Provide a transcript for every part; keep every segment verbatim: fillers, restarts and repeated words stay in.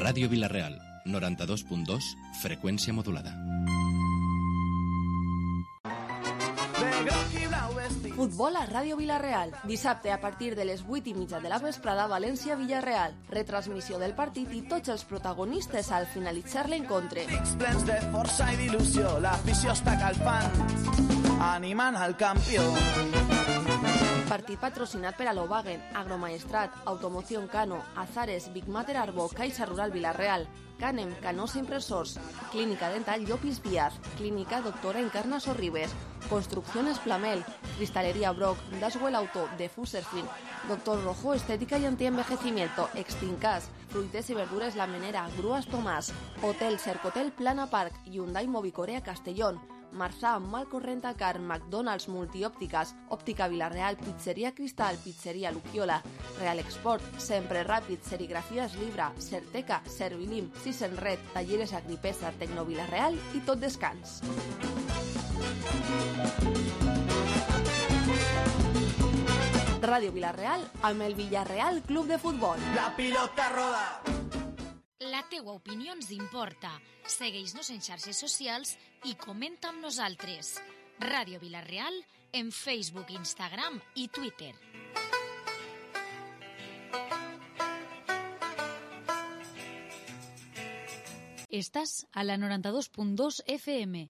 Ràdio Vila-real, noranta-dos punt dos, freqüència modulada. Futbol a Ràdio Vila-real. Dissabte a partir de les vuit i mitja de la vesprada, València-Villarreal. Retransmissió del partit i tots els protagonistes al finalitzar l'encontre. Pics plens de força i d'il·lusió, l'afició està calfant, animant al campió. Partit patrocinat per Alovagen, Agromaestrat, Automoción Cano, Azares, Big Mater Arbo, Caixa Rural Vila-real, Canem, Canosa Impresors, Clínica Dental Llopis Díaz, Clínica Doctora Encarna Sorribes, Construcciones Plamel, Cristalería Brock, Daswell Auto, de Fuserfin, Doctor Rojo Estética y Antienvejecimiento, Extincas, Fruites y Verduras La Menera, Grúas Tomás, Hotel Cercotel Plana Park, Hyundai Movicorea Castellón, Marzà, Malco Rentacar, McDonald's Multiòptiques, Òptica Vila-real, Pizzeria Cristal, Pizzeria Luquiola, Real Export, Sempre Ràpid, Serigrafies Libra, Certeca, Servilim, Sisen Red, Talleres Agripesa, Tecno Vila-real i Tot Descans. Ràdio Vila-real amb el Villarreal Club de Futbol. La pilota roda. La teua opinió ens importa. Segueix-nos en xarxes socials i comenta amb nosaltres. Ràdio Vila-real en Facebook, Instagram i Twitter. Estàs a la noranta-dos punt dos F M.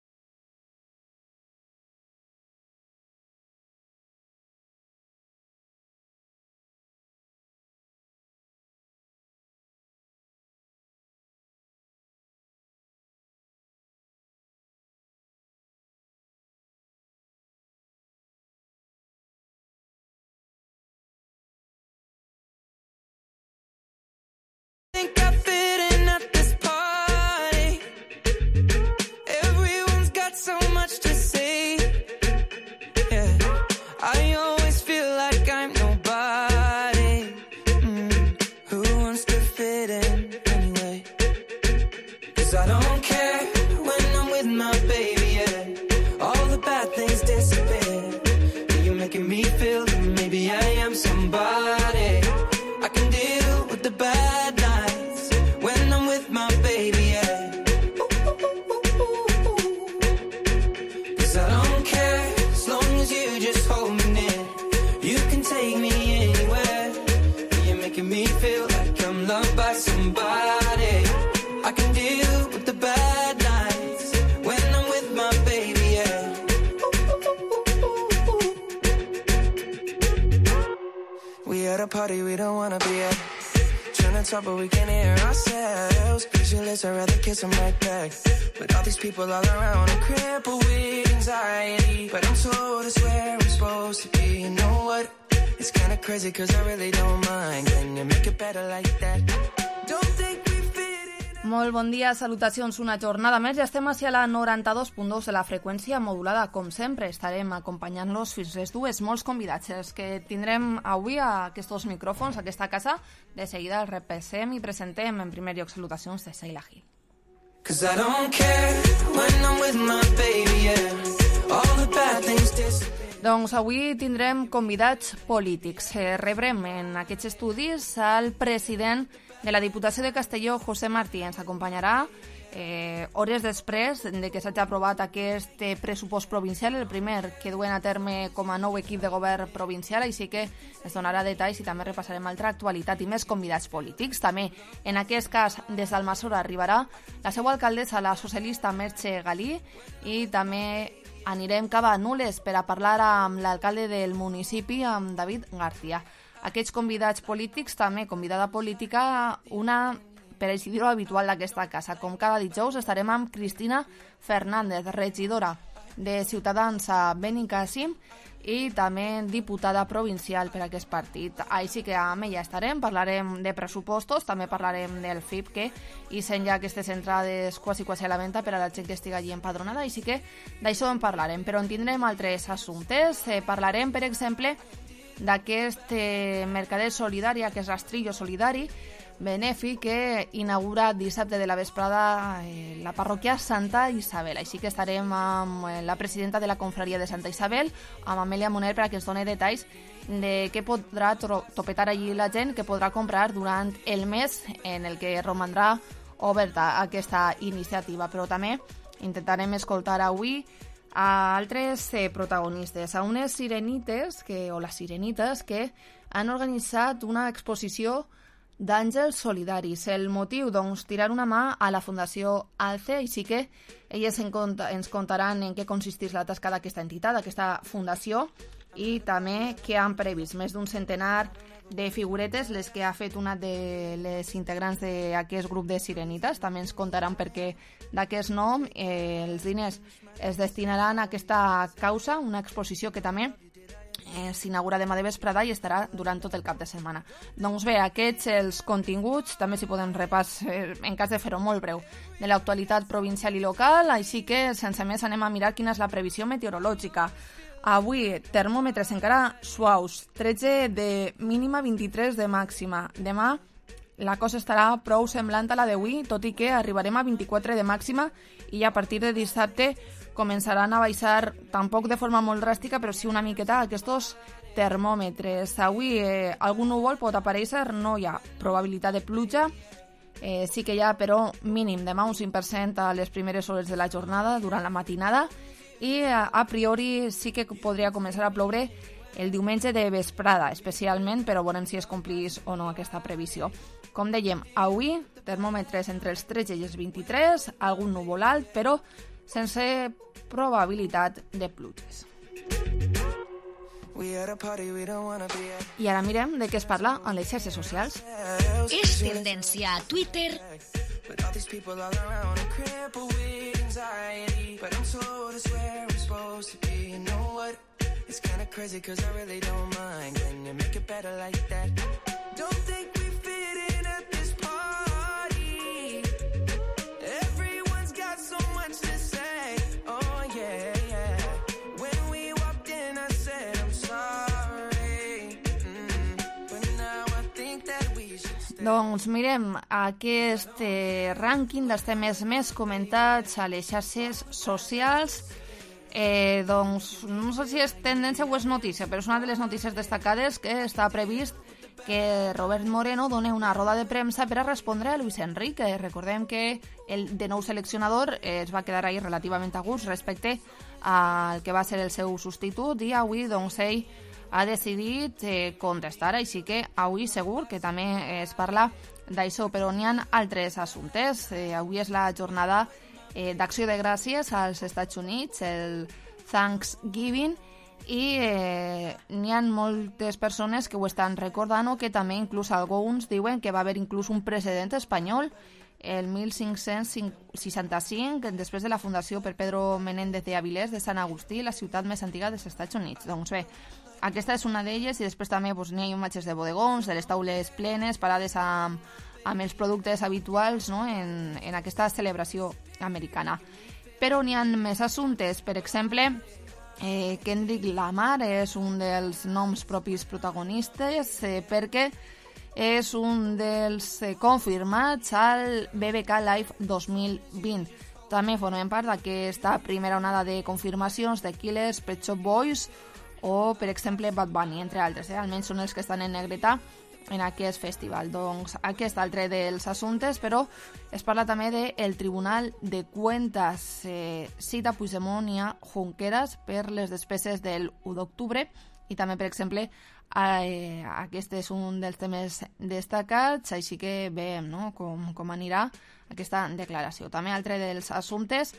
But we can hear ourselves. Pictureless, I'd rather kiss them right back. But all these people all around, I'm crippled with anxiety. But I'm told it's where I'm supposed to be. You know what? It's kinda crazy cause I really don't mind. Can you make it better like that? Don't think we fit in. Molt bon dia, salutacions una jornada més. Ja estem hacia la noranta-dos punt dos de la freqüència modulada. Com sempre, estarem acompanyant-los fins les dues. Molts convidats els que tindrem avui a aquests micròfons, a aquesta casa. De seguida els repassem i presentem en primer lloc salutacions de Sheila Gil. Doncs avui tindrem convidats polítics. Rebrem en aquests estudis al president de la Diputació de Castelló, José Martí. Ens acompanyarà eh, hores després de que s'hagi aprovat aquest pressupost provincial, el primer que duen a terme com a nou equip de govern provincial, així que es donarà detalls i també repassarem altra actualitat i més convidats polítics. També, en aquest cas, des d'Almassora arribarà la seva alcaldessa, la socialista Merche Galí, i també anirem cap a Nules per a parlar amb l'alcalde del municipi, amb David García. Aquests convidats polítics, també convidada política, una, per així dir-ho, habitual d'aquesta casa. Com cada dijous estarem amb Cristina Fernández, regidora de Ciutadans a Benicàssim i també diputada provincial per a aquest partit. Així que amb ella estarem, parlarem de pressupostos, també parlarem del F I P, que hicen ja aquestes entrades quasi quasi a la venda per a la gent que estigui allí empadronada, així que d'això en parlarem. Però en tindrem altres assumptes. Eh, parlarem, per exemple, d'aquest eh, mercader solidari, aquest rastrillo solidari, benèfic que inaugura dissabte de la vesprada eh, la parròquia Santa Isabel. Així que estarem amb la presidenta de la confraria de Santa Isabel, amb Amèlia Moner, perquè ens doni detalls de què podrà topetar allí la gent, que podrà comprar durant el mes en el que romandrà oberta aquesta iniciativa. Però també intentarem escoltar avui a altres eh, protagonistes, a unes sirenites, que, o les sirenites, que han organitzat una exposició d'àngels solidaris. El motiu, doncs, tirar una mà a la Fundació ALCE, així que elles en cont ens contaran en què consisteix la tasca d'aquesta entitat, d'aquesta fundació, i també què han previst. Més d'un centenar de figuretes, les que ha fet una de les integrants d'aquest grup de sirenites. També ens contaran per què d'aquest nom eh, els diners es destinaran a aquesta causa, una exposició que també Eh, s'inaugura demà de vesprada i estarà durant tot el cap de setmana. Doncs bé, aquests els continguts, també s'hi poden repàs, eh, en cas de fer-ho molt breu, de l'actualitat provincial i local, així que sense més anem a mirar quina és la previsió meteorològica. Avui, termòmetres encara suaus, tretze de mínima, vint-i-tres de màxima. Demà la cosa estarà prou semblant a la d'avui, tot i que arribarem a vint-i-quatre de màxima i a partir de dissabte començaran a baixar, tampoc de forma molt dràstica, però sí una miqueta, aquests termòmetres. Avui eh, algun núvol pot aparèixer, no hi ha probabilitat de pluja, eh, sí que hi ha, però mínim, demà un cinc per cent a les primeres hores de la jornada, durant la matinada, i a, a priori sí que podria començar a ploure el diumenge de vesprada, especialment, però veurem si es complís o no aquesta previsió. Com dèiem, avui, termòmetres entre els tretze i els vint-i-tres, algun núvol alt, però sense probabilitat de pluges. I ara mirem de què es parla en les xarxes socials. És tendència a Twitter. Doncs mirem aquest eh, rànquing dels temes més comentats a les xarxes socials. Eh, doncs no sé si és tendència o és notícia, però és una de les notícies destacades que està previst que Robert Moreno doni una roda de premsa per a respondre a Luis Enrique. Recordem que el de nou seleccionador eh, es va quedar ahí relativament a gust respecte al que va ser el seu substitut, i avui doncs ell ha decidit eh, contestar, així que avui segur que també es parla d'això, però n'hi ha altres assumptes. Eh, avui és la jornada eh, d'acció de gràcies als Estats Units, el Thanksgiving, i eh, n'hi ha moltes persones que ho estan recordant, o que també inclús alguns diuen que va haver inclús un precedent espanyol el mil cinc-cents seixanta-cinc, després de la fundació per Pedro Menéndez de Avilés de Sant Agustí, la ciutat més antiga dels Estats Units. Doncs bé, aquesta és una d'elles, i després també doncs, n'hi ha imatges de bodegons, de les taules plenes, parades amb, amb els productes habituals, no?, en, en aquesta celebració americana. Però n'hi ha més assumptes. Per exemple, eh, Kendrick Lamar és un dels noms propis protagonistes, eh, perquè és un dels eh, confirmats al B B K Live dos mil vint. També formen part d'aquesta primera onada de confirmacions de Killers, Pet Shop Boys o, per exemple, Bad Bunny, entre altres. Eh? Almenys són els que estan en negreta en aquest festival. Doncs aquest altre dels assumptes, però es parla també del Tribunal de Cuentas. Eh, cita Puigdemont i a Junqueras per les despeses del u d'octubre, i també, per exemple, eh, aquest és un dels temes destacats, així que veiem, no?, com, com anirà aquesta declaració. També altre dels assumptes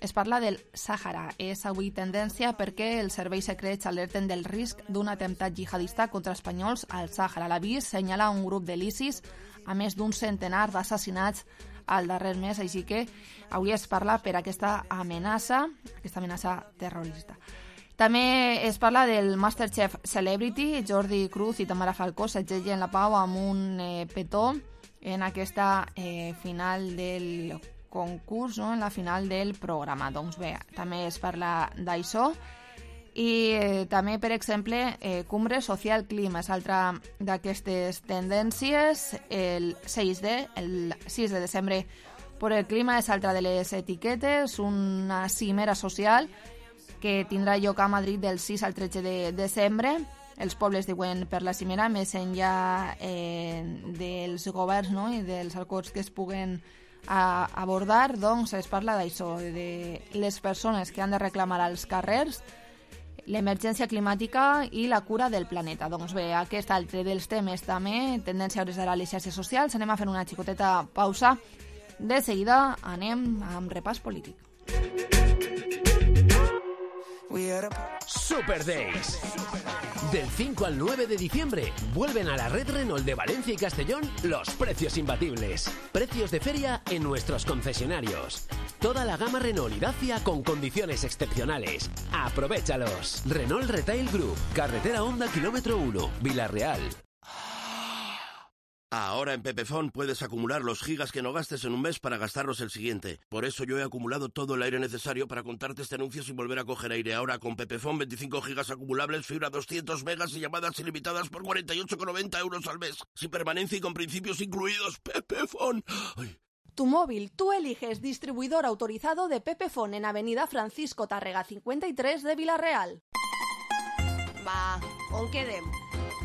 es parla del Sàhara. És avui tendència perquè els serveis secrets alerten del risc d'un atemptat jihadista contra espanyols al Sàhara. L'avís senyala un grup de l'ISIS a més d'un centenar d'assassinats al darrer mes, així que avui es parla per aquesta amenaça, aquesta amenaça terrorista. També es parla del Masterchef Celebrity. Jordi Cruz i Tamara Falcó s'aixellen la pau amb un eh, petó en aquesta eh, final del concurs, no?, en la final del programa. Doncs bé, també es parla d'això. I eh, també, per exemple, eh, Cumbre Social Clima és altra d'aquestes tendències. El sis de, el sis de desembre per el clima és altra de les etiquetes, una cimera social que tindrà lloc a Madrid del sis al tretze de desembre. Els pobles diuen per la cimera, més enllà eh, dels governs, no?, i dels acords que es puguen a abordar, doncs es parla d'això, de les persones que han de reclamar als carrers l'emergència climàtica i la cura del planeta. Doncs bé, aquest altre dels temes també, tendència a hores d'ara a les xarxes socials. Anem a fer una xicoteta pausa. De seguida anem amb repàs polític. Super Days. Del cinco al nueve de diciembre vuelven a la red Renault de Valencia y Castellón los precios imbatibles. Precios de feria en nuestros concesionarios. Toda la gama Renault y Dacia con condiciones excepcionales. ¡Aprovéchalos! Renault Retail Group, carretera Honda kilómetro uno, Villarreal. Ahora en Pepefon puedes acumular los gigas que no gastes en un mes para gastarlos el siguiente. Por eso yo he acumulado todo el aire necesario para contarte este anuncio sin volver a coger aire. Ahora con Pepefon veinticinco gigas acumulables, fibra doscientos megas y llamadas ilimitadas por cuarenta y ocho con noventa euros al mes. Sin permanencia y con principios incluidos. Pepefon. Ay. Tu móvil, tú eliges distribuidor autorizado de Pepefon en Avenida Francisco Tárrega cincuenta y tres de Villarreal. Va, on quedem?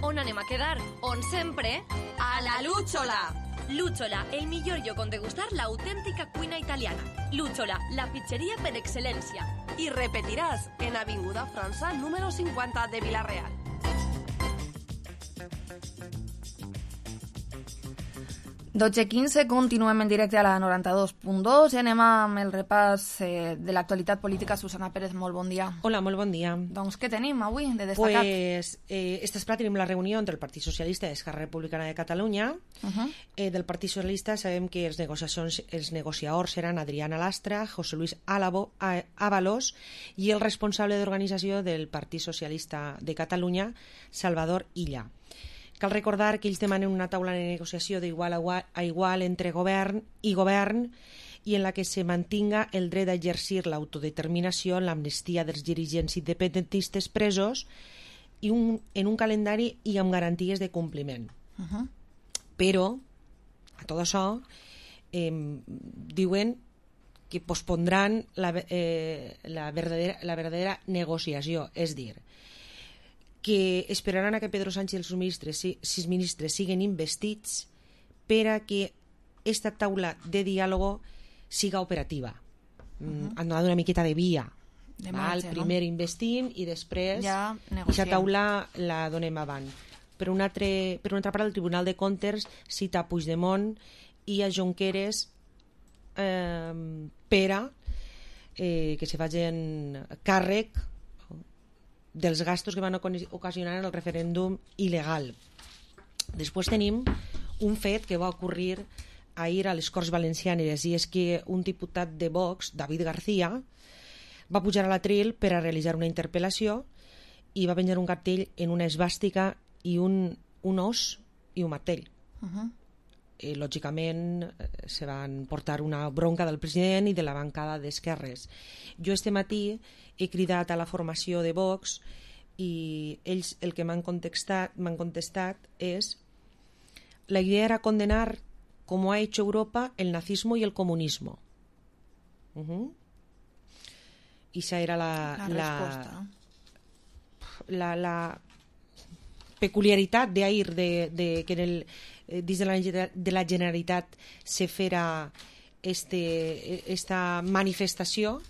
On anem a quedar? On sempre? A la Lúchola! Lúchola, el millor lloc on degustar l'autèntica cuina italiana. Lúchola, la pizzeria per excel·lència. I repetiràs en Avinguda França número cinquanta de Villarreal. dotze quinze, continuem en directe a la noranta-dos punt dos i anem amb el repàs eh, de l'actualitat política. Susana Pérez, molt bon dia. Hola, molt bon dia. Doncs què tenim avui de destacat? Pues, eh, esta esplà tenim la reunió entre el Partit Socialista i Esquerra Republicana de Catalunya. Uh-huh. eh, del Partit Socialista sabem que els, negociacions, els negociadors seran Adriana Lastra, José Luis Álavo, Ábalos i el responsable d'organització del Partit Socialista de Catalunya, Salvador Illa. Cal recordar que ells demanen una taula de negociació d'igual a igual entre govern i govern i en la que se mantinga el dret a exercir l'autodeterminació, l'amnistia dels dirigents independentistes presos i un, en un calendari i amb garanties de compliment. Uh-huh. Però, a tot això, eh, diuen que pospondran la, eh, la, verdadera, la verdadera negociació, és dir, que esperaran a que Pedro Sánchez i els ministres, sis ministres siguen investits per a que esta taula de diàleg siga operativa. Uh-huh. Han donat una miqueta de via. De marge, primer no? Investim i després ja aquesta taula la donem avant. Per una, altre, per una altra part, el Tribunal de Comptes cita a Puigdemont i a Junqueras eh, per a eh, que se facin càrrec dels gastos que van ocasionar el referèndum il·legal. Després tenim un fet que va ocorrir ahir a les Corts Valencianes i és que un diputat de Vox, David García, va pujar a l'atril per a realitzar una interpel·lació i va penjar un cartell en una esvàstica i un, un os i un martell. Uh-huh. I, lògicament se van portar una bronca del president i de la bancada d'esquerres. Jo este matí he cridat a la formació de Vox i ells el que m'han contestat, m'han contestat és la idea era condenar como ha hecho Europa el nazismo y el comunismo. Uh-huh. I esa era la la, la, la, la peculiaritat d'ahir de, de que en el dins de la, de la Generalitat se fera este, esta manifestació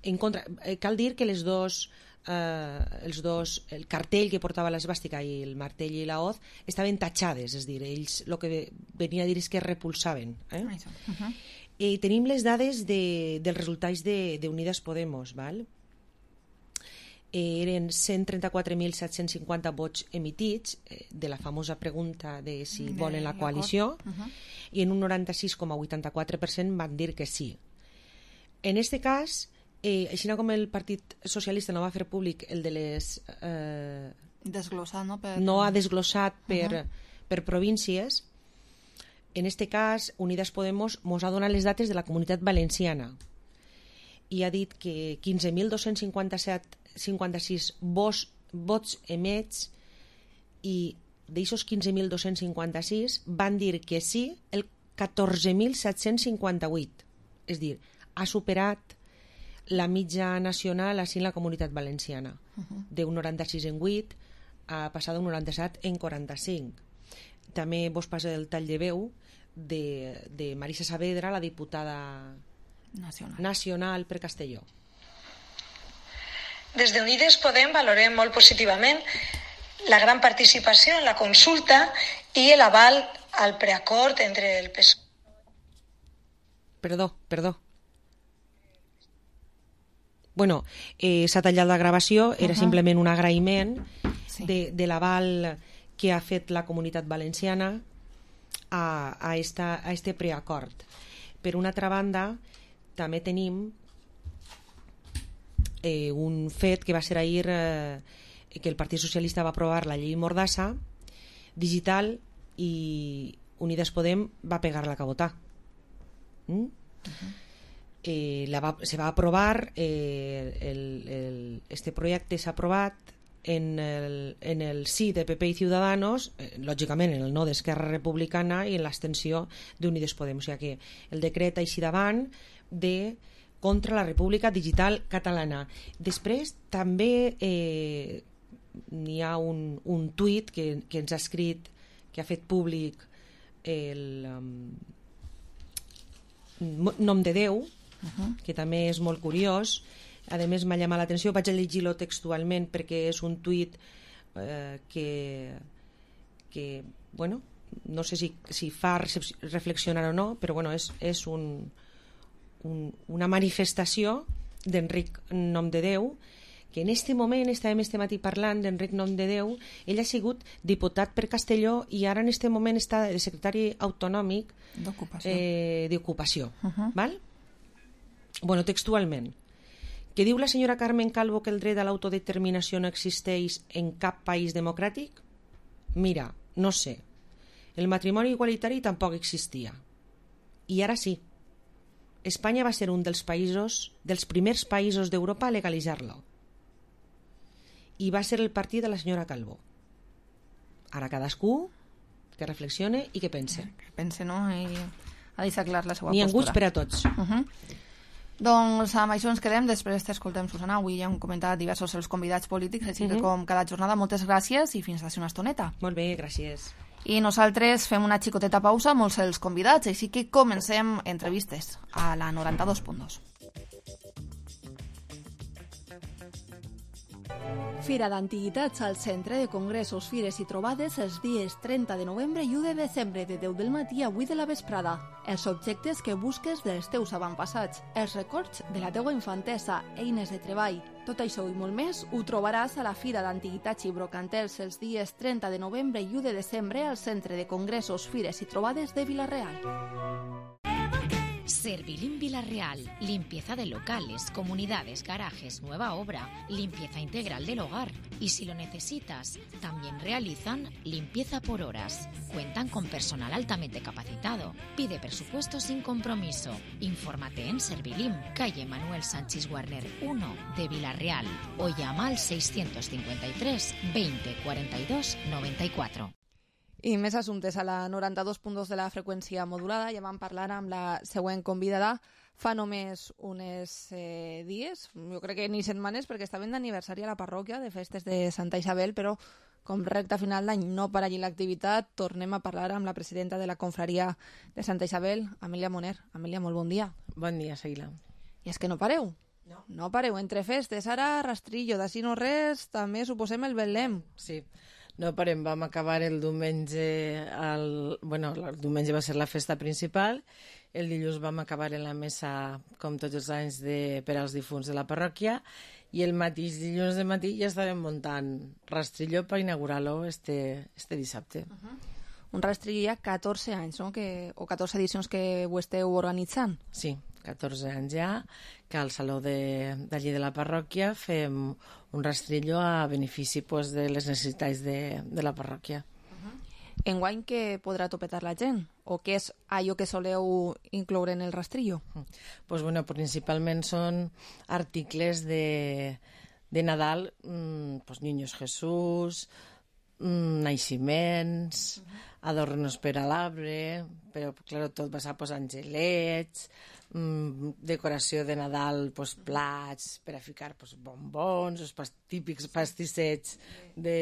en contra. Cal dir que les dos, eh, els dos, el cartell que portava l'esvàstica i el martell i la hoz estaven tatxades, és dir, ells el que venia a dir és que repulsaven. Eh? Uh-huh. I tenim les dades de, dels resultats d'Unides Podemos, val? Eren cent trenta-quatre mil set-cents cinquanta vots emitits eh, de la famosa pregunta de si de volen la coalició uh-huh. i en un noranta-sis coma vuitanta-quatre per cent van dir que sí. En este cas, eh, així com el Partit Socialista no va fer públic el de les... Eh, desglossat, no? Per... No ha desglossat per, uh-huh. per províncies. En este cas, Unides Podemos mos ha donat les dates de la Comunitat Valenciana i ha dit que quinze mil dos-cents cinquanta-set cinquanta-sis vots, vots emets i d'aixos quinze mil dos-cents cinquanta-sis van dir que sí el catorze mil set-cents cinquanta-vuit. És a dir, ha superat la mitja nacional així en la Comunitat Valenciana. Uh-huh. D'un noranta-sis en vuit a passar d'un noranta-set en quaranta-cinc. També vos passa el tall de veu de, de Marisa Saavedra, la diputada nacional, nacional per Castelló. Des d'Unides Podem valorem molt positivament la gran participació en la consulta i l'aval al preacord entre el P S O E. Perdó, perdó. Bueno, eh, s'ha tallat la gravació, era uh-huh. simplement un agraïment sí. de, de l'aval que ha fet la Comunitat Valenciana a, a, esta, a este preacord. Per una altra banda, també tenim eh, un fet que va ser ahir eh, que el Partit Socialista va aprovar la llei Mordassa digital i Unides Podem va pegar la cabotà. ¿Mm? Uh-huh. Eh, la va, se va aprovar eh, el, el, este projecte s'ha aprovat en el, en el sí de P P i Ciudadanos, eh, lògicament en el no d'Esquerra Republicana i en l'abstenció d'Unides Podem, o sigui que el decret així davant de contra la República Digital Catalana. Després també eh, n'hi ha un, un tuit que, que ens ha escrit, que ha fet públic el um, Nom de Déu, uh-huh. que també és molt curiós. A més m'ha llamat l'atenció, vaig a llegir-lo textualment perquè és un tuit eh, que, que bueno, no sé si, si fa reflexionar o no, però bueno, és, és un, un, una manifestació d'Enric Nom de Déu, que en aquest moment, estàvem este matí parlant d'Enric Nom de Déu, ell ha sigut diputat per Castelló i ara en aquest moment està de secretari autonòmic d'ocupació. Eh, d'ocupació, uh-huh. val? Bueno, textualment. Que diu la senyora Carmen Calvo que el dret a l'autodeterminació no existeix en cap país democràtic? Mira, no sé. El matrimoni igualitari tampoc existia. I ara sí. Espanya va ser un dels països, dels primers països d'Europa a legalitzar-lo. I va ser el partit de la senyora Calvo. Ara cadascú que reflexione i que pense. Que pense, no? I ha deixat clar la seva postura. N'hi ha gusts per a tots. Uh-huh. Doncs amb això ens quedem, després t'escoltem, Susana. Avui ja hem comentat diversos els convidats polítics, així uh-huh. que com cada jornada, moltes gràcies i fins d'ací una estoneta. Molt bé, gràcies. I nosaltres fem una xicoteta pausa, molts els convidats, així que comencem entrevistes a la noranta-dos punt dos. Fira d'Antiguitats al Centre de Congressos, Fires i Trobades els dies trenta de novembre i u de desembre de deu del matí a vuit de la vesprada. Els objectes que busques dels teus avantpassats, els records de la teua infantesa, eines de treball. Tot això i molt més ho trobaràs a la Fira d'Antiguitats i Brocantels els dies trenta de novembre i u de desembre al Centre de Congressos, Fires i Trobades de Vila-real. Servilín Vila-real, limpieza de locales, comunidades, garajes, nueva obra, limpieza integral del hogar. Y si lo necesitas, también realizan limpieza por horas. Cuentan con personal altamente capacitado. Pide presupuesto sin compromiso. Infórmate en Servilín, calle Manuel Sánchez Guarner uno de Vila-real o llama al seiscientos cincuenta y tres veinte cuarenta y dos noventa y cuatro. I més assumptes a la noranta-dos punt dos de la freqüència modulada. Ja vam parlar amb la següent convidada fa només uns eh, dies, jo crec que ni setmanes, perquè estaven d'aniversari a la parròquia de festes de Santa Isabel, però com recta final d'any no para allí l'activitat, tornem a parlar amb la presidenta de la confraria de Santa Isabel, Amèlia Moner. Amèlia, molt bon dia. Bon dia, Sheila. I és que no pareu. No. No pareu. Entre festes, ara rastrillo, d'ací no res, també suposem el Betlem. Sí. No parem, vam acabar el diumenge, el, bueno, el diumenge va ser la festa principal, el dilluns vam acabar en la messa, com tots els anys, de, per als difunts de la parròquia, i el mateix dilluns de matí ja estàvem muntant rastrillo per inaugurar-lo este, este dissabte. Uh-huh. Un rastrillo ja catorze anys, no? Que, o catorze edicions que ho esteu organitzant. Sí, catorze anys ja, que al saló de, d'allí de la parròquia fem un rastrillo a benefici pues, de les necessitats de, de la parròquia. Uh-huh. Enguany què podrà topetar la gent? O què és allò que soleu incloure en el rastrillo? Pues, bueno, principalment són articles de, de Nadal, mmm, pues Niños Jesús, mmm, naixements, adornos per a l'arbre, però, clar, tot basat pues, angelets, mmm, decoració de Nadal, pues, plats per a ficar pues, bombons, els pas, típics pastissets de,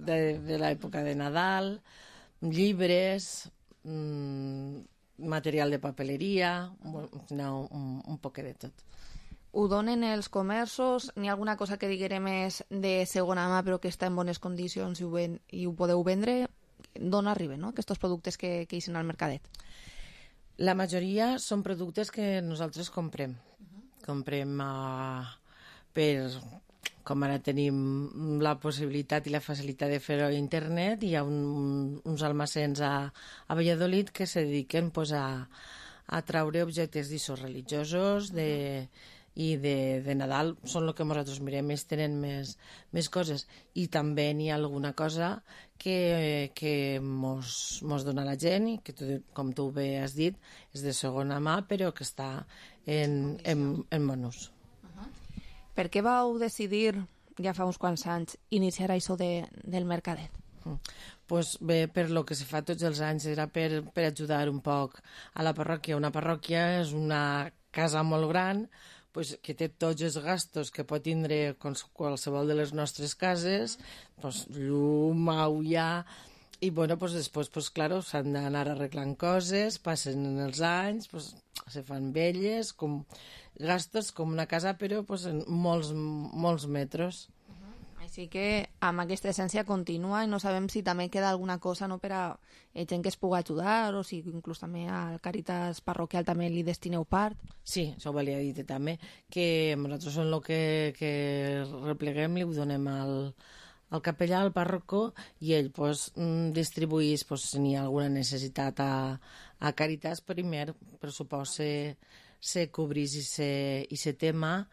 de, de l'època de Nadal, llibres, mmm, material de papeleria, no, un, un poc de tot. Ho donen els comerços? N'hi ha alguna cosa que diguere més de segona mà però que està en bones condicions i ho, ven, i ho podeu vendre? D'on arriben, no?, aquests productes que, que eixen al mercadet? La majoria són productes que nosaltres comprem. Uh-huh. Comprem uh, per... Com ara tenim la possibilitat i la facilitat de fer-ho a internet, hi ha un, un, uns almacens a, a Valladolid que se dediquen pues, a, a traure objectes d'usos religiosos de, i de, de Nadal. Són el que nosaltres mirem, ells tenen més, més coses. I també n'hi ha alguna cosa que, que mos, mos dona la gent i que, tu, com tu bé has dit, és de segona mà, però que està en, en, en bon ús. Per què vau decidir, ja fa uns quants anys, iniciar això de, del mercadet? Mm. Pues bé, per lo que se fa tots els anys, era per, per ajudar un poc a la parròquia. Una parròquia és una casa molt gran, pues, que té tots els gastos que pot tindre qualsevol de les nostres cases, pues, llum, aigua... I bueno, pues, després, pues, claro, s'han d'anar arreglant coses, passen els anys, pues, se fan velles, com gastos com una casa, però pues, en molts, molts metres. Uh-huh. Així que amb aquesta essència continua i no sabem si també queda alguna cosa, no, per a gent que es pugui ajudar o si inclús també al Càritas parroquial també li destineu part. Sí, això ho volia dir també, que nosaltres en el que, que repleguem li ho donem al... al capellà, al pàrroco, i ell pues, distribuís pues, si n'hi ha alguna necessitat a, a Càritas, primer pressupost se, se cobrís i se, i se tema,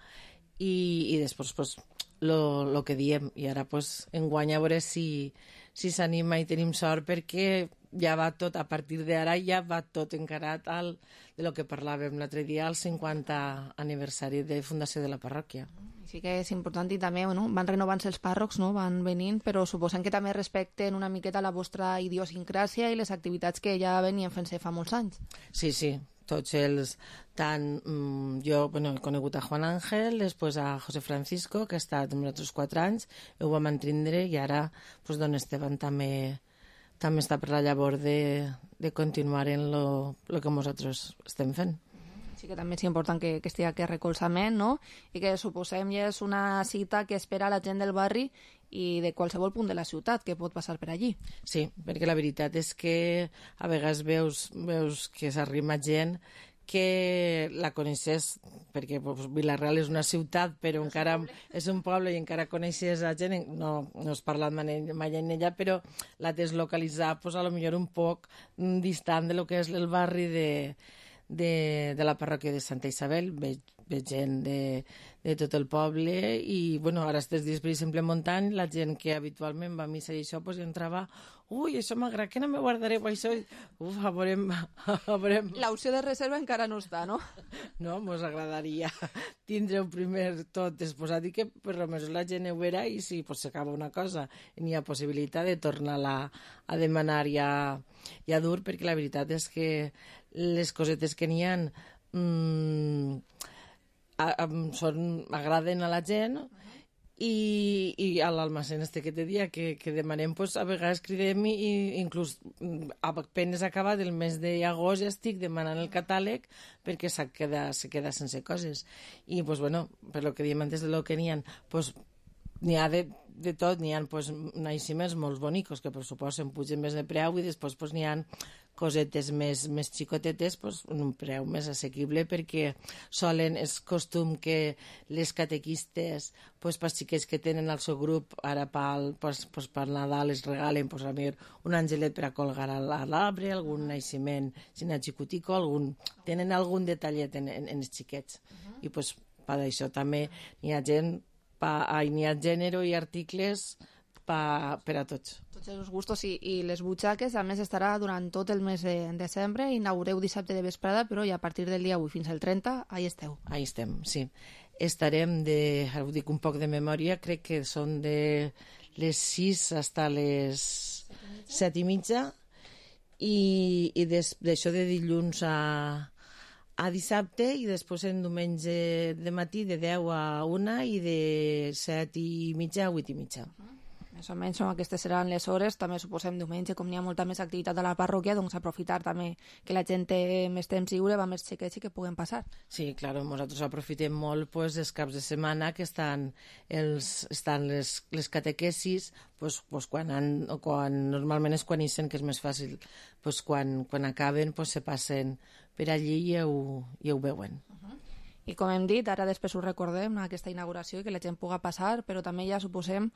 i, i després pues, lo, lo que diem. I ara pues, enguany a veure si, si s'anima i tenim sort, perquè ja va tot, a partir d'ara ja va tot encarat al, de lo que parlàvem l'altre dia, al cinquanta aniversari de fundació de la parròquia. Sí que és important i també bueno, van renovant-se els pàrrocs, no? Van venint, però suposem que també respecten una miqueta la vostra idiosincràsia i les activitats que ja venien fent-se fa molts anys. Sí, sí, tots els... Tant, mm, jo bueno, he conegut a Juan Ángel, després a José Francisco, que ha estat amb nosaltres quatre anys, ho vam entendre, i ara pues, don Esteban també, també està per la llavor de, de continuar en lo, lo que nosaltres estem fent. Sí que també és important que, que estigui aquest recolzament, no? I que suposem ja és una cita que espera la gent del barri i de qualsevol punt de la ciutat que pot passar per allí. Sí, perquè la veritat és que a vegades veus, veus que s'arrima gent que la coneixes, perquè pues, Vila-real és una ciutat, però encara és un poble i encara coneixes a gent, no, no has parlat mai en ella, però la tens localitzat pues, a lo millor un poc distant de lo que és el barri de... De, de la parròquia de Santa Isabel, veig, veig gent de, de tot el poble i bueno, ara estes dies, per exemple, en Montant, la gent que habitualment va a missa i això, pues, entrava, ui, això m'agrada, que no me guardareu això? Uf, a veurem... A veurem... L'opció de reserva encara no està, no? No, mos agradaria tindre-ho primer tot exposat i que per almenys la gent ho veurà i si pues, s'acaba una cosa i n'hi ha possibilitat de tornar-la a demanar ja, ja dur, perquè la veritat és que les cosetes que n'hi ha mmm, a, a, són, agraden a la gent i, i a l'almacén este que te dia que, que demanem, pues, a vegades cridem i, i inclús apenes acabat el mes d'agost ja estic demanant el catàleg perquè se queda, se queda sense coses i pues, bueno, per lo que diem antes de lo que n'hi ha pues, n'hi ha de, de tot, n'hi ha pues, naixements molt bonicos que per suposo em pugen més de preu i després pues, n'hi ha cosetes més, més xicotetes pues, en un preu més assequible perquè solen, és costum que les catequistes pues, per xiquets que tenen el seu grup ara pel, pues, pues, per Nadal es regalen pues, a mi un angelet per a colgar a l'arbre, algun naixement si n'hi ha xicutico, algun, tenen algun detallet en, en, en els xiquets uh-huh. I pues, per això també n'hi ha gent pa, n'hi ha gènere i articles pa, per a tots. Tots els gustos i, i les butxaques, a més estarà durant tot el mes de desembre, inaugureu dissabte de vesprada, però ja a partir del dia avui fins al trenta, ahí esteu. Ahí estem, sí. estarem de, ara ho dic un poc de memòria, crec que són de les sis fins a les set i mitja, i, i des, d'això de dilluns a, a dissabte, i després en diumenge de matí de deu a una i de set i mitja a vuit i mitja. Més o menys aquestes seran les hores. També suposem diumenge, com n'hi ha molta més activitat a la parròquia, doncs aprofitar també que la gent té més temps lliure, va més xiquets i que puguen passar. Sí, clar, nosaltres aprofitem molt pues, els caps de setmana que estan, els, estan les, les catequesis, pues, pues, quan, han, o quan normalment és quan ixen, que és més fàcil, pues, quan, quan acaben pues, se passen per allí i ho, i ho veuen. Uh-huh. I com hem dit, ara després ho recordem, aquesta inauguració, i que la gent puga passar, però també ja suposem,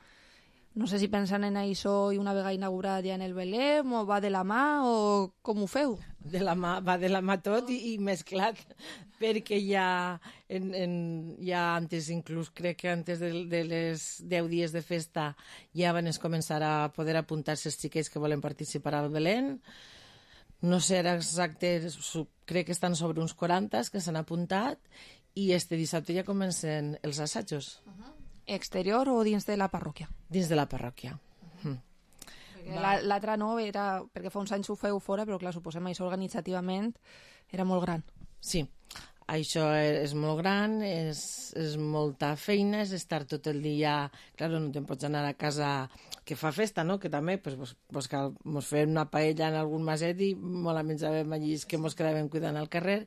no sé si pensen en això i una vegada inaugurat ja en el Belém, o va de la mà, o com ho feu? De la mà, va de la mà tot i, i mesclat, perquè ja, en, en, ja antes, inclús crec que antes de, de les deu dies de festa ja van es començar a poder apuntar-se els xiquets que volen participar al Belém. No sé ara exacte, crec que estan sobre uns quaranta que s'han apuntat, i este dissabte ja comencen els assajos. Uh-huh. Exterior o dins de la parròquia? Dins de la parròquia. Uh-huh. mm. L'altre no era, perquè fa uns anys ho feu fora, però clar, suposem això organitzativament era molt gran. Sí, això és molt gran, és, és molta feina, és estar tot el dia... Clar, no te'n pots anar a casa que fa festa, no? Que també, pues, pues, pues cal, mos fem una paella en algun maset i molt a menjàvem allí que mos quedàvem cuidant al carrer.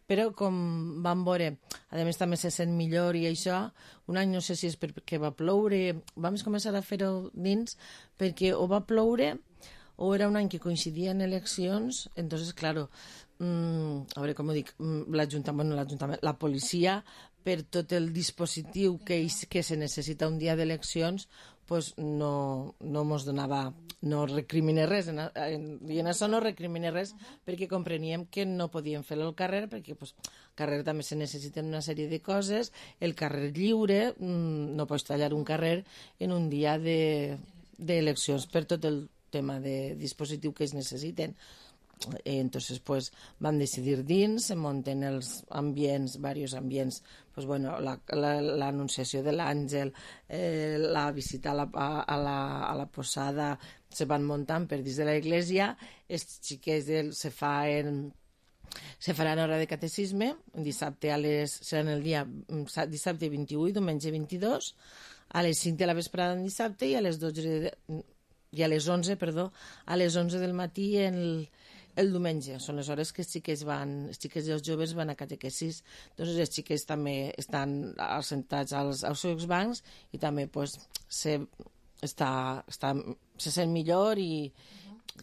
Però com vam veure, a més també se sent millor i això, un any no sé si és perquè va ploure, vam començar a fer-ho dins perquè o va ploure o era un any que coincidia en eleccions, entonces, claro, mmm, a veure com ho dic, l'Ajuntament, bueno, l'Ajuntament, la policia, per tot el dispositiu que, que se necessita un dia d'eleccions, pues no, no mos donava, no recrimine res, en, en, i en això no recrimine res, perquè compreníem que no podíem fer-lo al carrer, perquè pues, al carrer també se necessiten una sèrie de coses, el carrer lliure, mmm, no pots tallar un carrer en un dia d'eleccions, de, per tot el tema de dispositiu que es necessiten. Entonces, pues, vam decidir dins, se munten els ambients, diversos ambients, pues, bueno, l'anunciació la, la, de l'àngel, eh, la visita a la, a, la, a la posada, se van muntant per dins de l'església, els xiquets del, se fan... Se farà hora de catecisme, dissabte a les, seran el dia dissabte vint-i-u i diumenge vint-i-dos, a les cinc de la vesprada en dissabte i a les dotze de, i a les onze, perdó, a les onze del matí el, el diumenge. Són les hores que els xiquets van, els xiquets i els joves van a catequesis. Doncs els xiquets també estan assentats als, als seus bancs i també pues, se, està, està, se sent millor i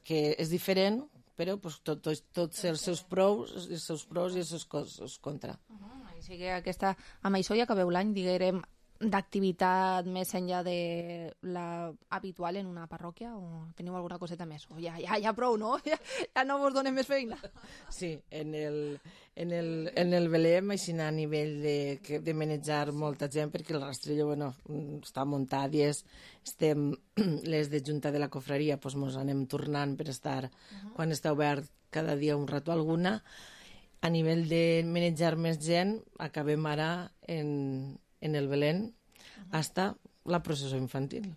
que és diferent, però pues, tots tot, tot els seus pros, els seus pros i els seus, els seus contra. Uh-huh. Així que aquesta, amb això ja acabeu l'any, diguem, d'activitat més enllà de la habitual en una parròquia, o teniu alguna coseta més? O ja, ja, ja prou, no? Ja, ja no vos donem més feina. Sí, en el, en el, en el Belém, així a nivell de, de manejar molta gent, perquè el rastrillo, bueno, està muntat i és, estem, les de junta de la cofreria, doncs mos anem tornant per estar, uh-huh. quan està obert cada dia un rato alguna. A nivell de manejar més gent, acabem ara en en el Belén, hasta la processó infantil.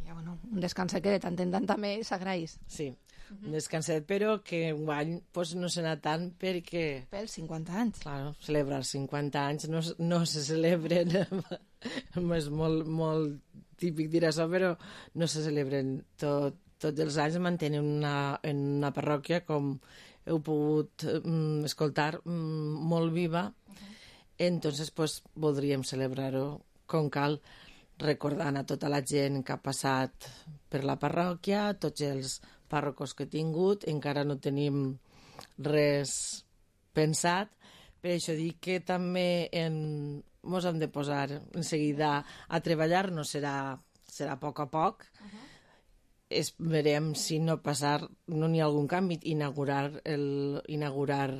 Ja, bueno, un descanset que de tant en tant també s'agraeix. Sí, un descanset, però que un any pues, no se n'ha tant perquè... Pels cinquanta anys. Claro, celebrar els cinquanta anys no, no se celebren, és molt, molt típic dir això, però no se celebren tot, tots els anys, mantenen una, en una parròquia, com heu pogut mm, escoltar, mm, molt viva. Entonces, pues, voldríem celebrar-ho com cal, recordant a tota la gent que ha passat per la parròquia, tots els pàrrocos que he tingut, encara no tenim res pensat, per això dic que també en, mos hem de posar en seguida a treballar, no serà, serà a poc a poc, uh-huh. Esperem si no passar, no n'hi ha algun canvi, inaugurar el, inaugurar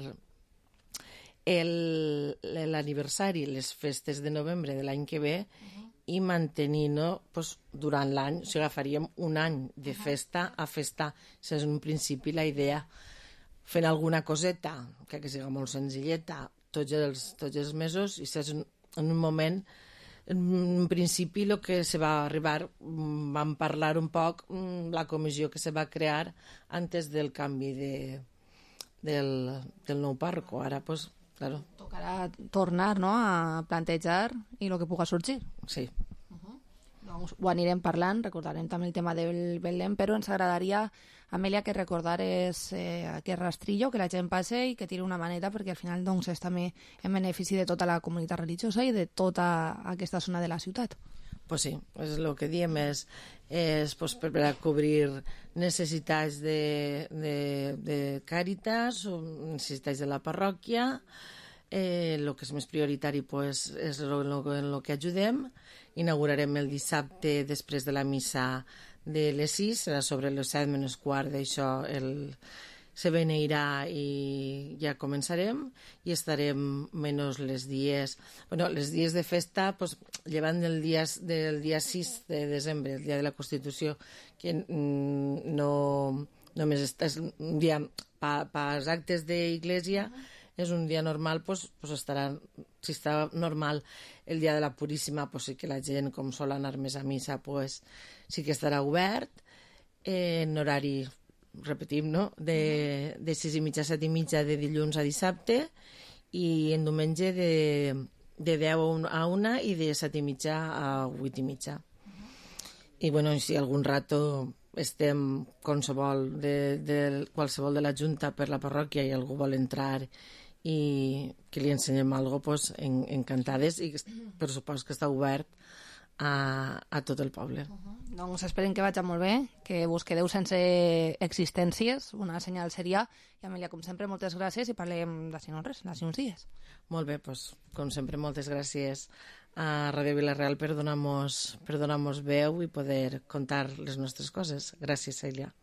l'aniversari, les festes de novembre de l'any que ve, uh-huh. i mantenir-ho pues, durant l'any. O sigui, agafaríem un any de festa a festa. Això és en principi la idea. Fent alguna coseta, que, que sigui molt senzilleta, tots els, tots els mesos, i això és en un moment, en principi el que se va arribar, vam parlar un poc la comissió que se va crear antes del canvi de, del, del nou pàrroco. Ara, pues, claro. Tocarà tornar, no?, a plantejar i el que puga sorgir. Sí. Uh-huh. Doncs ho anirem parlant, recordarem també el tema del Belém, però ens agradaria, Amèlia, que recordares eh, aquest rastrillo, que la gent passe i que tiri una maneta, perquè al final doncs, és també en benefici de tota la comunitat religiosa i de tota aquesta zona de la ciutat. Pues sí, és el que diem, és, és pues, per a cobrir necessitats de, de, de Càritas, necessitats de la parròquia, eh, el que és més prioritari pues, és en el que ajudem. Inaugurarem el dissabte després de la missa de les sis, serà sobre les set menys quart, d'això el... se beneirà i ja començarem i estarem menys les dies, bueno, les dies de festa, pues, llevant del dia, del dia sis de desembre, el dia de la Constitució, que mm, no només és un dia per pa, als actes d'Iglésia, és un dia normal, pues, pues estarà, si està normal el dia de la Puríssima, pues sí que la gent, com sol anar més a missa, pues sí que estarà obert, eh, en horari, repetim, no?, de, de sis i mitja a set i mitja de dilluns a dissabte i en diumenge de, de deu a una i de set i mitja a vuit i mitja. I, bueno, si algun rato estem qualsevol de, de, qualsevol de la Junta per la parròquia i algú vol entrar i que li ensenyem alguna cosa, pues, en, encantades, i per supost que està obert a, a tot el poble. Uh-huh. Doncs esperem que vagi molt bé, que vos quedeu sense existències, una senyal seria. I Amèlia, com sempre, moltes gràcies i parlem d'ací no res, d'ací uns dies. Molt bé, doncs, com sempre, moltes gràcies a Ràdio Vila-real per donar-nos per donar-nos veu i poder contar les nostres coses. Gràcies, Cèlia.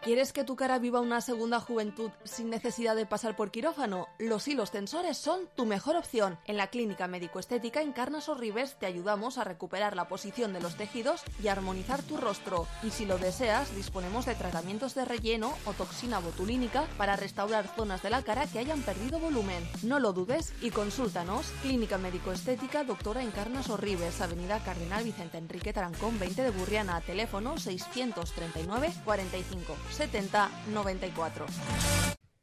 ¿Quieres que tu cara viva una segunda juventud sin necesidad de pasar por quirófano? Los hilos tensores son tu mejor opción. En la Clínica Médico-Estética Encarnas Sorribes te ayudamos a recuperar la posición de los tejidos y armonizar tu rostro. Y si lo deseas, disponemos de tratamientos de relleno o toxina botulínica para restaurar zonas de la cara que hayan perdido volumen. No lo dudes y consúltanos. Clínica Médico-Estética Doctora Encarnas Sorribes, Avenida Cardenal Vicente Enrique Tarancón veinte de Burriana, teléfono seiscientos treinta y nueve cuarenta y cinco setenta noventa y cuatro.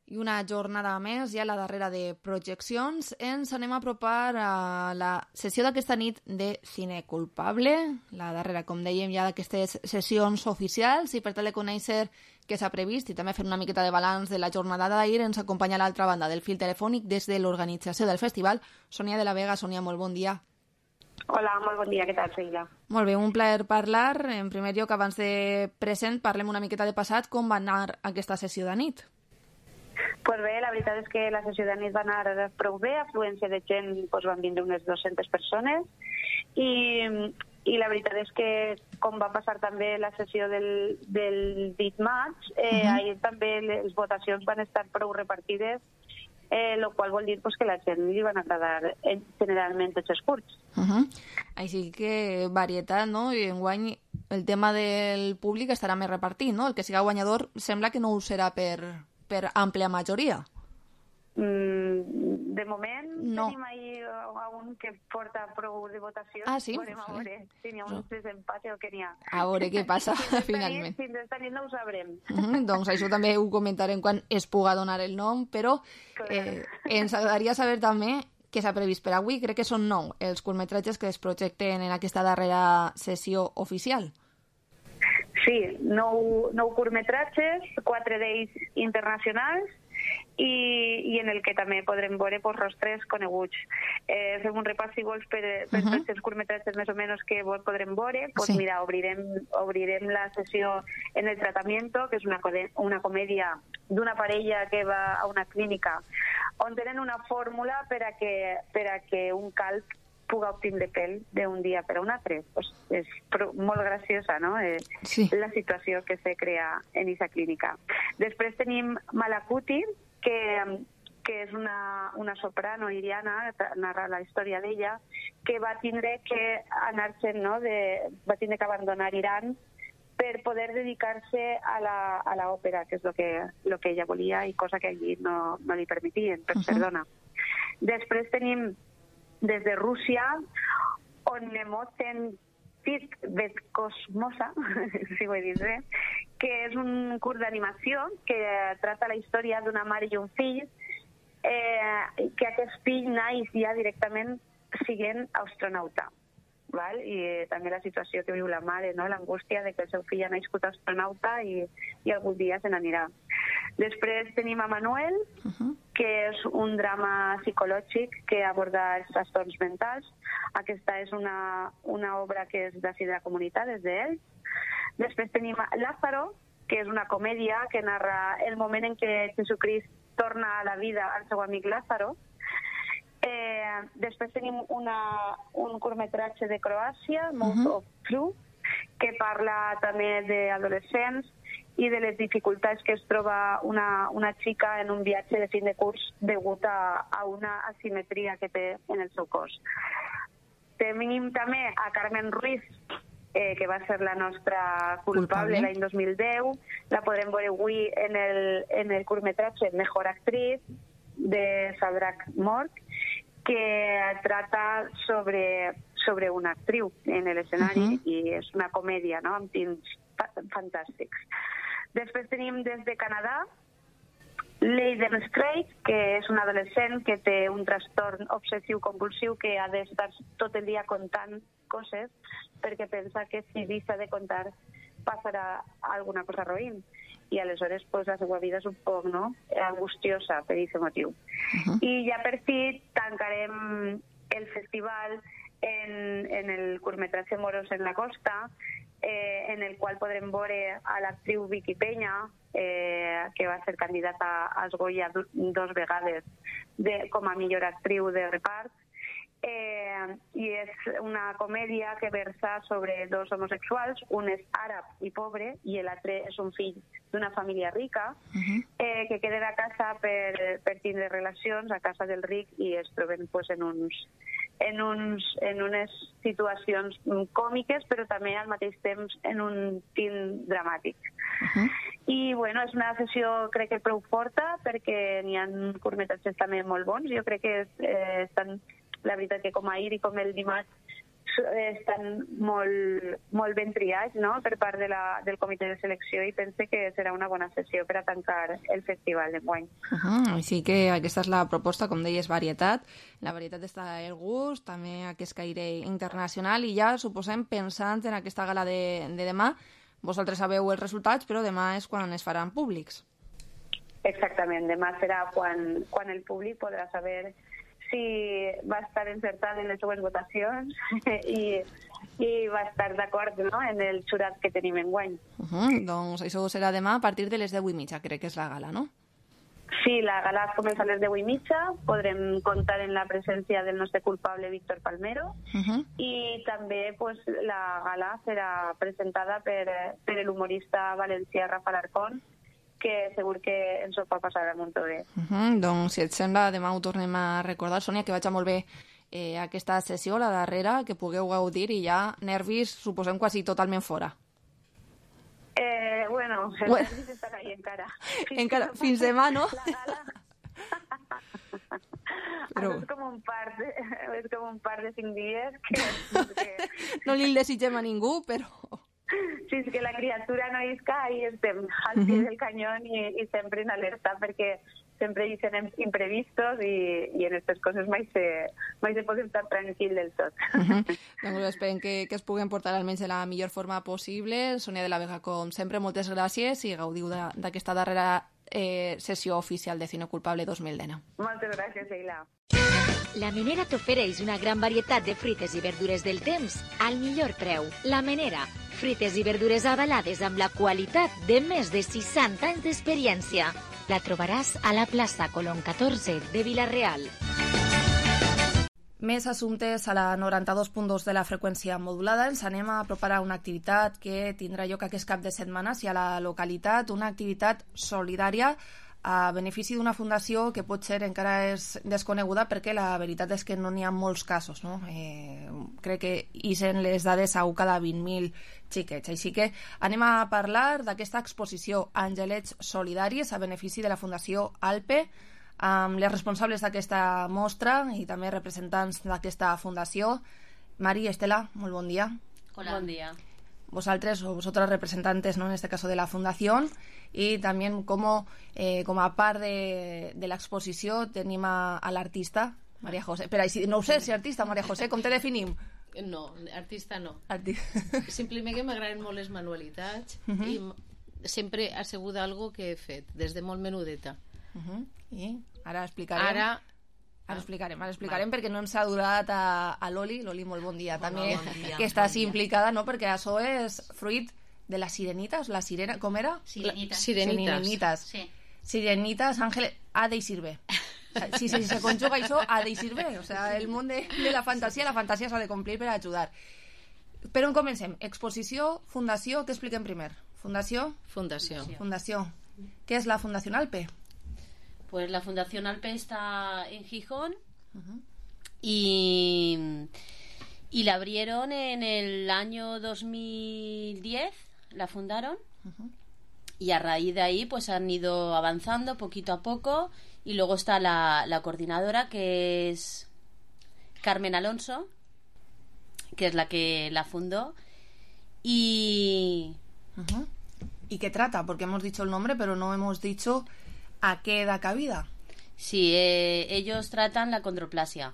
I una jornada més, ja la darrera de projeccions, ens anem a apropar a la sessió d'aquesta nit de Cine Culpable, la darrera, com dèiem, ja d'aquestes sessions oficials, i per tal de conèixer què s'ha previst i també fer una miqueta de balanç de la jornada d'ahir, ens acompanya a l'altra banda del fil telefònic des de l'organització del festival, Sònia de la Vega. Sònia, molt bon dia. Hola, molt bon dia, què tal, Sheila? Molt bé, un plaer parlar. En primer lloc, abans de present, parlem una miqueta de passat. Com va anar aquesta sessió de nit? Pues bé, la veritat és que la sessió de nit va anar prou bé, afluència de gent, doncs van vindre unes dues-centes persones, i, i la veritat és que, com va passar també la sessió del, del dit maig, eh, uh-huh. ahir també les votacions van estar prou repartides, eh, lo qual vol dir pues, que la gent li van agradar eh, generalment tots els curts. Uh-huh. Així que varietat, no? I enguany el tema del públic estarà més repartit, no? El que siga guanyador sembla que no ho serà per, per àmplia majoria. Mm, de moment no. Tenim ahir un que porta prou de votació. Ah, sí? Veurem, a veure si n'hi ha un desempate o què n'hi ha. A veure què passa, finalment. Fins esta nit no ho sabrem. Mm, doncs això també ho comentarem quan es puga donar el nom, però eh, ens agradaria saber també què s'ha previst per avui. Crec que són nou els curtmetratges que es projecten en aquesta darrera sessió oficial. Sí, nou, nou curtmetratges, quatre d'ells internacionals, i, i en el que també podrem veure pues, rostres coneguts. Eh, fem un repàs, si vols, per, per uh-huh. tots els curtmetratges més o menys que podrem veure. Pues, sí. Mira, obrirem, obrirem la sessió en el tratamiento, que és una, una comèdia d'una parella que va a una clínica on tenen una fórmula per a que, per a que un calb puga obtindre pèl d'un dia per a un altre. Pues és molt graciosa, no? Eh, sí. La situació que se crea en aquesta clínica. Després tenim Malakuti, que, que és una, una soprano iriana, narra la història d'ella, que va tindre que anar-se'n, no? de, va tindre que abandonar Iran per poder dedicar-se a la, a la òpera, que és el que, lo que ella volia i cosa que allí no, no li permetien, per uh-huh. ser dona. Després tenim des de Rússia, Onnemoten Vetkosmosa, si ho he dit bé, que és un curt d'animació que tracta la història d'una mare i un fill, eh, que aquest fill naix ja directament siguent astronauta. Val? I també la situació que viu la mare, no? L'angústia de que el seu fill ha nascut astronauta i, i algun dia se n'anirà. Després tenim a Manuel, uh-huh. que és un drama psicològic que aborda els trastorns mentals. Aquesta és una, una obra que és d'ací de la comunitat, és d'ell. Després tenim a Lázaro, que és una comèdia que narra el moment en què Jesucrist torna a la vida al seu amic Lázaro. Eh, després tenim una, un curtmetratge de Croàcia, Mouth uh-huh. of Flu, que parla també d'adolescents i de les dificultats que es troba una, una xica en un viatge de fin de curs degut a, a una asimetria que té en el seu cos. Tenim també a Carmen Ruiz, eh, que va ser la nostra culpable, culpable. l'any dos mil deu. La podrem veure avui en el, en el curtmetratge Mejor Actriz de Sadrak Morg, que trata sobre, sobre una actriu en l'escenari uh-huh. i és una comèdia, no?, amb tints fantàstics. Després tenim des de Canadà Leiden Strait, que és un adolescent que té un trastorn obsessiu-compulsiu que ha d'estar tot el dia contant coses perquè pensa que si deixa de contar passarà alguna cosa roïn. I aleshores pues, la seva vida és un poc no? angustiosa per aquest motiu. Uh-huh. I ja per fi tancarem el festival en, en el curtmetratge Moros en la costa, eh, en el qual podrem veure a l'actriu Vicky Peña, eh, que va ser candidata als Goya dos vegades de, com a millor actriu de repart. Eh, i és una comèdia que versa sobre dos homosexuals, un és àrab i pobre i l'altre és un fill d'una família rica, uh-huh. eh, que queden a casa per, per tindre relacions a casa del ric i es troben pues, en, uns, en, uns, en unes situacions còmiques però també al mateix temps en un tint dramàtic. Uh-huh. I bueno, és una sessió crec que prou forta perquè n'hi ha curtmetratges també molt bons. Jo crec que és, eh, estan la veritat que com ahir i com el dimarts estan molt, molt ben triats, no?, per part de la, del comitè de selecció i pense que serà una bona sessió per a tancar el festival d'enguany. Uh-huh. Així que aquesta és la proposta, com deies, varietat. La varietat està el gust, també aquest caire internacional i ja, suposem, pensant en aquesta gala de, de demà, vosaltres sabeu els resultats, però demà és quan es faran públics. Exactament, demà serà quan, quan el públic podrà saber si va estar encertat en les seues votacions i, i va estar d'acord, no?, en el jurat que tenim enguany. Uh-huh. Doncs això serà demà a partir de les deu i mitja, crec que és la gala, no? Sí, la gala comença a les deu i mitja, podrem comptar en la presència del nostre culpable Víctor Palmero uh-huh. i també pues, la gala serà presentada per, per l'humorista valencià Rafa Alarcón, que segur que ens ho pot passar molt bé. Uh-huh. Doncs, si et sembla, demà ho tornem a recordar. Sònia, que vagi molt bé eh, aquesta sessió, la darrera, que pugueu gaudir i ja nervis, suposem, quasi totalment fora. Eh, bueno, els bueno. nervis estan ahí encara. Fins encara, fins demà, no? La gala... Però... és com un par de, és com un par de cinc dies que... que... no li desitgem a ningú, però... Sí, és que la criatura no isca i estem al pie del canyón i, i sempre en alerta perquè sempre hi serem imprevistos i, i en aquestes coses mai se, mai se pot estar tranquil del tot. Uh-huh. Doncs esperem que, que es puguin portar almenys de la millor forma possible. Sònia de la Vega, com sempre, moltes gràcies i gaudiu d'aquesta darrera eh, sessió oficial de Cine Culpable dos mil dinou. Moltes gràcies, Eila. La Menera t'ofereix una gran varietat de fruites i verdures del temps al millor preu. La Menera, fruites i verdures avalades amb la qualitat de més de seixanta anys d'experiència. La trobaràs a la plaça Colón catorze de Vila-real. Més assumptes a la noranta-dos punt dos de la freqüència modulada. Ens anem a apropar a una activitat que tindrà lloc aquest cap de setmana i a la localitat, una activitat solidària a benefici d'una fundació que potser encara és desconeguda perquè la veritat és que no n'hi ha molts casos, no? Eh, crec que ixen les dades a un cada vint mil xiquets. Així que anem a parlar d'aquesta exposició Angelets Solidaris a benefici de la Fundació Alpe amb les responsables d'aquesta mostra i també representants d'aquesta fundació. Mari, Estela, molt bon dia. Hola. Bon dia. Vosotros o vosotras representantes, ¿no?, en este caso de la fundación, y también como, eh, como a par de, de la exposición tenim a, a l'artista Maria José. Però no ho sé si artista, Maria José, com te definim? No, artista no. Arti... Simplement que m'agraden molt les manualitats uh -huh. i sempre ha sigut algo que he fet des de molt menudeta. Uh -huh. I ara explicarem. Ara Ara explicarem, ara explicarem perquè no ens ha durat a, a l'Oli. L'Oli, molt bon dia, Hola, també, bon dia, que està bon així dia. implicada, no?, perquè això és fruit de la sirenita, la sirena, com era? Sirenitas. Sirenitas. Sirenitas. Sí. Sirenitas, Ángel, ha d'eixir bé. Si, si se conjuga això, ha d'eixir bé. O sea, el món de, de la fantasia, la fantasia s'ha de complir per ajudar. Per on comencem? Exposició, fundació, què expliquem primer? Fundació? Fundació. Fundació. Què és la Fundación Alpe? Pues la Fundación Alpe está en Gijón. Uh-huh. y, y la abrieron en el año dos mil diez, la fundaron. Uh-huh. Y a raíz de ahí pues han ido avanzando poquito a poco, y luego está la, la coordinadora, que es Carmen Alonso, que es la que la fundó. Y uh-huh. ¿Y qué trata? Porque hemos dicho el nombre, pero no hemos dicho a qué da cabida. Sí, eh, ellos tratan la condroplasia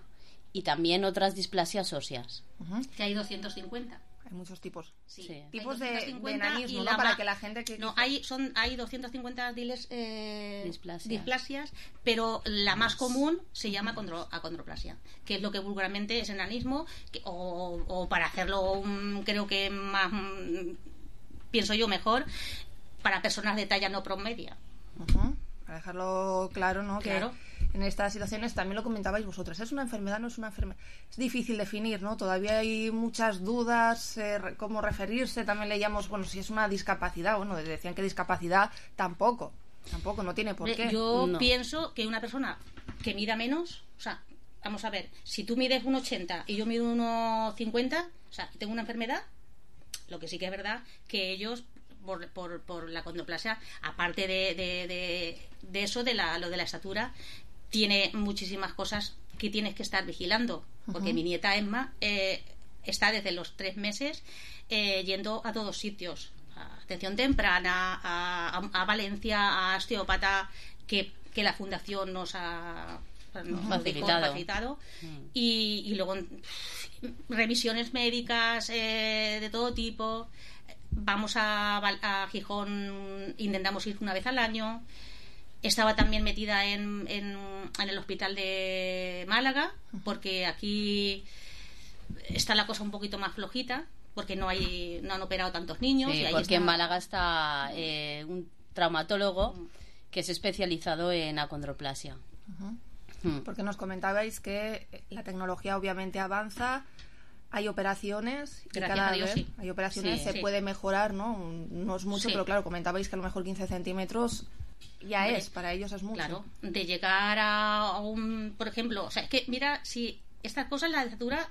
y también otras displasias óseas. Uh-huh. Que hay doscientos cincuenta. Hay muchos tipos. Sí. Sí. Tipos de, de y enanismo, la ¿no? Para ma- que la gente que... No, hay, son, hay doscientos cincuenta diles, eh, Displasias. displasias, pero la más común se llama condro- acondroplasia, que es lo que vulgarmente es enanismo, que, o, o para hacerlo um, creo que más, um, pienso yo mejor, para personas de talla no promedia. Uh-huh. Para dejarlo claro, ¿no? Claro. Que en estas situaciones también lo comentabais vosotras. ¿Es una enfermedad? ¿No es una enfermedad? Es difícil definir, ¿no? Todavía hay muchas dudas, eh, re- cómo referirse. También leíamos, bueno, si es una discapacidad. Bueno, decían que discapacidad tampoco. Tampoco, no tiene por qué. Yo No. pienso que una persona que mida menos, o sea, vamos a ver, si tú mides uno ochenta y yo mido uno cincuenta, o sea, tengo una enfermedad, lo que sí que es verdad que ellos por, por, por la condroplasia, aparte de, de, de, de eso, de la, lo de la estatura, tiene muchísimas cosas que tienes que estar vigilando, porque Ujú. mi nieta Emma eh, está desde los tres meses eh, yendo a todos sitios, a atención temprana, a, a, a Valencia, a osteópata, que, que la fundación nos ha nos Ujú. ha dijo, Facilitado. facilitado. Mm. Y, y luego revisiones médicas eh, de todo tipo. Vamos a, Val- a Gijón, intentamos ir una vez al año. Estaba también metida en, en, en el hospital de Málaga, porque aquí está la cosa un poquito más flojita, porque no hay no han operado tantos niños. Sí, y ahí porque está- en Málaga está eh, un traumatólogo que es especializado en acondroplasia. Ujú. Mm. Porque nos comentabais que la tecnología obviamente avanza, hay operaciones y Gracias cada a Dios, vez sí. hay operaciones, Sí, se sí. puede mejorar, ¿no? No es mucho, Sí. pero claro, comentabais que a lo mejor quince centímetros ya Hombre, es, para ellos es mucho. Claro, de llegar a a un, por ejemplo, o sea, es que mira, si estas cosas, la estatura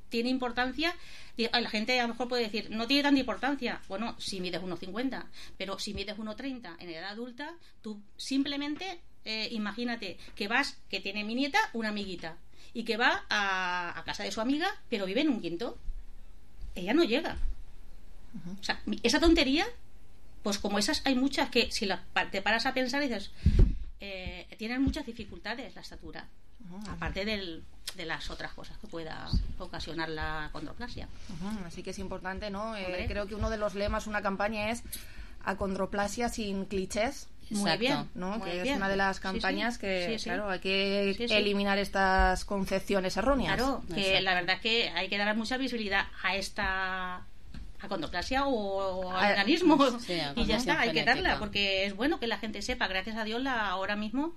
tiene importancia, di- la gente a lo mejor puede decir, no tiene tanta importancia. Bueno, si mides uno cincuenta, pero si mides uno treinta en edad adulta, tú simplemente eh, imagínate que vas, que tiene mi nieta una amiguita, y que va a, a casa de su amiga, pero vive en un quinto. Ella no llega. O sea, mi- esa tontería, pues como esas hay muchas que si la, pa- te paras a pensar dices, eh, tienen muchas dificultades la estatura, aparte del, de las otras cosas que pueda ocasionar la condroplasia. Ujú, así que es importante, ¿no? Eh, Hombre. creo que uno de los lemas, una campaña es acondroplasia sin clichés. Muy Exacto. bien, ¿no? muy Que bien. es una de las Sí, campañas sí. que, Sí, sí. claro, hay que Sí, sí. eliminar estas concepciones erróneas. Claro, que Exacto. la verdad que hay que dar mucha visibilidad a esta acondroplasia o A- al enanismo, sí, a y ya condición está, hay que genética. darla, porque es bueno que la gente sepa. Gracias a Dios la, ahora mismo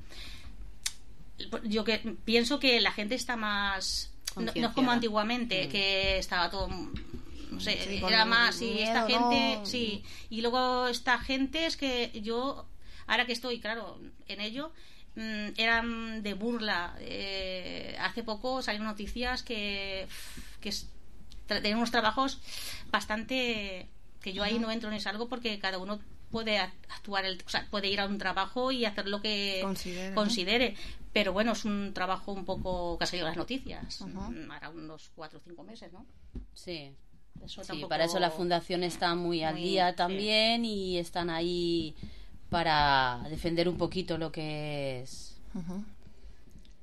yo que pienso que la gente está más, no, no es como Concienciada. antiguamente, Mm. que estaba todo, no sé, Sí, con era más, y miedo, esta gente, ¿no? sí, y luego esta gente es que yo, ahora que estoy, claro, en ello, mm, eran de burla. Eh, hace poco salieron noticias que, que es- tra- tenían unos trabajos bastante, que yo ahí Ajá. no entro ni salgo, porque cada uno puede actuar, el, o sea, puede ir a un trabajo y hacer lo que considere, considere. ¿no? Pero bueno, es un trabajo un poco que ha salido en las noticias, uh-huh. Ahora unos cuatro o cinco meses, ¿no? Sí. Eso sí, tampoco... para eso la fundación está muy al muy, día también, sí. Y están ahí para defender un poquito lo que es uh-huh.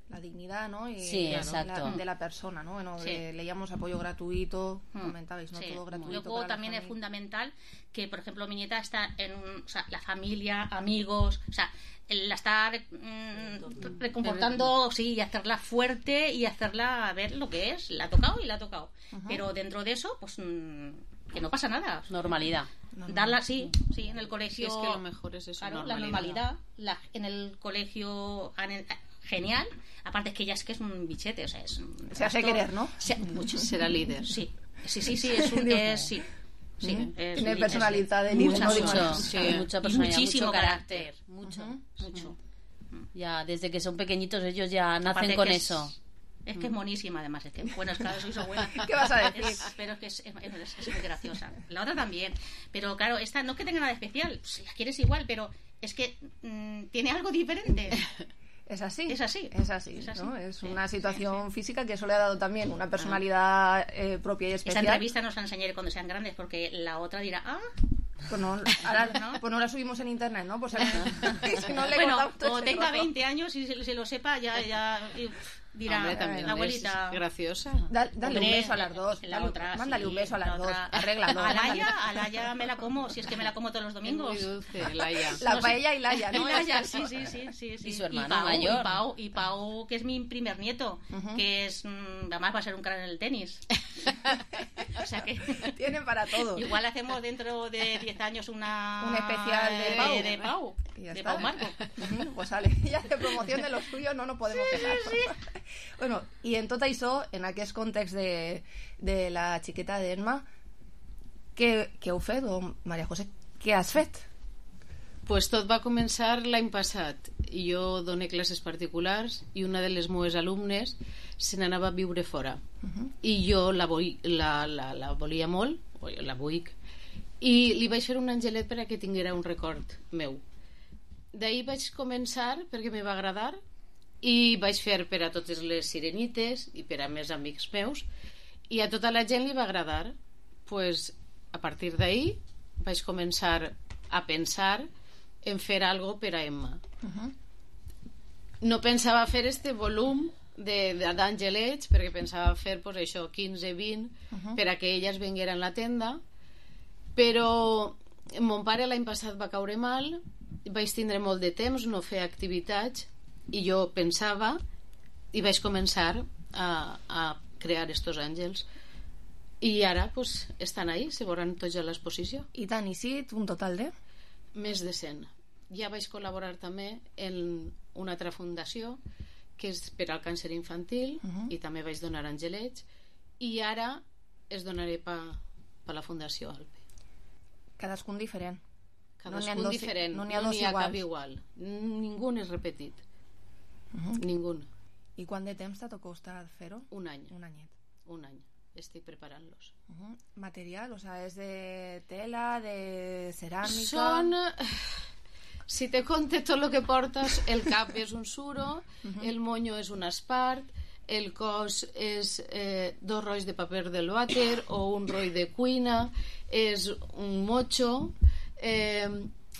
la dignidad, ¿no? Y sí, claro, exacto. La, de la persona, ¿no? Bueno, sí. eh, leíamos apoyo gratuito, hmm. comentabais, ¿no? Sí. Todo gratuito. Luego también es fundamental que, por ejemplo, mi nieta está en un, o sea, la familia, amigos, o sea, la está mm, reconfortando, sí, y hacerla fuerte y hacerla ver lo que es. La ha tocado y la ha tocado. Uh-huh. Pero dentro de eso, pues mm, que no pasa nada. Normalidad. Darla, sí, sí, en el colegio. Sí, es que lo mejor es eso, claro, normalidad. La normalidad, la, en el colegio genial. Aparte es que ella es que es un bichete, o sea, es un se hace querer, ¿no? Se, mucho. Será líder. Sí, sí, sí, sí, es un es, sí. Sí, ¿Mm? es Tiene un, personalidad de líder, mucho, ¿no? Sí, mucha personalidad, muchísimo mucho carácter, carácter. mucho, uh-huh. mucho. Ya desde que son pequeñitos ellos ya nacen Aparte con es, eso. Es que es monísima, además. Es que, bueno, es que soy su abuela. ¿Qué vas a decir? Es, pero es que es, es, es, es muy graciosa. La otra también. Pero claro, esta no es que tenga nada especial. Si la quieres igual, pero es que mmm, tiene algo diferente. Es así. Es así. Es así. Es, así. ¿no? Es sí, una situación sí, sí. física que eso le ha dado también una personalidad eh, propia y especial. Esa entrevista nos la enseñaré cuando sean grandes, porque la otra dirá, ah... Pues no, ahora, ¿no? Pues no la subimos en internet, ¿no? Pues si no le bueno, o tenga veinte años y se, se lo sepa, ya, ya dirá, hombre, también la abuelita. Es graciosa. Da, dale hombre, un beso a las dos. La dale, otra, mándale sí, un beso a las dos. Arréglalo. A Laia, a Laia me la como, si es que me la como todos los domingos. Es muy dulce, Laia. La no, paella y Laia, ¿no? Y Laia, sí, sí, sí, sí, sí. Y su hermano y Pau, mayor. Y Pau, y Pau, que es mi primer nieto, uh-huh. que es, además va a ser un crack en el tenis. O sea que... Tienen para todo. Igual hacemos dentro de diez años una... Un especial de, de Pau. De, de Pau, de está. Pau Marco. Uh-huh. Pues sale, ya de promoción de los suyos no nos podemos sí, quejar. Sí, sí. Bueno, i en tot això, en aquest context de, de la xiqueta d'Emma, què, què heu fet? O, Maria José, què has fet? Pues tot va començar l'any passat. Jo dono classes particulars i una de les meves alumnes se n'anava a viure fora. Uh-huh. I jo la, vull, la, la, la volia molt, o la vull, i li vaig fer un angelet per a que tinguera un record meu. D'ahir vaig començar perquè me va agradar i vaig fer per a totes les sirenites i per a més amics meus i a tota la gent li va agradar. Pues, a partir d'ahir vaig començar a pensar en fer algo per a Emma. Uh-huh. No pensava fer este volum d'angelets perquè pensava fer pues, això, quinze vint uh-huh. per a que elles vengueren a la tenda, però mon pare l'any passat va caure mal, vaig tindre molt de temps, no fer activitats i jo pensava i vaig començar a, a crear estos àngels i ara pues, estan ahí, se veuran tots a l'exposició. I tant, i sí, un total de? Més de cent. Ja vaig col·laborar també en una altra fundació que és per al càncer infantil uh-huh. i també vaig donar angelets i ara es donaré per pa la Fundació Alpe. Cadascun diferent. Cadascun no diferent, no n'hi ha, no dos ha iguals. cap igual. Ningú és repetit. Uh-huh. Ningú. I quant de temps t'ha costat fer-ho? Un any. Un anyet. Un any. Estic preparant-los. Uh-huh. Material, o sea, és de tela, de ceràmica... Són... Si te conte tot el que portes, el cap és un suro, uh-huh. el moño és un espart, el cos és eh, dos rolls de paper del vàter o un roll de cuina, és un mocho, eh,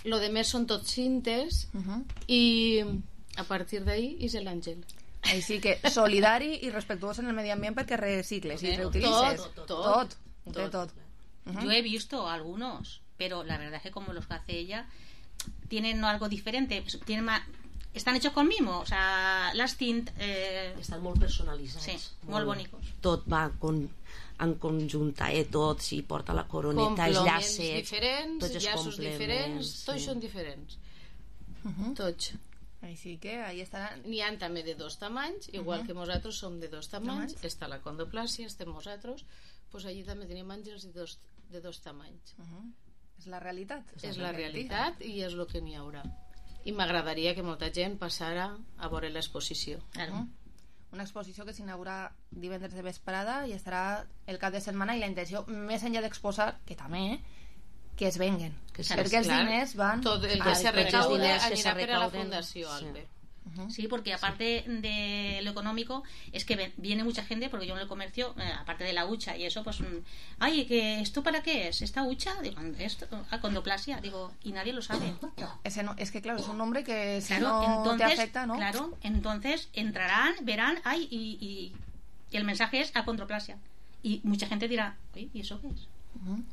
lo de més són tots cintes uh-huh. i a partir d'ahí és l'àngel. Així que solidari i respectuós en el medi ambient perquè recicles i reutilices. Tot, tot, tot, tot, tot. Uh-huh. Yo he visto algunos, pero la verdad es que como los que hace ella tienen algo diferente, tienen más, están hechos con mimo, o sea, las tint eh... estan molt personalitzats, sí, molt, molt bonics. Tot va con, en conjunta, eh, tot, si porta la coroneta, els llacets, diferents, tots els llaços diferents, sí. tots són diferents. Uh-huh. Tots. Així que ahí estaran. N'hi ha també de dos tamanys, igual uh-huh. que nosaltres som de dos tamanys, tamanys. Està la condoplàsia, estem nosaltres, pues allí també tenim àngels de dos, de dos tamanys. Uh-huh. És la realitat. És la realitat i és el que n'hi haurà. I m'agradaria que molta gent passara a veure l'exposició. Uh-huh. Una exposició que s'inaugura divendres de vesprada i estarà el cap de setmana, i la intenció, més enllà d'exposar, que també, que es venguen. Que sí, perquè els clar. diners van... Tot el que se recaude anirà per a la fundació, Albe. Sí, porque aparte de lo económico, es que viene mucha gente, porque yo en el comercio, eh, aparte de la hucha y eso, pues, ay, ¿que ¿esto para qué es? ¿Esta hucha? Digo, esto, acondroplasia, digo, y nadie lo sabe. Ese no, es que claro, es un nombre que si claro, no entonces, te afecta, ¿no? Claro, entonces entrarán, verán, ay, y, y, y el mensaje es acondroplasia. Y mucha gente dirá, oye, ¿y eso qué es? Uh-huh.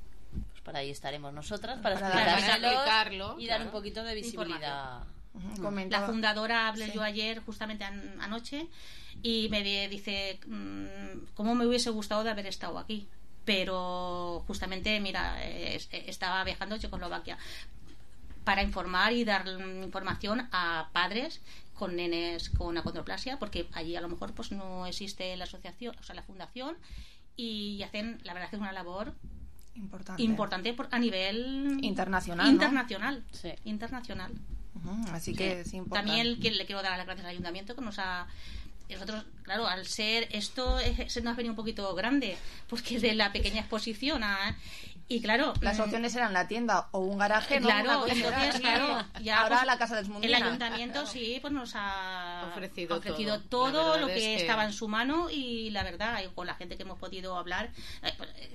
Pues para ahí estaremos nosotras, para, para explicarlo y dar claro. un poquito de visibilidad. Uh-huh. La fundadora hablé sí. yo ayer justamente an- anoche y me di- dice mmm, cómo me hubiese gustado de haber estado aquí, pero justamente mira eh, estaba viajando a Checoslovaquia para informar y dar información a padres con nenes con acondroplasia, porque allí a lo mejor pues no existe la asociación, o sea la fundación, y hacen la verdad que es una labor importante, importante por, a nivel internacional, internacional, ¿no? Sí. internacional. Uh-huh, así sí. que es importante. También que le quiero dar las gracias al ayuntamiento que nos ha... Nosotros, claro, al ser esto es, se nos ha venido un poquito grande, porque de la pequeña exposición a... Y claro... Las opciones eran la tienda o un garaje, ¿no? Claro, entonces, claro... Ya, ahora pues, la Casa del Mundina. El ayuntamiento claro. sí, pues nos ha ofrecido, ofrecido todo, todo lo que, que estaba en su mano, y la verdad, con la gente que hemos podido hablar,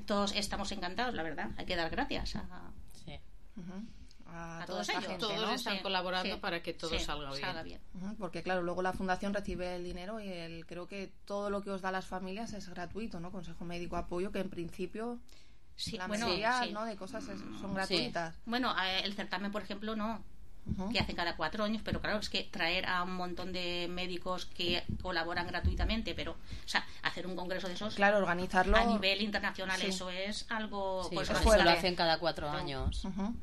todos estamos encantados, la verdad. Hay que dar gracias a... Sí. Uh-huh. A, a todos ellos. Gente, todos ¿no? están sí. colaborando sí. para que todo sí, salga bien. Salga bien. Uh-huh, porque claro, luego la fundación recibe el dinero y el, creo que todo lo que os da las familias es gratuito, ¿no? Consejo médico, apoyo, que en principio sí, la bueno, mayoría sí. ¿no? de cosas es, son gratuitas. Sí. Bueno, el certamen, por ejemplo, no. Uh-huh. Que hacen cada cuatro años, pero claro, es que traer a un montón de médicos que colaboran gratuitamente, pero, o sea, hacer un congreso de esos, claro, organizarlo a nivel internacional, sí. eso es algo, sí, pues, eso lo hacen cada cuatro años. Uh-huh.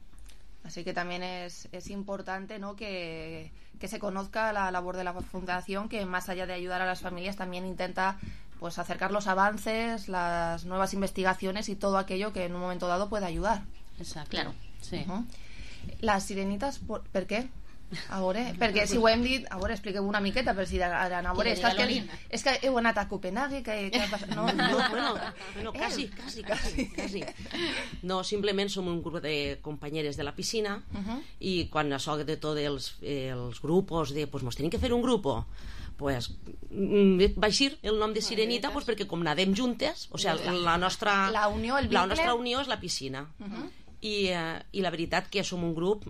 Así que también es, es importante, ¿no? que, que se conozca la labor de la fundación, que más allá de ayudar a las familias también intenta pues acercar los avances, las nuevas investigaciones y todo aquello que en un momento dado puede ayudar. Exacto. Claro. Sí. Uh-huh. Les sirenites, per, per què? A veure, perquè si ho hem dit, a veure, expliqueu una miqueta, però si ara, a veure, és que, és, que, és que heu anat a Copenhague, que, que ha passat, no? No, bueno, bueno casi, casi, casi, casi. No, simplement som un grup de companyeres de la piscina uh-huh. i quan això de tots els, els grupos de, pues mos tenim que fer un grupo, pues va eixir el nom de Sirenita pues perquè com nadem juntes, o sigui, la nostra la unió, el la nostra unió és la piscina uh-huh. I, eh, i la veritat que som un grup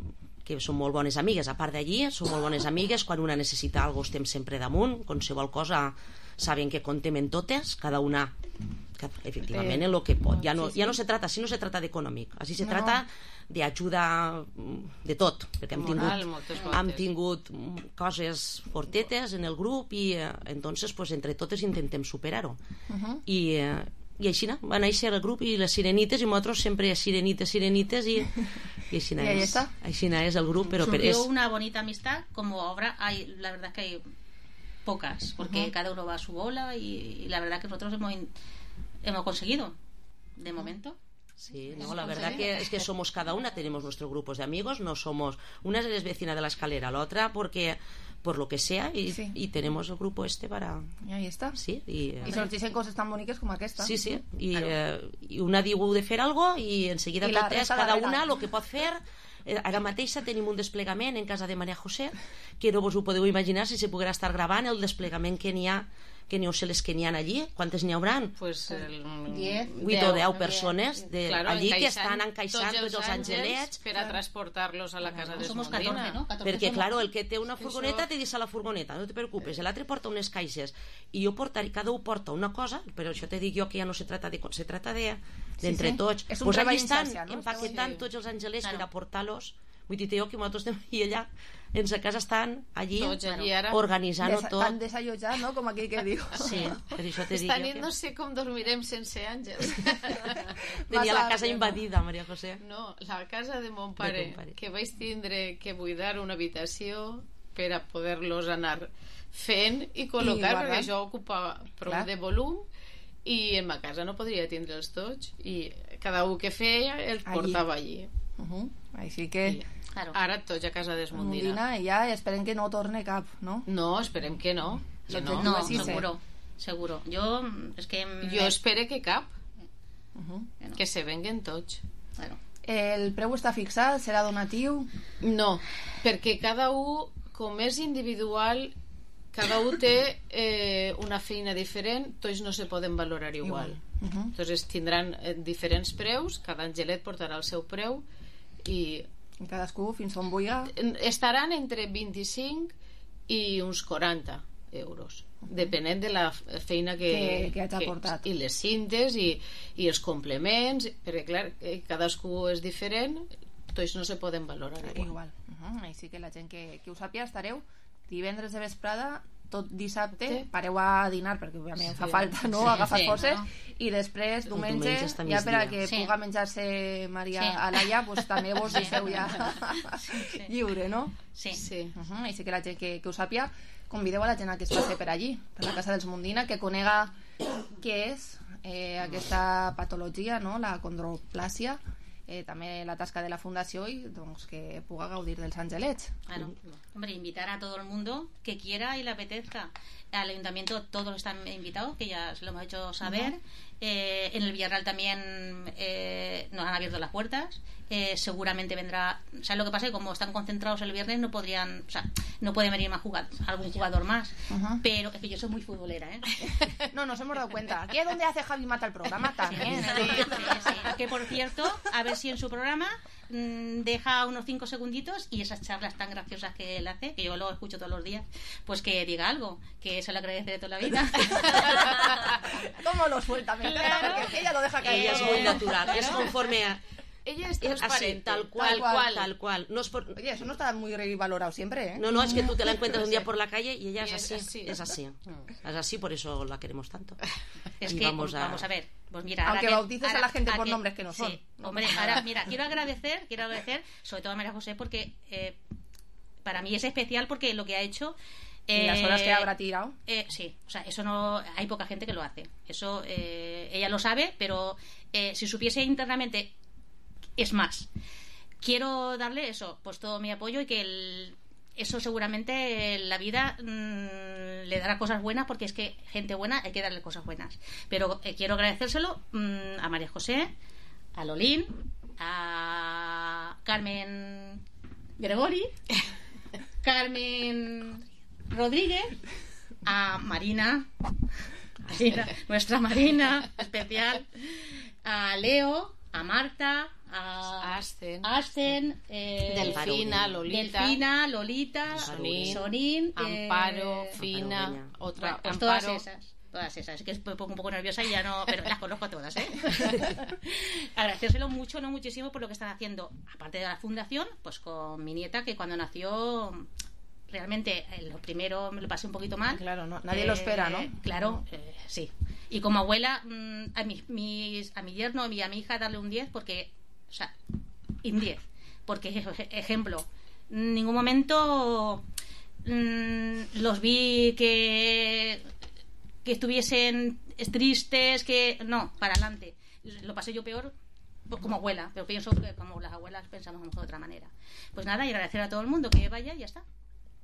que som molt bones amigues, a part d'allí som molt bones amigues, quan una necessita alguna cosa estem sempre damunt, qualsevol cosa saben que contem en totes, cada una que, efectivament en lo que pot, ja no, ja no se trata, si no se trata d'econòmic, així se no. trata d'ajuda de tot, perquè hem Moral, tingut, hem tingut coses fortetes en el grup i eh, entonces pues, entre totes intentem superar-ho uh-huh. i eh, i així va néixer el grup i les sirenites i nosaltres sempre sirenites, sirenites i, i així és, així és el grup però surgió és... una bonita amistad como ahora hay, la verdad que hay pocas porque uh-huh. cada uno va a su bola y, y la verdad que nosotros hemos, hemos conseguido de momento. Sí, no, la verdad que es que somos cada una, tenemos nuestros grupos de amigos, no somos, una es vecina de la escalera, la otra porque por lo que sea y, sí. y tenemos el grupo este para... Y ahí está. Sí, y, y sorgeixen coses tan boniques com aquesta. Sí, sí, i, claro. eh, i una diu de fer algo i en seguida I totes, cada una el que pot fer. Ara mateixa tenim un desplegament en casa de Maria José que no vos ho podeu imaginar si se poguera estar gravant el desplegament que n'hi ha que n'hi ha les que n'hi ha allí, quantes n'hi hauran? Pues el... vuit o deu persones de, claro, allí que estan encaixant tots els, tots els angelets per a transportar-los a la casa de Somos catorze, ¿no? catorze perquè somos. Claro, el que té una furgoneta Eso... te deixa la furgoneta, no te preocupes, l'altre porta unes caixes i jo portaré, cada un porta una cosa, però això te dic jo que ja no se trata de, se trata de d'entre sí, sí. tots, és un pues allí estan no? empaquetant sí. tots els angelets claro. per a portar-los. Vull dir jo que nosaltres estem i allà en sa casa estan allí, allí organitzant-ho tot. Estan desallotjant, no? Com aquí que diu. Sí, per això te dic Esta nit que... no sé com dormirem sense àngels. Tenia la casa invadida, Maria José. No, la casa de mon pare, de pare, que vaig tindre que buidar una habitació per a poder-los anar fent i col·locar, I perquè això ocupa prou Clar. de volum i en ma casa no podria tindre'ls tots i cada un que feia els allí. portava allí. Uh-huh. Així que... I, claro. Ara tots a casa d'Esmundina. Mundina, i ja esperem que no torne cap, no? No, esperem que no. Que no, no, sí, seguro. Seguro. Jo, és que... Jo espero que cap. Uh-huh. Que, no. que se venguen tots. Bueno. El preu està fixat? Serà donatiu? No, perquè cada un, com és individual, cada un té eh, una feina diferent, tots no se poden valorar igual. Uh -huh. Entonces tindran eh, diferents preus, cada angelet portarà el seu preu i... I cadascú fins on vulgui. Estaran entre vint-i-cinc i uns quaranta euros, uh -huh. depenent de la feina que, que, que hagi portat. I les cintes i, i els complements, perquè clar, cadascú és diferent, tots no se poden valorar igual. Igual. Uh -huh. Així que la gent que, que ho sàpiga, estareu divendres de vesprada, tot dissabte, sí. Pareu a dinar perquè òbviament sí. fa falta, no? Sí, agafar sí, forces no? I després diumenge, diumenge ja per a que sí. puga menjar-se Maria sí. Alaya, pues també vos sí. deixeu ja sí, sí. lliure, no? Sí, sí. Uh -huh. Així que la gent que, que ho sàpiga, convideu a la gent a que es passi per allí, per la casa dels Mundina, que conega què és eh, aquesta patologia, no? La condroplàsia, eh, també la tasca de la fundació i doncs, que puga gaudir dels angelets. Claro. Hombre, invitar a todo el mundo que quiera y le apetezca. Al ayuntamiento todos están invitados, que ya se lo hemos hecho saber. Uh-huh. eh, en el Villarreal también eh, nos han abierto las puertas. Eh, seguramente vendrá. ¿Sabes lo que pasa? Que como están concentrados el viernes no podrían, o sea, no puede venir más jugador, algún jugador más. Uh-huh. Pero es que yo soy muy futbolera, ¿eh? No, nos hemos dado cuenta. Aquí es donde hace Javi Mata el programa también. Sí, sí, sí. Que por cierto, a ver si en su programa mmm, deja unos cinco segunditos y esas charlas tan graciosas que él hace, que yo lo escucho todos los días, pues que diga algo, que se lo agradece de toda la vida. ¿Cómo lo suelta? Me encanta, claro. Porque ella lo deja caer. Ella es muy natural, claro. Es conforme a... Ella es transparente, así, tal cual, tal cual, tal cual. No es por... Oye, eso no está muy valorado siempre, ¿eh? No, no, es que tú te la encuentras un día por la calle y ella es así, es así, es así, es así, por eso la queremos tanto. Es y que vamos a... vamos a ver, pues mira, aunque ahora bautices ahora, a la gente a por que, nombres que no son. Sí, hombre, ahora mira, quiero agradecer, quiero agradecer, sobre todo a María José, porque eh, para mí es especial porque lo que ha hecho. ¿Y las horas que habrá tirado? Eh, sí, o sea, eso no, hay poca gente que lo hace. Eso eh, ella lo sabe, pero eh, si supiese internamente. Es más, quiero darle eso, pues todo mi apoyo y que el, eso seguramente la vida mmm, le dará cosas buenas, porque es que gente buena hay que darle cosas buenas. Pero eh, quiero agradecérselo mmm, a María José, a Lolín, a Carmen Gregori, Carmen Rodríguez, a Marina, Marina, nuestra Marina especial, a Leo, a Marta, a Ascen, Ascen eh, Delfina, Lolita, Delfina, Lolita, Sonín, Sonín Amparo, eh, Fina, otra, bueno, pues Amparo. todas esas, todas esas, es que me pongo un poco nerviosa y ya no, pero las conozco a todas, ¿eh? Agradecérselo mucho, no muchísimo, por lo que están haciendo, aparte de la fundación, pues con mi nieta, que cuando nació realmente eh, lo primero me lo pasé un poquito mal. Claro, no, nadie eh, lo espera, ¿no? Claro, eh, sí. Y como abuela, mmm, a, mi, mis, a mi yerno y a mi hija darle un diez, porque, o sea, un diez. Porque, ejemplo, en ningún momento mmm, los vi que, que estuviesen tristes, que no, para adelante. Lo pasé yo peor como abuela, pero pienso que como las abuelas pensamos a lo mejor de otra manera. Pues nada, y agradecer a todo el mundo que vaya y ya está.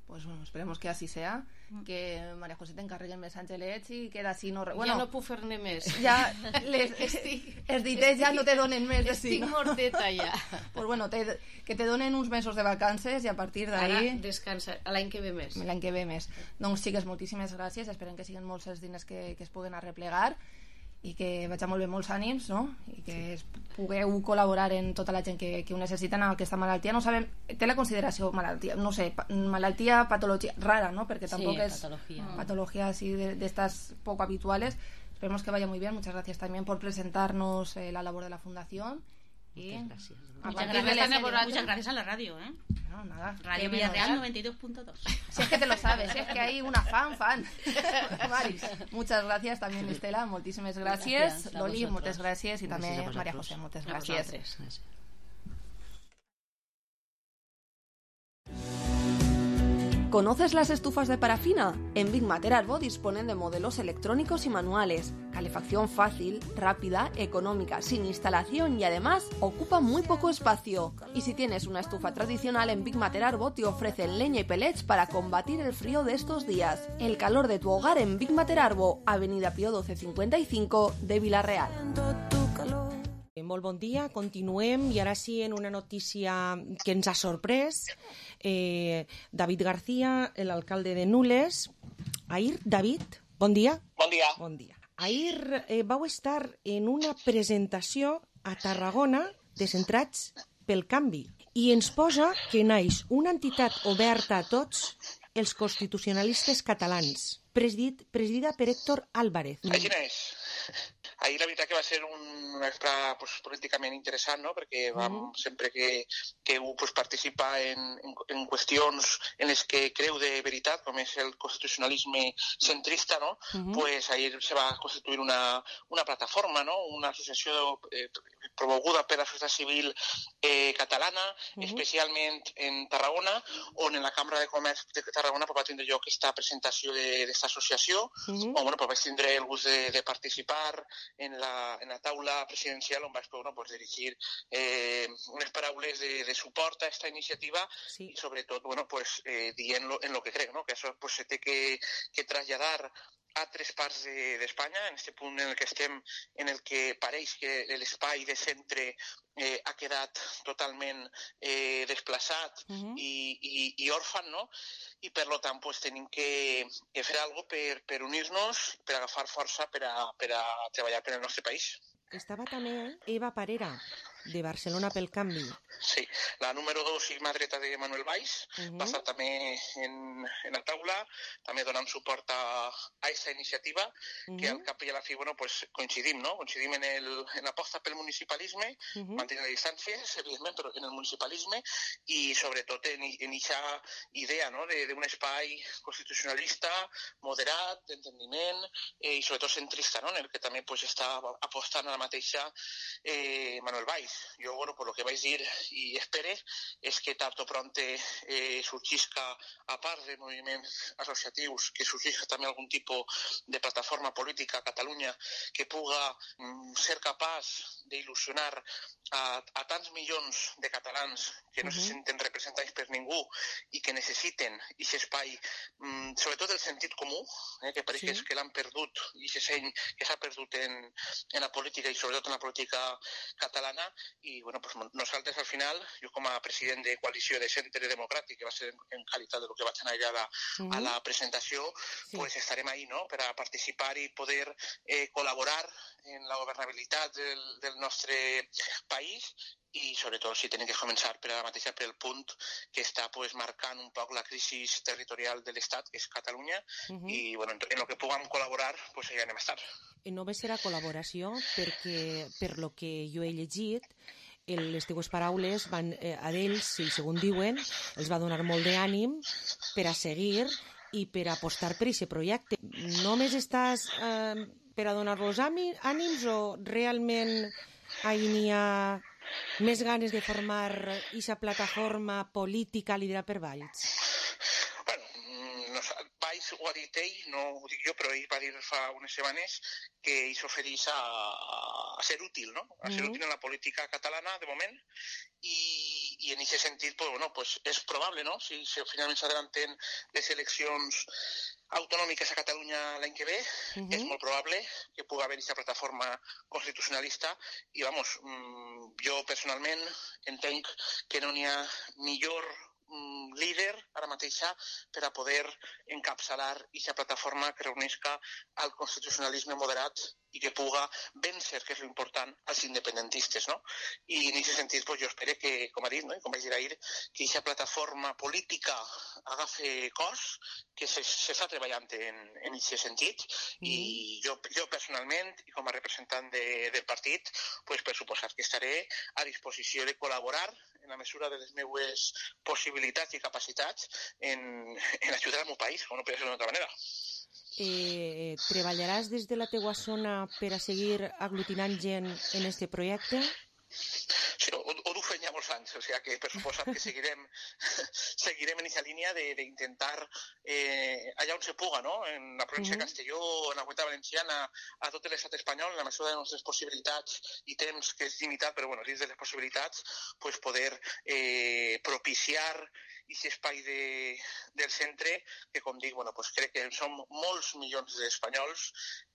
Pues bueno, esperemos que así sea, que María José te encarregui més angelets i queda així no... Bueno, ja no puc fer-ne més. Ja les, els ditets ja no te donen més. Estic no? morteta ja. Pues bueno, te, que te donen uns mesos de vacances i a partir d'ahí... Ara descansa, l'any que ve més. L'any que ve més. Doncs sí, que moltíssimes gràcies, esperem que siguin molts els diners que, que es puguen arreplegar i que vaig a molt bé molts ànims, no? I que es pugueu col·laborar en tota la gent que, que ho necessita en aquesta malaltia. No sabem, té la consideració malaltia, no sé, malaltia, patologia rara, ¿no? Perquè tampoc sí, es patología, patología así de, de estas poco habituales. Esperemos que vaya muy bien. Muchas gracias también por presentarnos eh, la labor de la fundación. Y muchas gracias. Muchas gracias, muchas gracias a la radio, ¿eh? No, nada. Radio Villarreal noventa y dos punto dos. Si es que te lo sabes, si es que hay una fan, fan. Mari, muchas gracias también, Estela, moltíssimes gràcies. gràcies Loli, moltes gràcies i també María José, moltes gràcies. ¿Conoces las estufas de parafina? En Big Mater Arbo disponen de modelos electrónicos y manuales, calefacción fácil, rápida, económica, sin instalación y además ocupa muy poco espacio. Y si tienes una estufa tradicional, en Big Mater Arbo te ofrecen leña y pellets para combatir el frío de estos días. El calor de tu hogar en Big Mater Arbo, Avenida Pío doce cincuenta y cinco de Vila-real. Molt bon dia, continuem i ara sí en una notícia que ens ha sorprès. Eh, David García, l'alcalde de Nules. Ahir, David, bon dia. Bon dia. Bon dia. Ahir eh, vau estar en una presentació a Tarragona de Centrats pel Canvi i ens posa que naix una entitat oberta a tots els constitucionalistes catalans, presidit, presidida per Héctor Álvarez. Així és. Ahir la veritat que va ser un extra pues, políticament interessant, no? Perquè vam, mm. sempre que, que un pues, participa en, en, en qüestions en les que creu de veritat, com és el constitucionalisme centrista, no? Mm-hmm. Pues ahir se va constituir una, una plataforma, no? Una associació eh, promoguda per la societat civil eh, catalana, mm-hmm. especialment en Tarragona, on en la Cambra de Comerç de Tarragona pues, va tindre lloc aquesta presentació d'aquesta associació, mm-hmm. on bueno, pues, vaig tindre el gust de, de participar en la, en la taula presidencial on vaig poder pues, dirigir eh, unes paraules de, de suport a aquesta iniciativa sí. I sobretot bueno, pues, eh, dient lo, en lo que crec, no? Que això pues, se té que, que traslladar a tres parts d'Espanya, de, en aquest punt en el que estem, en el que pareix que l'espai de centre eh, ha quedat totalment eh, desplaçat uh-huh. i, i, i òrfan, no? I per tant pues, tenim que, que fer alguna cosa per, per unir-nos, per agafar força per a, per a treballar per al nostre país. Estava també Eva Parera, de Barcelona pel Canvi. Sí, la número dos i mà dreta de Manuel Valls, uh-huh. va estar també en, en la taula, també donant suport a aquesta iniciativa, uh-huh. que al cap i a la fi bueno, pues, coincidim, no? Coincidim en, el, en l'aposta pel municipalisme, uh-huh. mantenint les distàncies, evidentment, però en el municipalisme i sobretot en aquesta idea no? d'un espai constitucionalista, moderat, d'entendiment eh, i sobretot centrista, no? en el que també pues, està apostant a la mateixa eh, Manuel Valls. Jo, bueno, per lo que vaig dir i espere és que tard o prompte eh, sorgisca, a part de moviments associatius, que sorgisca també algun tipus de plataforma política a Catalunya que puga mm, ser capaç d'il·lusionar a, a tants milions de catalans que no uh-huh. se senten representats per ningú i que necessiten aquest espai, mm, sobretot el sentit comú, eh, que pareix sí. que l'han perdut i se sent que s'ha perdut en, en la política i sobretot en la política catalana. I bueno, pues nosaltres al final, jo com a president de Coalició de Centre Democràtic, que va ser en, en qualitat de lo que vaig anar allà a la, uh-huh. a la presentació, sí. pues estarem ahí no? Per a participar i poder eh, col·laborar en la governabilitat del, del nostre país i sobretot si tenim que començar per a la mateixa per el punt que està pues, marcant un poc la crisi territorial de l'Estat, que és Catalunya, uh-huh. i bueno, en el que puguem col·laborar, pues allà anem a estar. Només serà col·laboració perquè, per lo que jo he llegit, les teues paraules van, eh, a ells, i segons diuen, els va donar molt d'ànim per a seguir i per a apostar per aquest projecte. Només estàs eh, per a donar-los ànims o realment ahí n'hi ha més ganes de formar aquesta plataforma política liderada per Valls? Valls ho ha dit ell, no ho dic jo, però ell va dir fa unes setmanes que ell s'ofereix a, a ser útil, no? A ser útil en la política catalana, de moment, i, i en aquest sentit, pues, bueno, pues és probable, no? Si, si finalment s'adelanten les eleccions autonòmiques a Catalunya l'any que ve, uh-huh. és molt probable que pugui haver aquesta plataforma constitucionalista i, vamos, jo personalment entenc que no n'hi ha millor líder ara mateixa per a poder encapçalar aquesta plataforma que reunisca el constitucionalisme moderat i que puga vèncer, que és l'important, als independentistes, no? I en aquest sentit, pues, jo espero que, com ha dit, no? I com vaig dir ahir, que aquesta plataforma política agafi cos, que s'està treballant en aquest sentit, mm. i jo, jo personalment, i com a representant de, del partit, pues, per suposat que estaré a disposició de col·laborar en la mesura de les meues possibilitats i capacitats en, en ajudar al meu país, com no podria ser d'una altra manera. Eh, treballaràs des de la teua zona per a seguir aglutinant gent en este projecte? Sí, ho, ho duc fent ja molts anys, o sigui que per suposat que seguirem, seguirem en aquesta línia d'intentar eh, allà on se puga, no? En la província uh-huh. de Castelló, en la Comunitat Valenciana, a tot l'estat espanyol, en la mesura de les nostres possibilitats i temps, que és limitat, però bueno, dins de les possibilitats, pues poder eh, propiciar aquest espai de, del centre, que com dic, bueno, pues crec que som molts milions d'espanyols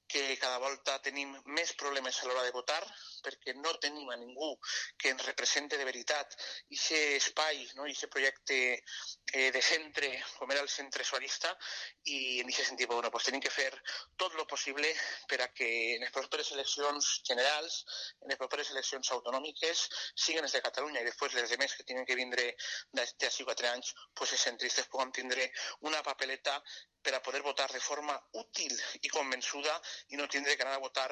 que cada volta tenim més problemes a l'hora de votar, perquè no tenim a ningú que ens represente de veritat aquest espai, no? Aquest projecte eh, de centre, com era el centre socialista, i en aquest sentit bueno, pues, tenim que fer tot el possible per a que en les properes eleccions generals, en les properes eleccions autonòmiques, siguin les de Catalunya i després les demés que tenen que vindre d'ací quatre anys, pues, els centristes puguem tindre una papeleta per a poder votar de forma útil i convençuda i no tindre que anar a votar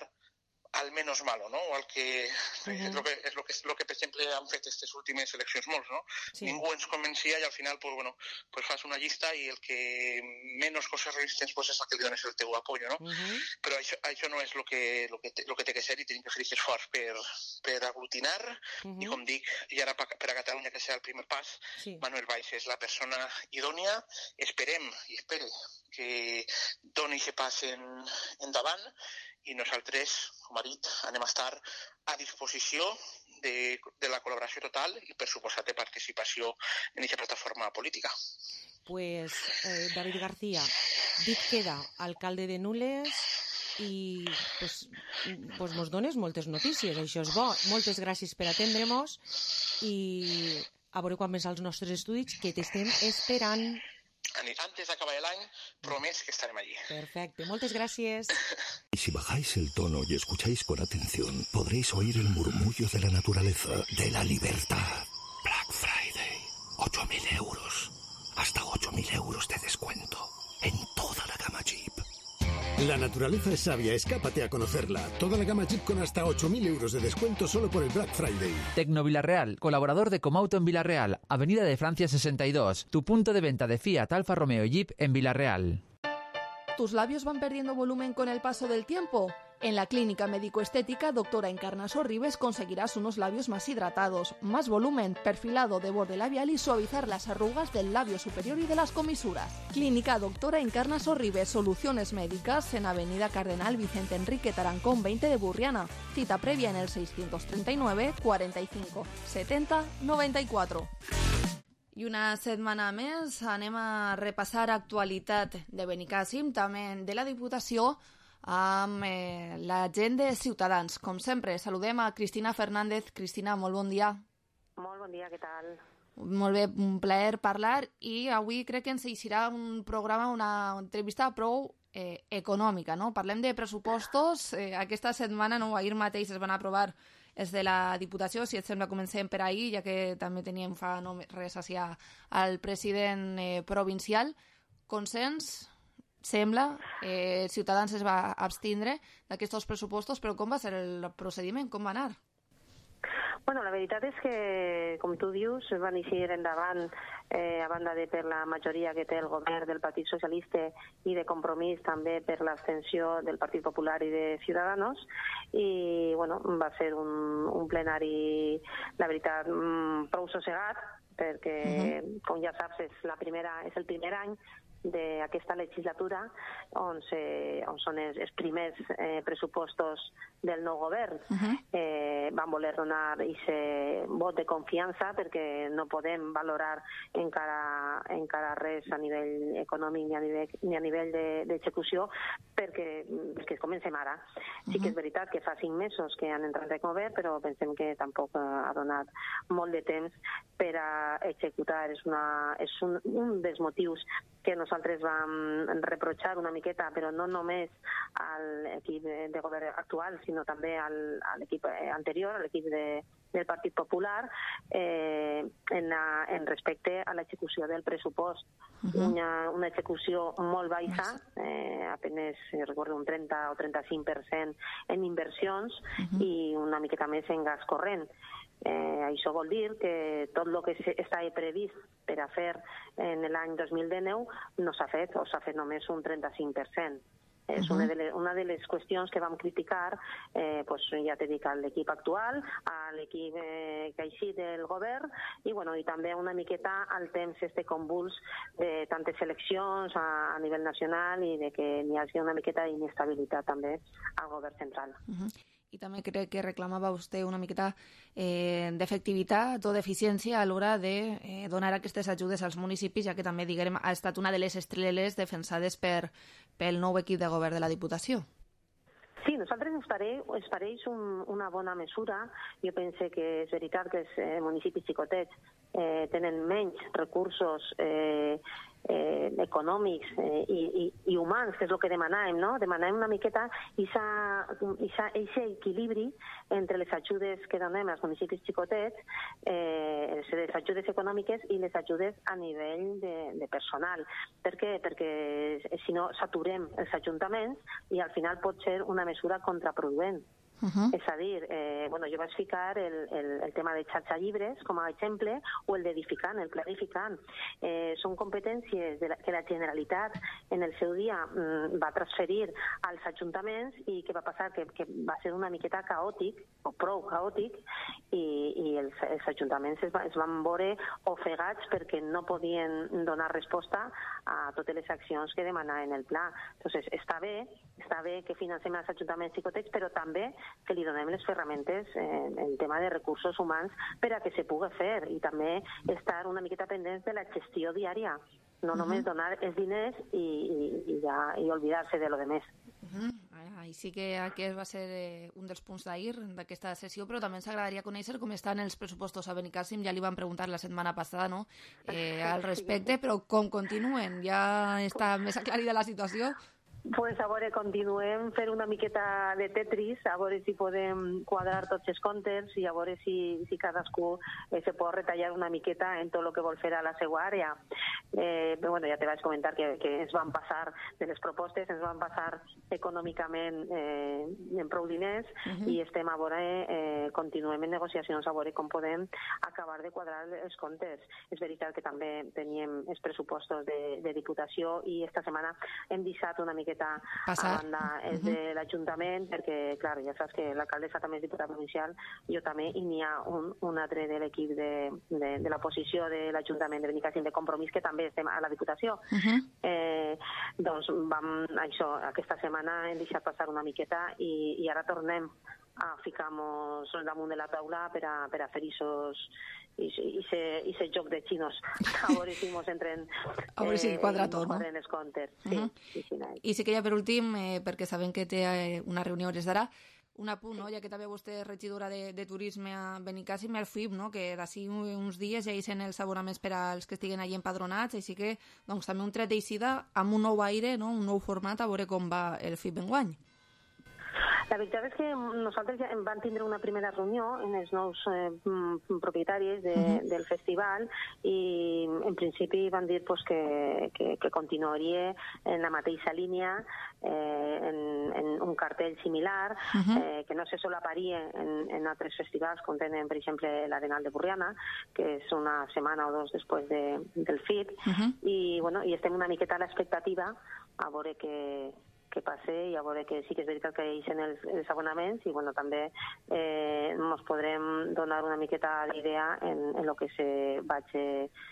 al menos malo, ¿no? O al que, uh-huh. és, lo que és lo que és lo que per exemple han fet aquestes últimes eleccions molts, no? Sí. Ningú ens convencia i al final pues bueno, pues fas una llista i el que menos coses resistents pues és el que li dones el teu apoyo, no? Uh-huh. Però això, això no és lo que lo que te, lo que té que ser i tenim que fer aquest esforç per per aglutinar uh-huh. i com dic, i ara per a Catalunya que serà el primer pas, sí. Manuel Valls és la persona idònia, esperem i espere que doni aquest pas en, endavant i nosaltres, com ha dit, anem a estar a disposició de, de la col·laboració total i, per suposat, de participació en aquesta plataforma política. Pues, eh, David García, dit queda alcalde de Nules i pues, pues mos dones moltes notícies, això és bo. Moltes gràcies per atendre-mos i a veure quan vens als nostres estudis, que t'estem esperant. Antes de acabar el año, promés que estaremos allí. Perfecto, muchas gracias. Y si bajáis el tono y escucháis con atención, podréis oír el murmullo de la naturaleza, de la libertad. Black Friday, ocho mil euros. Hasta ocho mil euros de descuento en toda la gama Jeep. La naturaleza es sabia, escápate a conocerla. Toda la gama Jeep con hasta ocho mil euros de descuento solo por el Black Friday. Tecno Villarreal, colaborador de Comauto en Villarreal, Avenida de Francia sesenta y dos, tu punto de venta de Fiat, Alfa Romeo y Jeep en Villarreal. ¿Tus labios van perdiendo volumen con el paso del tiempo? En la clínica médico-estética Doctora Encarnaso Ribes conseguirás unos labios más hidratados, más volumen, perfilado de borde labial y suavizar las arrugas del labio superior y de las comisuras. Clínica Doctora Encarnaso Ribes, soluciones médicas en Avenida Cardenal Vicente Enrique Tarancón veinte de Burriana. Cita previa en el seiscientos treinta y nueve, cuarenta y cinco, setenta, noventa y cuatro. I una setmana més anem a repassar actualitat de Benicàssim, també de la Diputació, amb eh, la gent de Ciutadans. Com sempre, saludem a Cristina Fernández. Cristina, molt bon dia. Molt bon dia, què tal? Molt bé, un plaer parlar, i avui crec que ens eixirà un programa, una entrevista prou eh, econòmica, no? Parlem de pressupostos. Eh, aquesta setmana, no, ahir mateix es van aprovar és de la Diputació. Si et sembla, comencem per ahir, ja que també teníem fa no res així al president eh, provincial. Consens, sembla, eh, Ciutadans es va abstindre d'aquests pressupostos, però com va ser el procediment? Com va anar? Bueno, la veritat és que, com tu dius, van eixir endavant eh, a banda de per la majoria que té el govern del Partit Socialista i de Compromís també per l'abstenció del Partit Popular i de Ciudadanos, i bueno, va ser un, un plenari, la veritat, prou sossegat, perquè, uh-huh. com ja saps, és, la primera, és el primer any d'aquesta legislatura on, se, on són els, els primers eh, pressupostos del nou govern. Uh-huh. eh, van voler donar aquest vot de confiança perquè no podem valorar encara, encara res a nivell econòmic ni a nivell, ni a nivell d'execució de, perquè, perquè comencem ara. Uh-huh. Sí que és veritat que fa cinc mesos que han entrat en govern, però pensem que tampoc ha donat molt de temps per a executar. És, una, és un, un dels motius que nosaltres vam reprochar una miqueta, però no només a l'equip de govern actual, sinó també al, a l'equip anterior, a l'equip de, del Partit Popular, eh, en, la, en respecte a l'execució del pressupost. Uh-huh. Una, una execució molt baixa, eh, apenas recordo un trenta o trenta-cinc per cent en inversions, uh-huh. i una miqueta més en gas corrent. Eh, això vol dir que tot el que està previst per a fer en l'any dos mil dinou no s'ha fet, o s'ha fet només un trenta-cinc per cent. És uh-huh. una, de les, una de les qüestions que vam criticar, eh, pues, ja t'he dit, a l'equip actual, a l'equip eh, que ha eixit del govern, i, bueno, i també una miqueta al temps este convuls de tantes eleccions a, a nivell nacional i de que n'hi hagi una miqueta d'inestabilitat també al govern central. Uh-huh. I també crec que reclamava vostè una miqueta eh, d'efectivitat o d'eficiència a l'hora de eh, donar aquestes ajudes als municipis, ja que també, diguem, ha estat una de les estreles defensades per, pel nou equip de govern de la Diputació. Sí, nosaltres ens, pare, ens pareix un, una bona mesura. Jo pense que és veritat que els eh, municipis xicotets eh, tenen menys recursos eh, eh, econòmics eh, i, i, i humans, que és el que demanàvem, no? Demanàvem una miqueta aquest equilibri entre les ajudes que donem als municipis xicotets, eh, les ajudes econòmiques i les ajudes a nivell de, de personal. Per què? Perquè si no saturem els ajuntaments i al final pot ser una mesura contraproduent. Uh-huh. És a dir, eh, bueno, jo vaig ficar el, el, el tema de xarxa llibres com a exemple, o el d'edificant, el clarificant. Eh, són competències de la, que la Generalitat en el seu dia mm, va transferir als ajuntaments i què va passar? Que, que va ser una miqueta caòtic, o prou caòtic, i, i els, els ajuntaments es, va, es van veure ofegats perquè no podien donar resposta a totes les accions que demanaven el pla. Entonces, està bé, està bé que financem els ajuntaments xicotets, però també que li donem les ferramentes en el tema de recursos humans per a que se pugui fer i també estar una miqueta pendents de la gestió diària, no uh-huh. només donar els diners i, i, i, ja, i oblidar-se de lo de més. Uh-huh. I sí que aquest va ser eh, un dels punts d'ahir d'aquesta sessió, però també ens agradaria conèixer com estan els pressupostos a Benicàssim. Ja li vam preguntar la setmana passada, no?, eh, al respecte, però com continuen? Ja està més aclarida la situació? Pues a veure, continuem fent una miqueta de Tetris, a veure si podem quadrar tots els comptes i a veure si, si cadascú eh, se pot retallar una miqueta en tot el que vol fer a la seva àrea. Eh, bueno, ja te vaig comentar que, que ens van passar de les propostes, ens van passar econòmicament eh, en prou diners uh-huh. i estem a veure, eh, continuem en negociacions a veure com podem acabar de quadrar els comptes. És veritat que també teníem els pressupostos de, de Diputació i esta setmana hem deixat una miqueta Passar. a banda és uh-huh. de l'Ajuntament, perquè, clar, ja saps que l'alcaldessa també és diputada provincial, jo també, i n'hi ha un, un altre de l'equip de, de, de l'oposició de l'Ajuntament de Benicàssim de Compromís, que també estem a la Diputació. Uh-huh. Eh, doncs vam, això, aquesta setmana hem deixat passar una miqueta i, i ara tornem a ficar-nos damunt de la taula per a, per a fer isos i ese joc de xinos a veure si mos entren a veure si quadra tot, no? Els comptes. Sí, uh-huh. sí, sí, sí. I sí que ja per últim, eh, perquè sabem que té una reunió hores d'ara, un apunt, no? Ja que també vostè és regidora de, de turisme a Benicàssim, el F I B, no? Que d'ací uns dies ja hi són els abonaments per als que estiguen allí empadronats, així que doncs, també un tret d'eixida amb un nou aire, no? Un nou format, a veure com va el F I B enguany. La veritat és que nosaltres ja vam tindre una primera reunió amb els nous eh, propietaris de, uh-huh. del festival i en principi van dir pues, que, que, que continuaria en la mateixa línia, eh, en, en un cartell similar, uh-huh. eh, que no se solaparia en, en altres festivals com tenen, per exemple, l'Arenal de Borriana, que és una setmana o dos després de, del F I B, uh-huh. i, bueno, i estem una miqueta a l'expectativa a veure que que passe i a veure que sí que és veritat que hi són els, els abonaments i bueno, també eh, ens podrem donar una miqueta d'idea en, en el que se vaig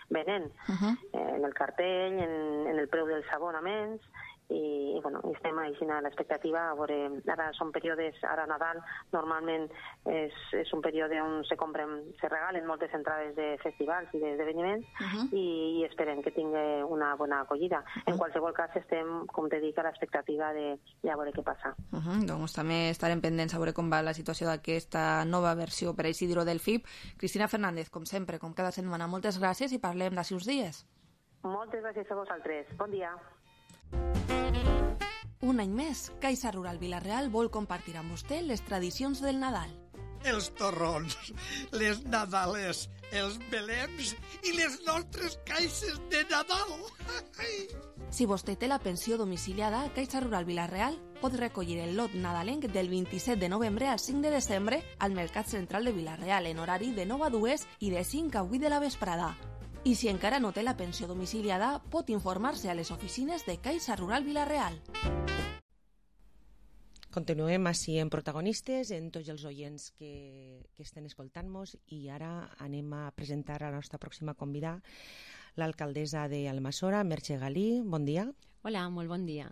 venent, uh-huh. eh, en el cartell, en, en el preu dels abonaments i, i bueno, estem així a l'expectativa a veure, ara són períodes, ara Nadal normalment és, és un període on se compren, se regalen moltes entrades de festivals i d'esdeveniments uh-huh. i, i esperem que tingui una bona acollida. Uh-huh. En qualsevol cas estem, com te dic, a l'expectativa de, de a veure què passa. Uh-huh. Doncs també estarem pendents a veure com va la situació d'aquesta nova versió, per així dir-ho, del F I B. Cristina Fernández, com sempre, com cada setmana, moltes gràcies i parlem d'ací uns dies. Moltes gràcies a vosaltres. Bon dia. Un any més, Caixa Rural Vila-real vol compartir amb vostè les tradicions del Nadal. Els torrons, les nadales, els belems i les nostres caixes de Nadal. Si vostè té la pensió domiciliada, Caixa Rural Vila-real pot recollir el lot nadalenc del vint-i-set de novembre al cinc de desembre al Mercat Central de Vila-real en horari de nou a dues i de cinc a vuit de la vesprada. I si encara no té la pensió domiciliada, pot informar-se a les oficines de Caixa Rural Vila-real. Continuem així en protagonistes, en tots els oients que, que estan escoltant-nos i ara anem a presentar a la nostra pròxima convidada, l'alcaldessa d'Almassora, Merche Galí. Bon dia. Hola, molt bon dia.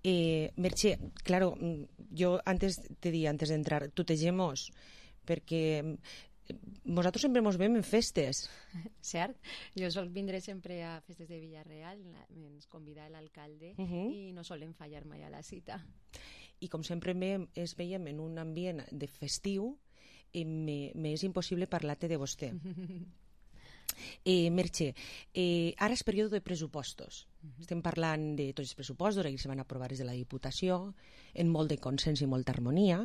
Eh, Merche, claro, yo antes te di, antes de entrar, tutegemos, perquè nosaltres sempre ens veiem en festes. Cert, jo sol vindré sempre a festes de Villarreal, ens convida l'alcalde uh-huh. i no solen fallar mai a la cita. i com sempre me, es veiem en un ambient de festiu, eh, m'és impossible parlar-te de vostè. Eh, Merche, eh, ara és període de pressupostos. Uh-huh. Estem parlant de tots els pressupostos, que se van aprovar des de la Diputació, en molt de consens i molta harmonia,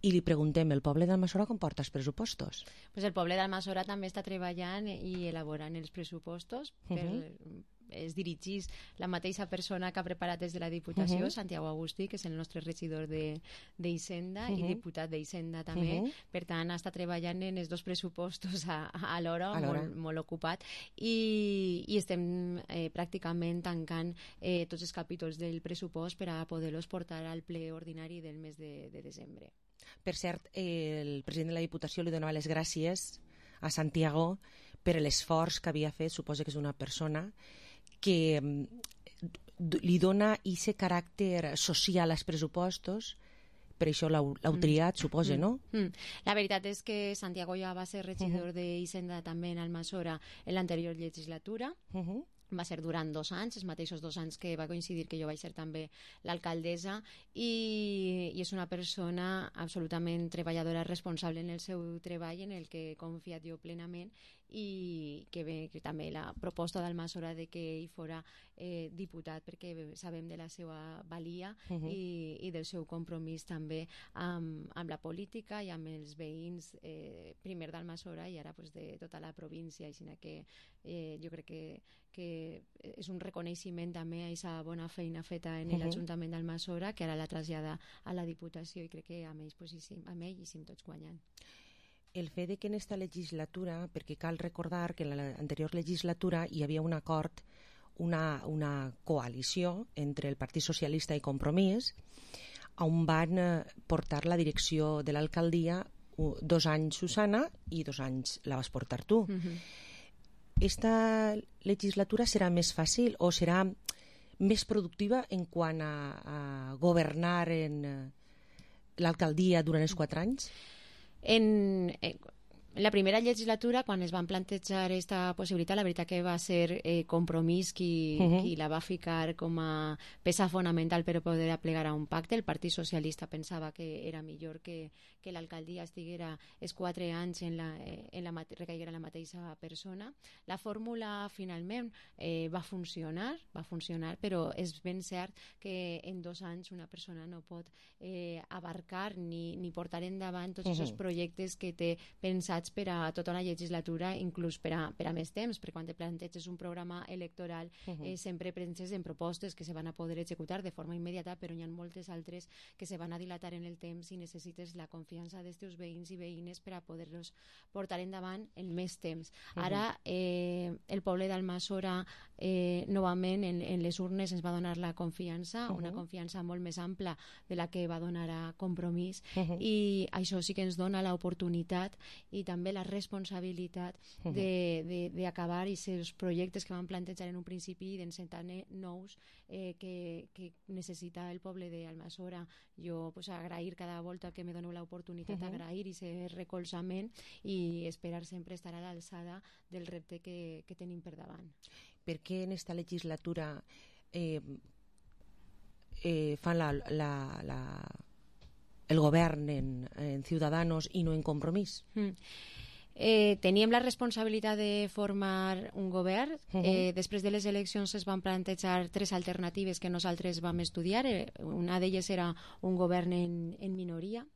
i li preguntem, el poble d'Almassora com porta els pressupostos? Pues el poble d'Almassora també està treballant i elaborant els pressupostos per... Uh-huh. Es dirigís la mateixa persona que ha preparat des de la Diputació, uh-huh. Santiago Agustí, que és el nostre regidor d'Hisenda uh-huh. i diputat d'Hisenda també. Uh-huh. Per tant, està treballant en els dos pressupostos a, a l'hora, molt, molt ocupat, i, i estem eh, pràcticament tancant eh, tots els capítols del pressupost per a poder-los portar al ple ordinari del mes de, de desembre. Per cert, eh, el president de la Diputació li donava les gràcies a Santiago per l'esforç que havia fet, suposa que és una persona que li dona aquest caràcter social als pressupostos, per això l'heu triat, mm. suposa, no? Mm. La veritat és que Santiago ja va ser regidor uh-huh. d'Hisenda també en Almassora en l'anterior legislatura. Uh-huh. Va ser durant dos anys, els mateixos dos anys que va coincidir que jo vaig ser també l'alcaldessa, i, i és una persona absolutament treballadora, responsable en el seu treball, en el que he confiat jo plenament, i que, bé, que també la proposta d'Almassora de que ell fora eh, diputat, perquè sabem de la seva valia uh-huh. i, i del seu compromís també amb, amb la política i amb els veïns, eh, primer d'Almassora i ara pues, de tota la província, així que eh, jo crec que, que és un reconeixement també a aquesta bona feina feta en uh-huh. l'Ajuntament d'Almassora, que ara la trasllada a la Diputació, i crec que amb ells, pues, hi, amb ell hi sim tots guanyant. El fet de que en esta legislatura, perquè cal recordar que en l'anterior legislatura hi havia un acord, una, una coalició entre el Partit Socialista i Compromís, on van portar la direcció de l'alcaldia dos anys Susana i dos anys la vas portar tu. Uh-huh. Esta legislatura serà més fàcil o serà més productiva en quant a, a governar en l'alcaldia durant els quatre anys? En, en la primera legislatura, quan es van plantejar aquesta possibilitat, la veritat que va ser eh, Compromís qui, uh-huh. qui la va ficar com a peça fonamental per poder aplegar a un pacte. El Partit Socialista pensava que era millor que, que l'alcaldia estiguera els quatre anys en la, en la, recaiguera en la mateixa persona. La fórmula finalment eh, va funcionar, va funcionar, però és ben cert que en dos anys una persona no pot eh, abarcar ni, ni portar endavant tots aquests uh-huh. projectes que té pensats per a tota una legislatura, inclús per a, per a més temps, perquè quan te planteges un programa electoral uh-huh. eh, sempre penses en propostes que se van a poder executar de forma immediata, però hi ha moltes altres que se van a dilatar en el temps i necessites la confiança dels teus veïns i veïnes per a poder-los portar endavant en més temps. Uh-huh. Ara eh, el poble d'Almassora eh, novament en, en les urnes ens va donar la confiança, uh-huh. una confiança molt més ampla de la que va donar a Compromís, uh-huh. i això sí que ens dona l'oportunitat i també la responsabilitat d'acabar aquests projectes que van plantejar en un principi i d'encetar nous eh, que, que necessita el poble d'Almassora. Jo pues, agrair cada volta que me doneu l'oportunitat, uh-huh. agrair aquest recolzament i esperar sempre estar a l'alçada del repte que, que tenim per davant. Per què en esta legislatura eh, eh, fan la, la, la el govern en, en Ciudadanos i no en Compromís? Mm. Eh, teníem la responsabilitat de formar un govern. Uh-huh. eh, després de les eleccions es van plantejar tres alternatives que nosaltres vam estudiar. Eh, una d'elles era un govern en, en minoria.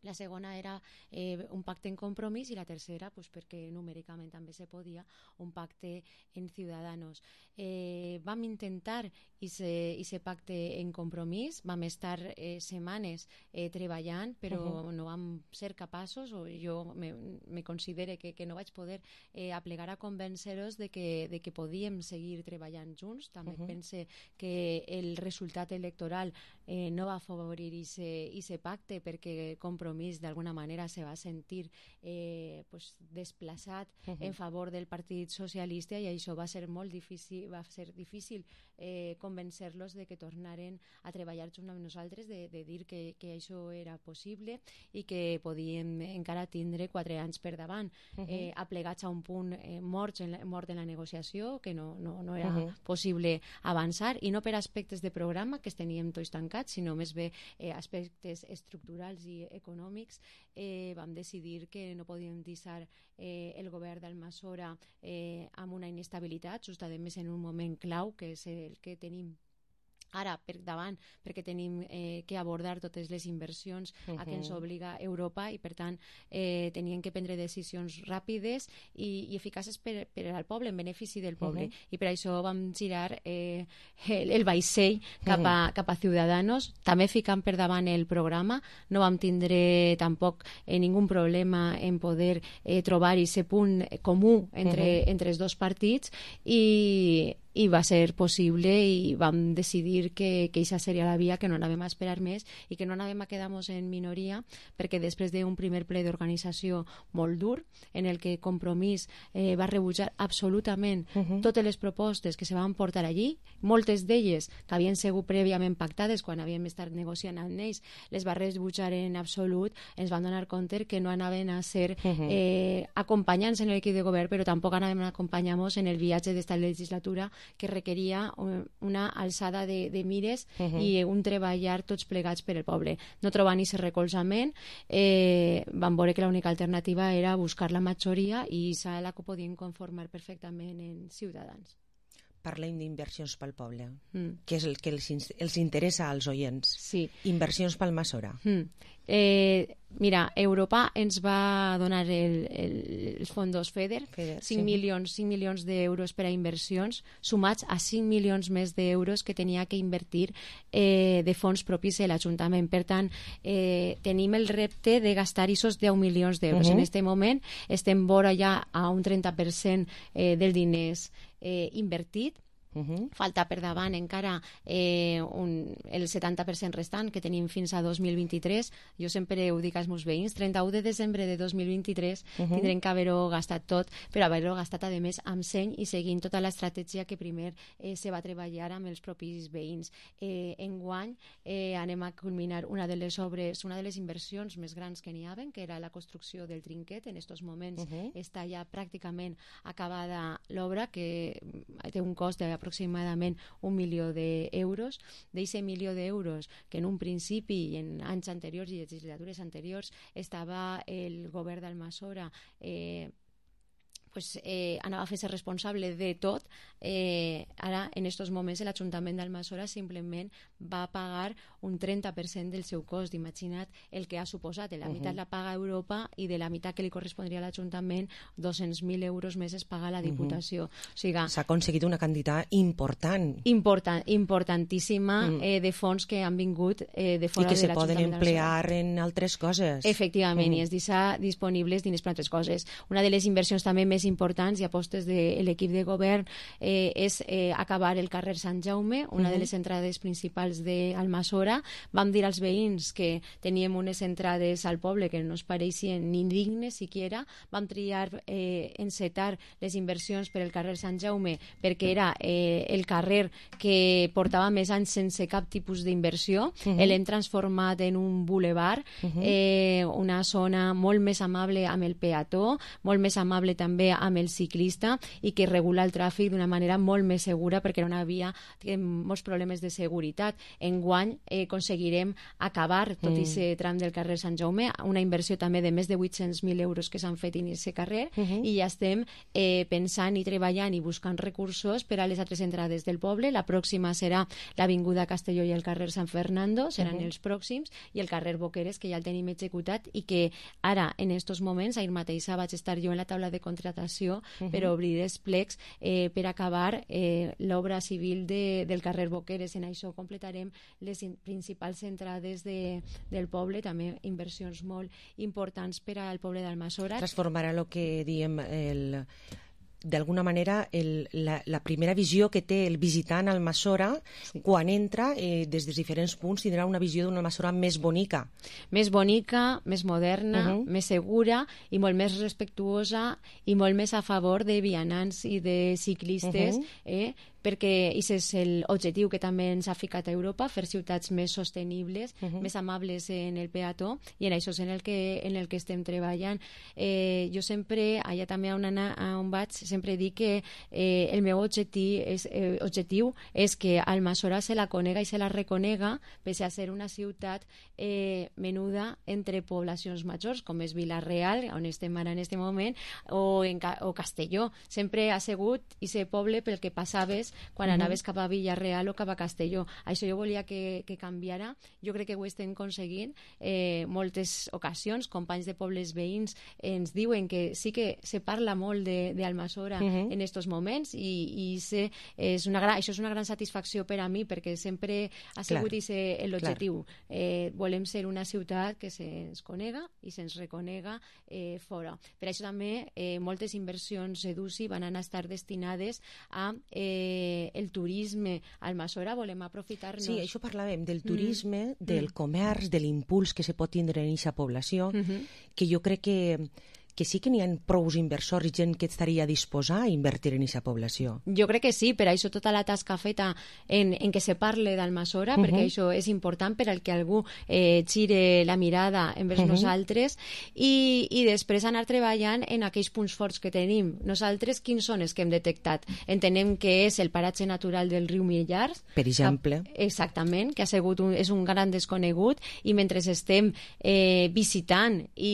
La segona era eh, un pacte en Compromís i la tercera, pues, perquè numèricament també se podia, un pacte en Ciudadanos. Eh, vam intentar aquest pacte en Compromís, vam estar eh, setmanes eh, treballant, però uh-huh. no vam ser capaços, o jo me, me considere que, que no vaig poder eh, aplegar a convèncer-los de que, de que podíem seguir treballant junts. També uh-huh. pense que el resultat electoral eh, no va afavorir aquest pacte, perquè Compromís d'alguna manera se va sentir eh, pues, desplaçat uh-huh. en favor del Partit Socialista, i això va ser molt difícil, va ser difícil eh, convencer-los de que tornaren a treballar junt amb nosaltres, de, de dir que, que això era possible i que podíem encara tindre quatre anys per davant, uh-huh. eh, aplegats a un punt eh, mort, en la, mort en la negociació, que no, no, no era uh-huh. possible avançar, i no per aspectes de programa, que es teníem tots tancats, sinó més bé eh, aspectes estructurals i econòmics. Eh, vam decidir que no podíem deixar eh, el govern d'Almassora eh, amb una inestabilitat, just a més en un moment clau, que és el que tenim ara per davant, perquè tenim eh, que abordar totes les inversions uh-huh. a què ens obliga Europa, i per tant eh, tenien que prendre decisions ràpides i, i eficaces per, per al poble, en benefici del poble, uh-huh. i per això vam girar eh, el, el vaixell cap a, uh-huh. cap a Ciudadanos, també ficant per davant el programa. No vam tindre tampoc eh, ningun problema en poder eh, trobar aquest punt comú entre, uh-huh. entre els dos partits, i i va ser possible, i vam decidir que aquesta seria la via, que no anàvem a esperar més i que no anàvem a quedar-nos en minoria, perquè després d'un primer ple d'organització molt dur, en el que Compromís eh, va rebutjar absolutament uh-huh. totes les propostes que se van portar allí, moltes d'elles que havien sigut prèviament pactades quan havíem estat negociant amb ells, les va rebutjar en absolut. Ens van donar compte que no anaven a ser uh-huh. eh, acompanyants en l'equip de govern, però tampoc anaven a acompanyar-nos en el viatge d'esta legislatura, que requeria una alçada de, de mires uh-huh. i un treballar tots plegats per el poble. No trobant aquest recolzament, eh, vam veure que l'única alternativa era buscar la majoria, i s'ha la que podien conformar perfectament en Ciutadans. Parlem d'inversions pel poble, mm. que és el que els, els interessa als oients. Sí. Inversions pel Almassora. Mm. Eh, mira, Europa ens va donar el, el, els fondos FEDER, FEDER cinc, sí. milions, cinc milions d'euros per a inversions, sumats a cinc milions més d'euros que tenia que invertir eh, de fons propis de l'Ajuntament. Per tant, eh, tenim el repte de gastar aquests deu milions d'euros. Uh-huh. En aquest moment estem vora ja a un trenta per cent eh, dels diners eh, invertit. Uh-huh. Falta per davant encara eh, un, el setanta per cent restant, que tenim fins a dos mil vint-i-tres. Jo sempre ho dic als meus veïns, trenta-u de desembre de dos mil vint-i-tres uh-huh. tindrem que haver-ho gastat tot, però haver-ho gastat a més amb seny i seguint tota l'estratègia que primer eh, se va treballar amb els propis veïns. Eh, enguany eh, anem a culminar una de les obres, una de les inversions més grans que n'hi havia, que era la construcció del trinquet. En aquests moments uh-huh. està ja pràcticament acabada l'obra, que té un cost de aproximadament un milió d'euros. D'aquest milió d'euros, que en un principi i en anys anteriors i legislatures anteriors estava el govern d'Almassora eh, pues, eh, anava a fer-se responsable de tot, eh, ara en aquests moments l'Ajuntament d'Almassora simplement va pagar un trenta per cent del seu cost. Imagina't el que ha suposat. La uh-huh. meitat la paga Europa, i de la meitat que li correspondria a l'Ajuntament, dos-cents mil euros més es paga la Diputació. Uh-huh. O sigui, s'ha aconseguit una quantitat important. Important, importantíssima uh-huh. eh, de fons que han vingut eh, de fora de l'Ajuntament. I que se poden emplear en altres coses. Efectivament, uh-huh. i es deixa disponibles diners per altres coses. Una de les inversions també més importants i apostes de l'equip de govern eh, és eh, acabar el carrer Sant Jaume, una uh-huh. de les entrades principals d'Almassora. Vam dir als veïns que teníem unes entrades al poble que no es pareixien ni dignes siquiera. Vam triar eh, encetar les inversions per el carrer Sant Jaume perquè era eh, el carrer que portava més anys sense cap tipus d'inversió. Uh-huh. L'hem transformat en un boulevard, uh-huh. eh, una zona molt més amable amb el peató, molt més amable també amb el ciclista, i que regula el tràfic d'una manera molt més segura, perquè no hi havia molts problemes de seguretat. Enguany eh, aconseguirem acabar tot aquest mm. tram del carrer Sant Jaume, una inversió també de més de vuit-cents mil euros que s'han fet en aquest carrer, uh-huh. i ja estem eh, pensant i treballant i buscant recursos per a les altres entrades del poble. La pròxima serà l'Avinguda Castelló i el carrer Sant Fernando, seran uh-huh. els pròxims, i el carrer Boqueres, que ja el tenim executat, i que ara, en aquests moments, ahir mateix vaig estar jo en la taula de contratació uh-huh. per obrir els plecs eh, per acabar eh, l'obra civil de, del carrer Boqueres. En això completarem les in, principals entrades de, del poble, també inversions molt importants per al poble d'Almassora. Transformarà el que diem el... d'alguna manera el, la, la primera visió que té el visitant a Almassora, sí. quan entra eh, des dels diferents punts tindrà una visió d'una Almassora més bonica. Més bonica, més moderna, uh-huh. més segura i molt més respectuosa i molt més a favor de vianants i de ciclistes, uh-huh. eh, perquè aquest és l'objectiu que també ens ha ficat a Europa, fer ciutats més sostenibles, uh -huh. més amables en el peató, i en això és en el que, en el que estem treballant. Eh, jo sempre, allà també on, anar, on vaig, sempre dic que eh, el meu objectiu és, eh, objectiu és que Almassora se la conega i se la reconega, pese a ser una ciutat eh, menuda entre poblacions majors, com és Vila-real, on estem ara en aquest moment, o, en, o Castelló. Sempre ha sigut i ser poble pel que passaves quan uh-huh. anaves cap a Vila-real o cap a Castelló. Això jo volia que, que canviara. Jo crec que ho estem aconseguint. Eh, moltes ocasions, companys de pobles veïns ens diuen que sí que se parla molt d'Almassora uh-huh. en aquests moments, i, i se, és una gran, això és una gran satisfacció per a mi, perquè sempre ha sigut l'objectiu. Eh, volem ser una ciutat que se'ns conega i se'ns reconega eh, fora. Per això també eh, moltes inversions d'U C I van anar a estar destinades a eh, el turisme a Almassora. Volem aprofitar-nos... Sí, això parlàvem del turisme, mm. del comerç, de l'impuls que se pot tindre en aquesta població, mm-hmm. que jo crec que que sí que n'hi ha prous inversors i gent que estaria disposada a invertir en aquesta població. Jo crec que sí, per això tota la tasca feta en, en què se parle d'Almassora, uh-huh. perquè això és important per al que algú eh, gire la mirada envers uh-huh. nosaltres, i, i després anar treballant en aquells punts forts que tenim. Nosaltres, quins són els que hem detectat? Entenem que és el paratge natural del riu Millars. Per exemple. Que, exactament, que ha sigut un, és un gran desconegut, i mentre estem eh, visitant i,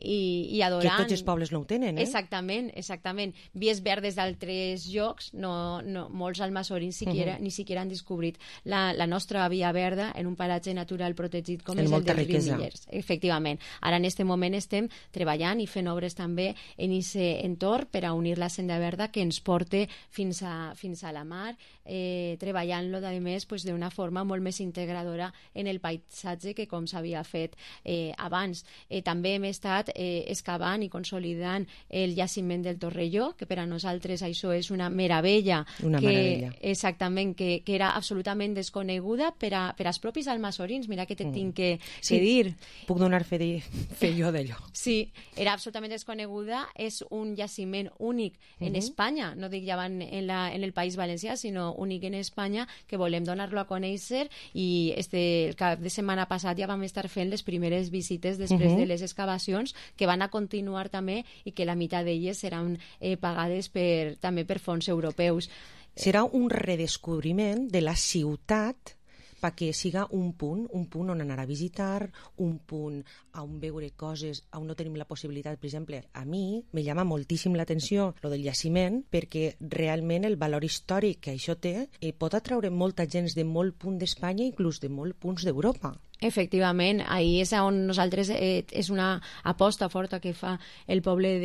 i, i adorant... Que tots els pobles no ho tenen, eh? Exactament, exactament. Vies verdes d'altres llocs, no, no, molts almassorins siquiera, uh-huh. ni siquiera han descobrit la, la nostra via verda en un paratge natural protegit com en és el del riquesa. riu Millers. Efectivament. Ara en aquest moment estem treballant i fent obres també en aquest entorn per a unir la senda verda que ens porte fins a, fins a la mar, eh, treballant-lo, a més, pues, d'una forma molt més integradora en el paisatge que com s'havia fet eh, abans. Eh, també hem estat eh, excavant i consolidant el jaciment del Torrelló, que per a nosaltres això és una meravella. Una que, meravella. Exactament, que, que era absolutament desconeguda per, a, per als propis almassorins. Mira que te mm. tinc que, sí, que dir. Puc donar fe, de, fe jo d'allò. Sí, era absolutament desconeguda. És un jaciment únic en uh-huh. Espanya, no dic ja en, la, en el País Valencià, sinó únic en Espanya, que volem donar-lo a conèixer, i este, el cap de setmana passat ja vam estar fent les primeres visites després uh-huh. de les excavacions, que van a continuar continuar també, i que la meitat d'elles seran eh, pagades per, també per fons europeus. Serà un redescobriment de la ciutat perquè siga un punt, un punt on anar a visitar, un punt on veure coses, on no tenim la possibilitat. Per exemple, a mi me llama moltíssim l'atenció lo del jaciment, perquè realment el valor històric que això té eh, pot atraure molta gent de molt punt d'Espanya, inclús de molt punts d'Europa. Efectivament, ahí és on nosaltres eh, és una aposta forta que fa el poble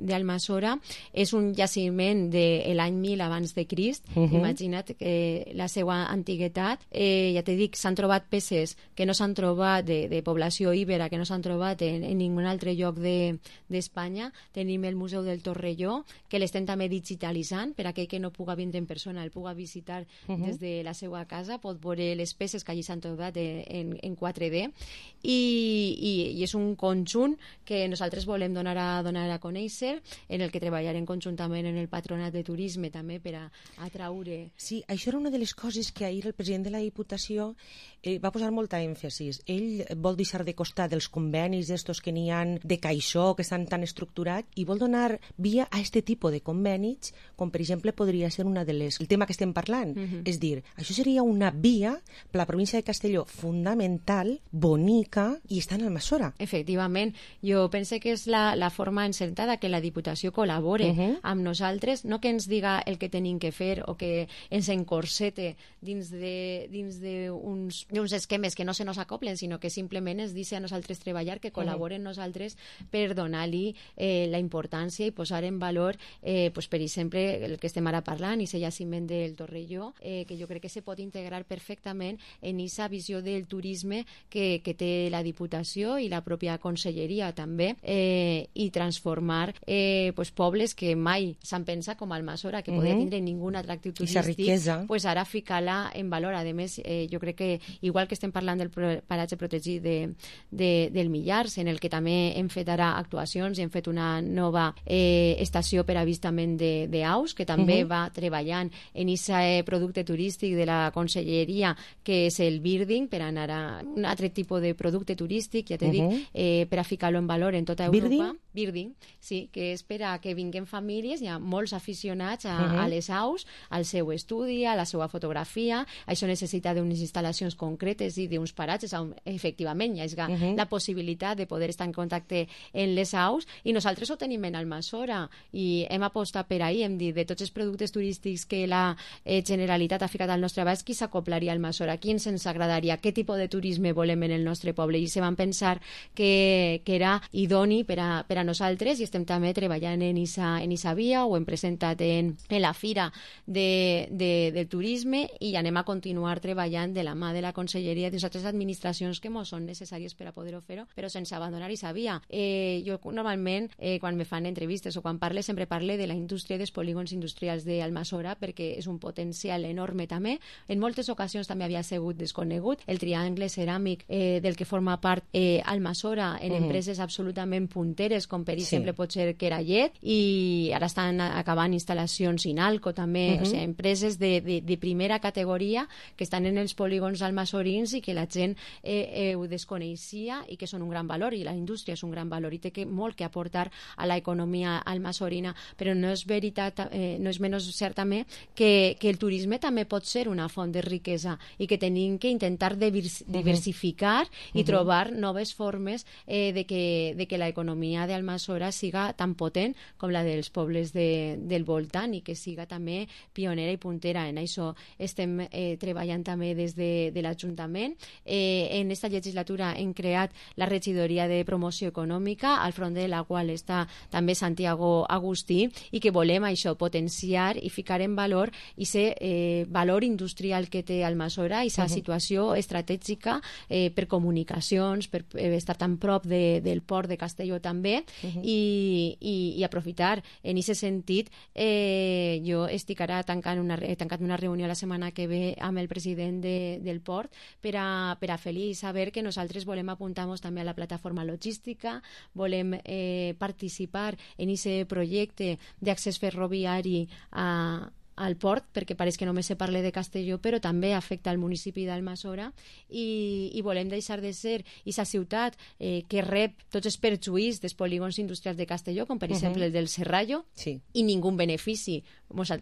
d'Almassora. És un jaciment de l'any mil abans de Crist. Uh-huh. Imagina't eh, la seva antiguitat. Eh, ja te dic, s'han trobat peces que no s'han trobat de, de població íbera, que no s'han trobat en, en ningun altre lloc d'Espanya. De, Tenim el Museu del Torrelló, que l'estem també digitalitzant per a aquell que no puga vindre en persona, el puga visitar uh-huh. des de la seva casa, pot veure les peces que allí s'han trobat en, en quatre D, i, i, i és un conjunt que nosaltres volem donar a, donar a conèixer, en el que treballarem conjuntament en el Patronat de Turisme també per a atraure. Sí, això era una de les coses que ahir el president de la Diputació eh, va posar molta èmfasis. Ell vol deixar de costat dels convenis d'estos que n'hi ha de caixó, que estan tan estructurats, i vol donar via a aquest tipus de convenis, com per exemple podria ser una de les... el tema que estem parlant. Uh-huh. És dir, això seria una via per la província de Castelló fundamental, bonica, i està en Almassora. Efectivament. Jo pense que és la, la forma encertada que la Diputació col·labore uh-huh. amb nosaltres, no que ens diga el que tenim que fer o que ens encorsete dins de, dins de uns, uns esquemes que no se nos acoplen, sinó que simplement ens dice a nosaltres treballar, que col·laboren uh-huh. nosaltres per donar-li eh, la importància i posar en valor, eh, pues, per exemple, el que estem ara parlant, i el jaciment del Torrelló, eh, que jo crec que se pot integrar perfectament en aquesta visió del turisme que, que té la Diputació i la pròpia Conselleria també, eh, i transformar eh, pues, pobles que mai s'han pensat com Almassora, que podia tindre ningú atractiu turístic, pues ara ficar-la en valor. A més, eh, jo crec que igual que estem parlant del paratge protegit de, de, del Millars, en el que també hem fet ara actuacions i hem fet una nova eh, estació per avistament d'aus, que també uh -huh. va treballant en aquest producte turístic de la Conselleria, que és el birding, per anar a un altre tipus de producte turístic, ja t'he uh -huh. dit, eh, per a ficar-lo en valor en tota Europa. Birding? Birding, sí, que és per a que vinguin famílies, hi ha molts aficionats a, uh -huh. a les aus, al seu estudi, a la seva fotografia. Això necessita d'unes instal·lacions concretes i d'uns paratges on efectivament hi ha uh -huh. la possibilitat de poder estar en contacte amb les aus, i nosaltres ho tenim en Almassora i hem apostat per ahir, hem dit de tots els productes turístics que la eh, Generalitat ha ficat al nostre abast, qui s'acoplaria a Almassora, qui ens agradaria, què tipus de turisme volem en el nostre poble, i se van pensar que, que era idoni per a, per a nosaltres, i estem també treballant en esa, en esa via, ho hem presentat en, en la Fira de, de, del Turisme, i anem a continuar treballant de la mà de la Conselleria de les altres administracions que mos són necessàries per a poder-ho fer-ho, però sense abandonar aquesta via. Eh, jo normalment, eh, quan me fan entrevistes o quan parle, sempre parle de la indústria dels polígons industrials d'Almassora, perquè és un potencial enorme també. En moltes ocasions també havia sigut desconegut el triangle ceràmic eh, del que forma part eh, Almassora en uh -huh. empreses absolutament punteres, com per exemple sí. pot ser Kerallet, i ara estan acabant instal·lacions Inalco també, uh -huh. o sigui, empreses de, de, de primera categoria que estan en els polígons almassorins i que la gent eh, eh, ho desconeixia i que són un gran valor, i la indústria és un gran valor i té que, molt que aportar a l'economia almassorina, però no és veritat, eh, no és menys cert també que, que el turisme també pot ser una font de riquesa i que tenim que intentar diversificar uh -huh. i trobar noves formes eh, de que, de que l'economia d'Almassora siga tan potent com la dels pobles de, del voltant, i que siga també pionera i puntera. En això estem eh, treballant també des de, de l'Ajuntament. Eh, en aquesta legislatura hem creat la regidoria de promoció econòmica, al front de la qual està també Santiago Agustí, i que volem això, potenciar i ficar en valor aquest eh, valor industrial que té Almassora, i aquesta uh -huh. situació estratègica eh, per comunicacions, per eh, estar tan prop de, del port de Castelló també, uh -huh. i, i, i aprofitar. En aquest sentit, eh, jo estic ara tancant una, he tancat una reunió la setmana que ve amb el president de, del port per a, per a fer-li saber que nosaltres volem apuntar-nos també a la plataforma logística, volem eh, participar en aquest projecte d'accés ferroviari a al port, perquè pareix que només se parla de Castelló, però també afecta el municipi d'Almassora, i, i volem deixar de ser aquesta ciutat eh, que rep tots els perjuís dels polígons industrials de Castelló, com per uh -huh. exemple el del Serrallo, sí. i ningú benefici.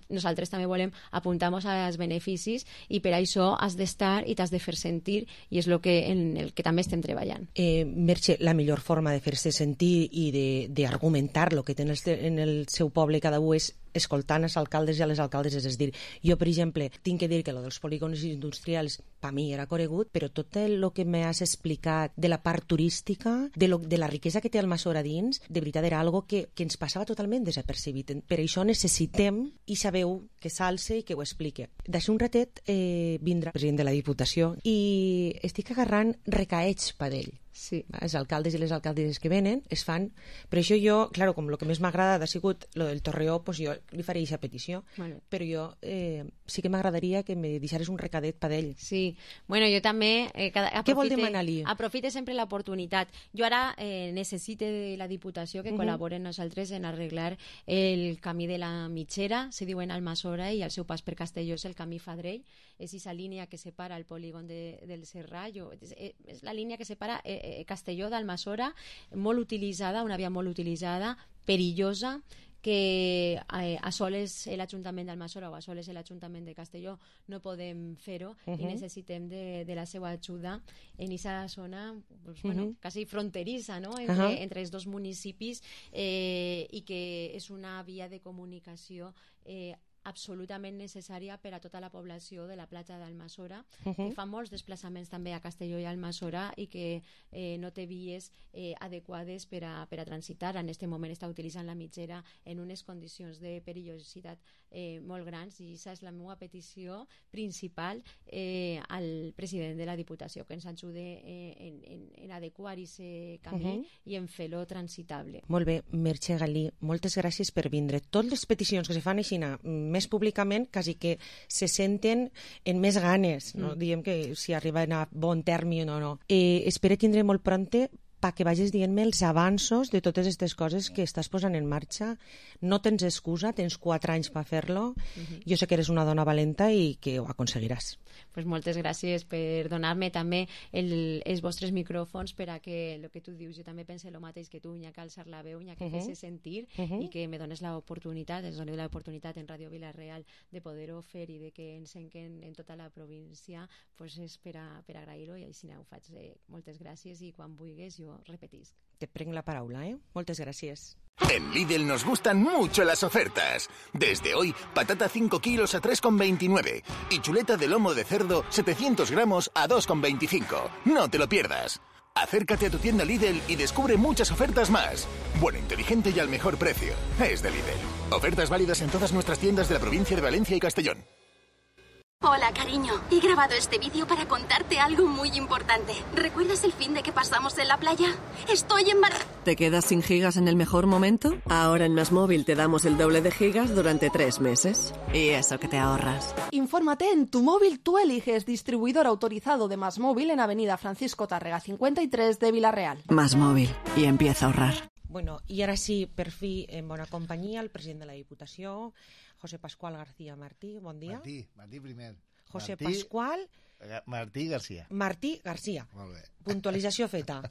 Nosaltres també volem apuntar-nos als beneficis, i per això has d'estar i t'has de fer sentir, i és el que, en el que també estem treballant. Eh, Merche, la millor forma de fer-se sentir i d'argumentar el que té en el, en el seu poble cada un és escoltant els alcaldes i a les alcaldes. És a dir, jo, per exemple, tinc que dir que lo dels polígons industrials per mi era conegut, però tot el que m'has explicat de la part turística, de, lo, de la riquesa que té Almassora dins, de veritat era algo que, que ens passava totalment desapercebit. Per això necessitem, i sabeu, que s'alce i que ho explique. D'així un ratet eh, vindrà el president de la Diputació i estic agarrant recaets per ell. Sí. Els alcaldes i les alcaldes que venen es fan, per això jo, claro, com el que més m'ha agradat ha sigut lo del Torreó, pues jo li faré aquesta petició, vale. Però jo eh, sí que m'agradaria que me deixares un recadet per ell. Sí, bueno, jo també eh, cada, aprofite, què vol demanar-li? Aprofite sempre l'oportunitat. Jo ara eh, necessite de la Diputació que uh -huh. col·laboren nosaltres en arreglar el camí de la Mitxera, se diu en Almassora, i el seu pas per Castelló és el camí Fadrell, és aquesta línia que separa el polígon de, del Serrallo, és, és la línia que separa eh, Castelló d'Almassora, molt utilitzada, una via molt utilitzada, perillosa, que eh, a soles l'Ajuntament d'Almassora o a soles l'Ajuntament de Castelló no podem fer-ho, uh -huh. i necessitem de, de la seva ajuda en aquesta zona pues, uh -huh. bueno, quasi fronterissa, no? entre, uh -huh. entre els dos municipis, eh, i que és una via de comunicació eh, absolutament necessària per a tota la població de la platja d'Almassora, Uh-huh. que fa molts desplaçaments també a Castelló i Almassora i que eh, no té vies eh, adequades per a, per a transitar. En aquest moment està utilitzant la mitgera en unes condicions de perillositat eh, molt grans, i aquesta és la meva petició principal eh, al president de la Diputació, que ens ajude eh, en, en, en adequar aquest camí Uh-huh. i en fer-lo transitable. Molt bé, Merche Galí, moltes gràcies per vindre. Totes les peticions que se fan així més públicament quasi que se senten en més ganes, no? Mm. Diem que si arriben a bon terme o no. Eh, espero tindre molt pronte perquè vagis dient-me els avanços de totes aquestes coses que estàs posant en marxa. No tens excusa, tens quatre anys per fer-lo. Mhm. Jo sé que eres una dona valenta i que ho aconseguiràs. Pues moltes gràcies per donar-me també el, els vostres micròfons per a que el que tu dius, jo també pense el mateix que tu, n'hi ha que alçar la veu, n'hi ha que Uh-huh. fer-se sentir Uh-huh. i que me dones l'oportunitat, ens doneu l'oportunitat en Ràdio Vila-real de poder-ho fer i de que ens enquen en tota la província, pues és per, a, per agrair-ho, i així ho faig. Eh, moltes gràcies, i quan vulguis jo repetisc. Te prenc la paraula, eh? Moltes gràcies. En Lidl nos gustan mucho las ofertas. Desde hoy, patata cinco kilos a tres con veintinueve y chuleta de lomo de cerdo setecientos gramos a dos con veinticinco. No te lo pierdas. Acércate a tu tienda Lidl y descubre muchas ofertas más. Bueno, inteligente y al mejor precio. Es de Lidl. Ofertas válidas en todas nuestras tiendas de la provincia de Valencia y Castellón. Hola, cariño. He grabado este vídeo para contarte algo muy importante. ¿Recuerdas el fin de que pasamos en la playa? Estoy embarazada. ¿Te quedas sin gigas en el mejor momento? Ahora en MásMóvil te damos el doble de gigas durante tres meses. Y eso que te ahorras. Infórmate en Tu Móvil Tú Eliges, distribuidor autorizado de MásMóvil en Avenida Francisco Tárrega cincuenta y tres de Vila-real. MásMóvil. Y empieza a ahorrar. Bueno, i ara sí, per fi, en bona companyia, el president de la Diputació, José Pascual García Martí. Bon dia. Martí, Martí primer. José Martí, Pascual... Martí García. Martí García. Molt bé. Puntualització feta.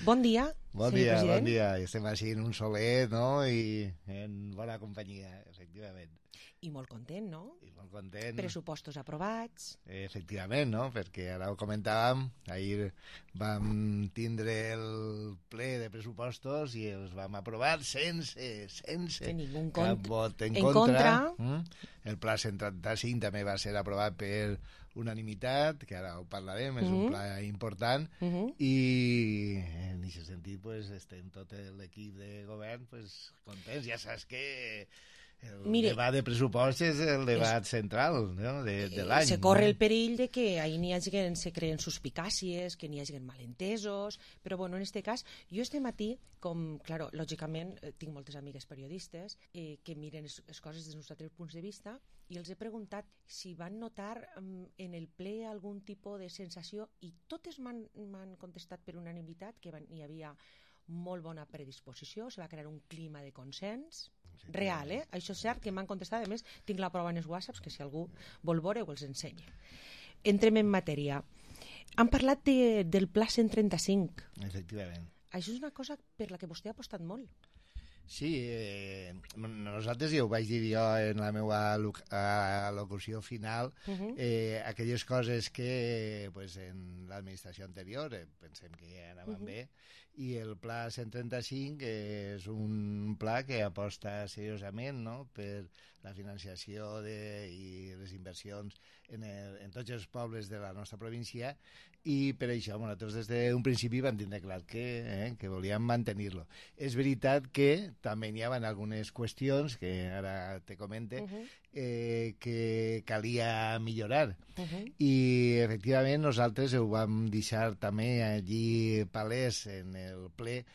Bon dia, Bon senyor dia, president. bon dia. Estem així en un solet, no?, i en bona companyia, efectivament. I molt content, no? I molt content. Pressupostos aprovats. Efectivament, no?, perquè ara ho comentàvem, ahir vam tindre el ple de pressupostos i els vam aprovar sense, sense De ningú cap cont- vot en, en contra. contra. Mm? El pla cent trenta-cinc també va ser aprovat per unanimitat, que ara ho parlarem, és Mhm. un pla important, Mhm. i en aquest sentit pues, estem tot l'equip de govern pues, contents. Ja saps que el Mire, debat de pressupost és el debat central, no?, de, de l'any. Se corre no? el perill de que ahí n'hi hagi que se creen suspicàcies, que n'hi hagi malentesos, però bueno, en este cas, jo este matí, com, claro, lògicament, eh, tinc moltes amigues periodistes eh, que miren les coses des dels nostres punts de vista, i els he preguntat si van notar mm, en el ple algun tipus de sensació, i totes m'han m'han contestat per unanimitat que van, hi havia molt bona predisposició, se va crear un clima de consens real, eh? Això és cert que m'han contestat, a més tinc la prova en els whatsapps, que si algú vol veure ho els ensenya. Entrem en matèria. Han parlat de, del pla cent trenta-cinc. Efectivament. Això és una cosa per la que vostè ha apostat molt. Sí, eh, nosaltres, ja ho vaig dir jo en la meva al·locució final, Mhm. eh, aquelles coses que pues, en l'administració anterior eh, pensem que ja anaven Mhm. bé, i el pla cent trenta-cinc és un pla que aposta seriosament, no?, per la financiació de, i les inversions en, el, en tots els pobles de la nostra província, i per això nosaltres des d'un principi vam tindre clar que, eh, que volíem mantenir-lo. És veritat que també hi havia algunes qüestions que ara te comente Mhm. eh, que calia millorar, Mhm. i efectivament nosaltres ho vam deixar també allí palès en el ple.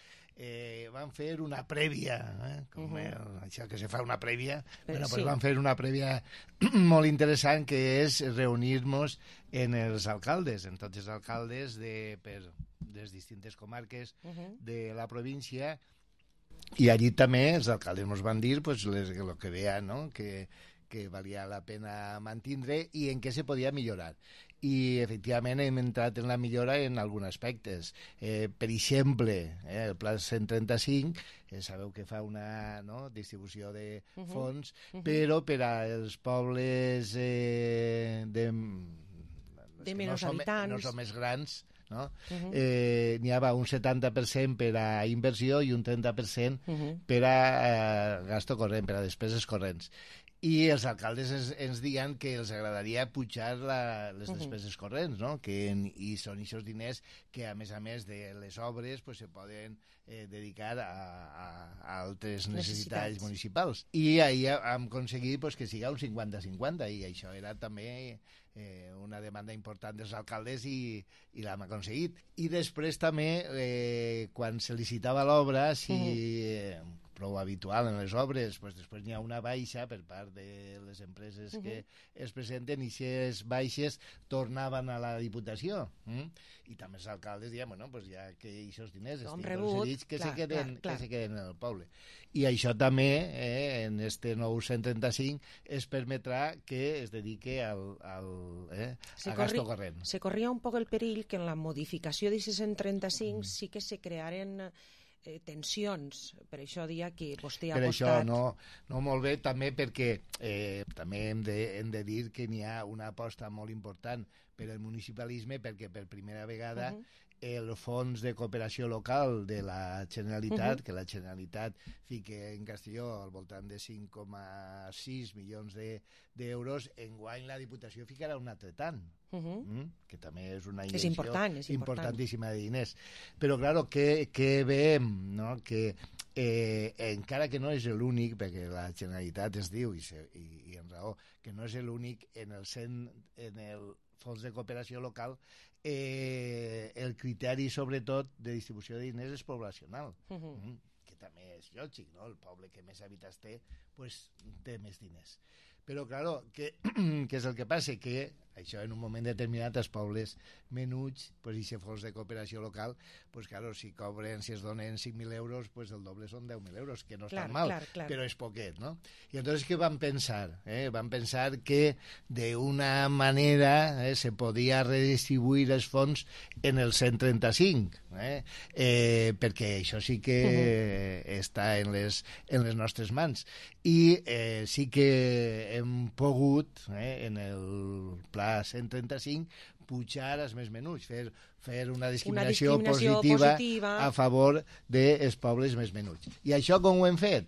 Eh, van fer una prèvia, eh? Com Mhm. el, això que se fa una prèvia, Eh, bueno, sí. pues van fer una prèvia molt interessant, que és reunir-nos en els alcaldes, en tots els alcaldes de, per les distintes comarques Mhm. de la província, i allí també els alcaldes ens van dir pues, les, lo que veien, no?, que, que valia la pena mantindre i en què se podia millorar. I efectivament hem entrat en la millora en alguns aspectes. Eh, per exemple, eh, el pla cent trenta-cinc, eh, sabeu que fa una, no?, distribució de Mhm. fons, Mhm. però per als pobles eh, de, De que menys no som, habitants. no som més grans, no? Mhm. eh, n'hi havia un setanta per cent per a inversió i un trenta per cent Mhm. per a eh, gasto corrent, per a despeses corrents. i els alcaldes ens, ens diuen que els agradaria pujar la, les despeses uh-huh. corrents, no? Que en, i són aquests diners que, a més a més de les obres, pues, se poden eh, dedicar a, a, a altres necessitats, necessitats municipals. I ahir hem aconseguit pues, que siga un cinquanta cinquanta, i això era també eh, una demanda important dels alcaldes i, i l'hem aconseguit. I després també, eh, quan se licitava l'obra, si... Uh-huh. eh, prou habitual en les obres, pues després n'hi ha una baixa per part de les empreses uh-huh. que es presenten, i aquestes baixes tornaven a la Diputació. Mm? I també els alcaldes diuen, bueno, pues ja que aquests diners estan concedits, que, clar, se queden, clar, clar. que se queden en el poble. I això també, eh, en este nou cent trenta-cinc, es permetrà que es dedique al, al, eh, a gasto corrent. Se corria un poc el perill que en la modificació d'aquest cent trenta-cinc mm. sí que se crearen Eh, tensions, per això dia que vostè ha per apostat... Per això no, no molt bé, també perquè eh, també hem de, hem de dir que n'hi ha una aposta molt important per al municipalisme, perquè per primera vegada uh-huh. el fons de cooperació local de la Generalitat, uh-huh. que la Generalitat fica en Castelló al voltant de cinc coma sis milions d'euros, de, enguany la Diputació ficarà un altre tant. Uh-huh. mm? Que també és una inversió és important, és importantíssima de diners. Però, claro, que, que veiem, no? Que eh, encara que no és l'únic, perquè la Generalitat es diu, i, se, i, i en raó, que no és l'únic en el cent, en el fons de cooperació local, eh, el criteri, sobretot, de distribució de diners és poblacional. Uh-huh. mm? Que també és lògic, no? El poble que més habitants té, pues, té més diners. Però, claro, què és el que passa? Que això en un moment determinat els pobles menuts, pues, i si fos de cooperació local, pues, claro, si cobren, si es donen cinc mil euros, pues el doble són deu mil euros, que no és tan mal, clar, clar. Però és poquet, no? I entonces, què van pensar? Eh? Van pensar que d'una manera eh, se podia redistribuir els fons en el cent trenta-cinc, eh? Eh, perquè això sí que uh-huh. està en les, en les nostres mans. I eh, sí que hem pogut, eh, en el pla cent trenta-cinc, pujar als més menuts, fer, fer una discriminació, una discriminació positiva, positiva a favor dels pobles més menuts. I això com ho hem fet?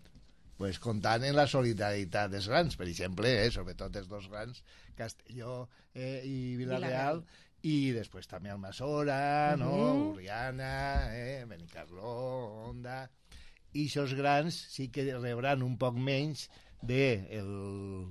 Pues comptant en la solidaritat dels grans, per exemple, eh, sobretot els dos grans, Castelló eh, i Vila-real, i després també Almassora, uh-huh. no? Urriana, eh, Benicarló, Onda... I aquests grans sí que rebran un poc menys del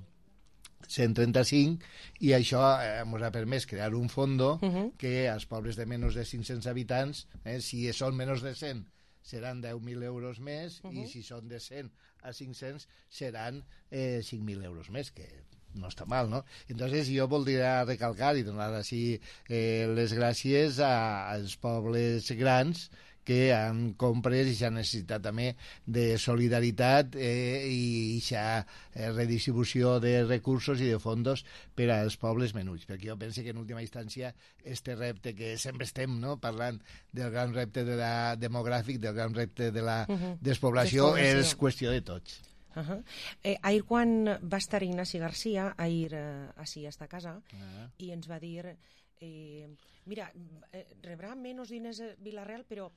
cent trenta-cinc, i això ens ha permès crear un fondo uh-huh. que als pobles de menys de cinc-cents habitants, eh, si són menys de cent, seran deu mil euros més, uh-huh. i si són de cent a cinc-cents seran eh, cinc mil euros més, que no està mal, no? Entonces jo voldria recalcar i donar així eh, les gràcies a, als pobles grans que han compres i s'ha necessitat també de solidaritat eh, i aquesta eh, redistribució de recursos i de fondos per als pobles menuts, perquè jo penso que en última instància este repte que sempre estem, no?, parlant del gran repte de la demogràfic, del gran repte de la uh-huh. despoblació, despoblació, és qüestió de tots. Uh-huh. Eh, ahir quan va estar Ignasi Garcia, ahir eh, així a esta casa, uh-huh. i ens va dir... Eh, mira, eh, rebrà menys diners a Vila-real, però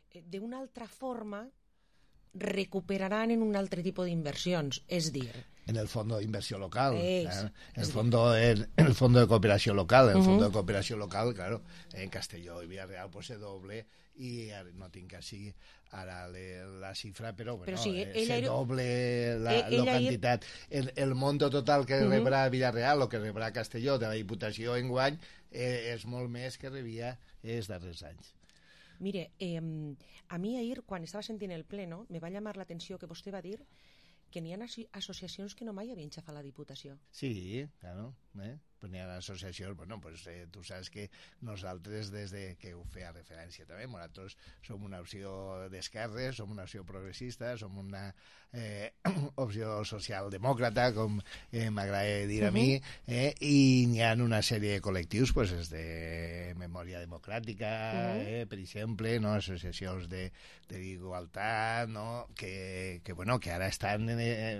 eh, d'una altra forma recuperaran en un altre tipus d'inversions, és dir... En el fondo de inversión local, es, ¿eh? el, fondo, el, el fondo de cooperación local, el uh-huh. fondo de cooperación local, claro, en Castelló y Villarreal pues se doble, i no tinc així ara le, la xifra, però, bueno, però sí, eh, se era... doble la, ell, la quantitat. El, el monto total que uh-huh. rebrà Villarreal o que rebrà Castelló de la Diputació enguany eh, és molt més que rebia els darrers anys. Mire, eh, a mi ahir, quan estava sentint el pleno, me va llamar l'atenció que vostè va dir que n'hi ha associacions que no mai havien xafat la Diputació. Sí, claro, eh? Pues n'hi ha associacions, bueno, pues eh, tu saps que nosaltres, des de que ho feia referència també, nosaltres som una opció d'esquerres, som una opció progressista, som una eh, opció socialdemòcrata, com eh, m'agrada dir a mi, eh, i n'hi ha una sèrie de col·lectius, pues, des de Memòria Democràtica, eh, per exemple, no? Associacions de, de igualtat, no? que, que, bueno, que ara estan... Eh,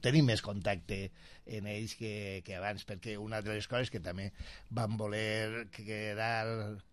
tenim més contacte en ells que, que abans, perquè una de les coses que també van voler quedar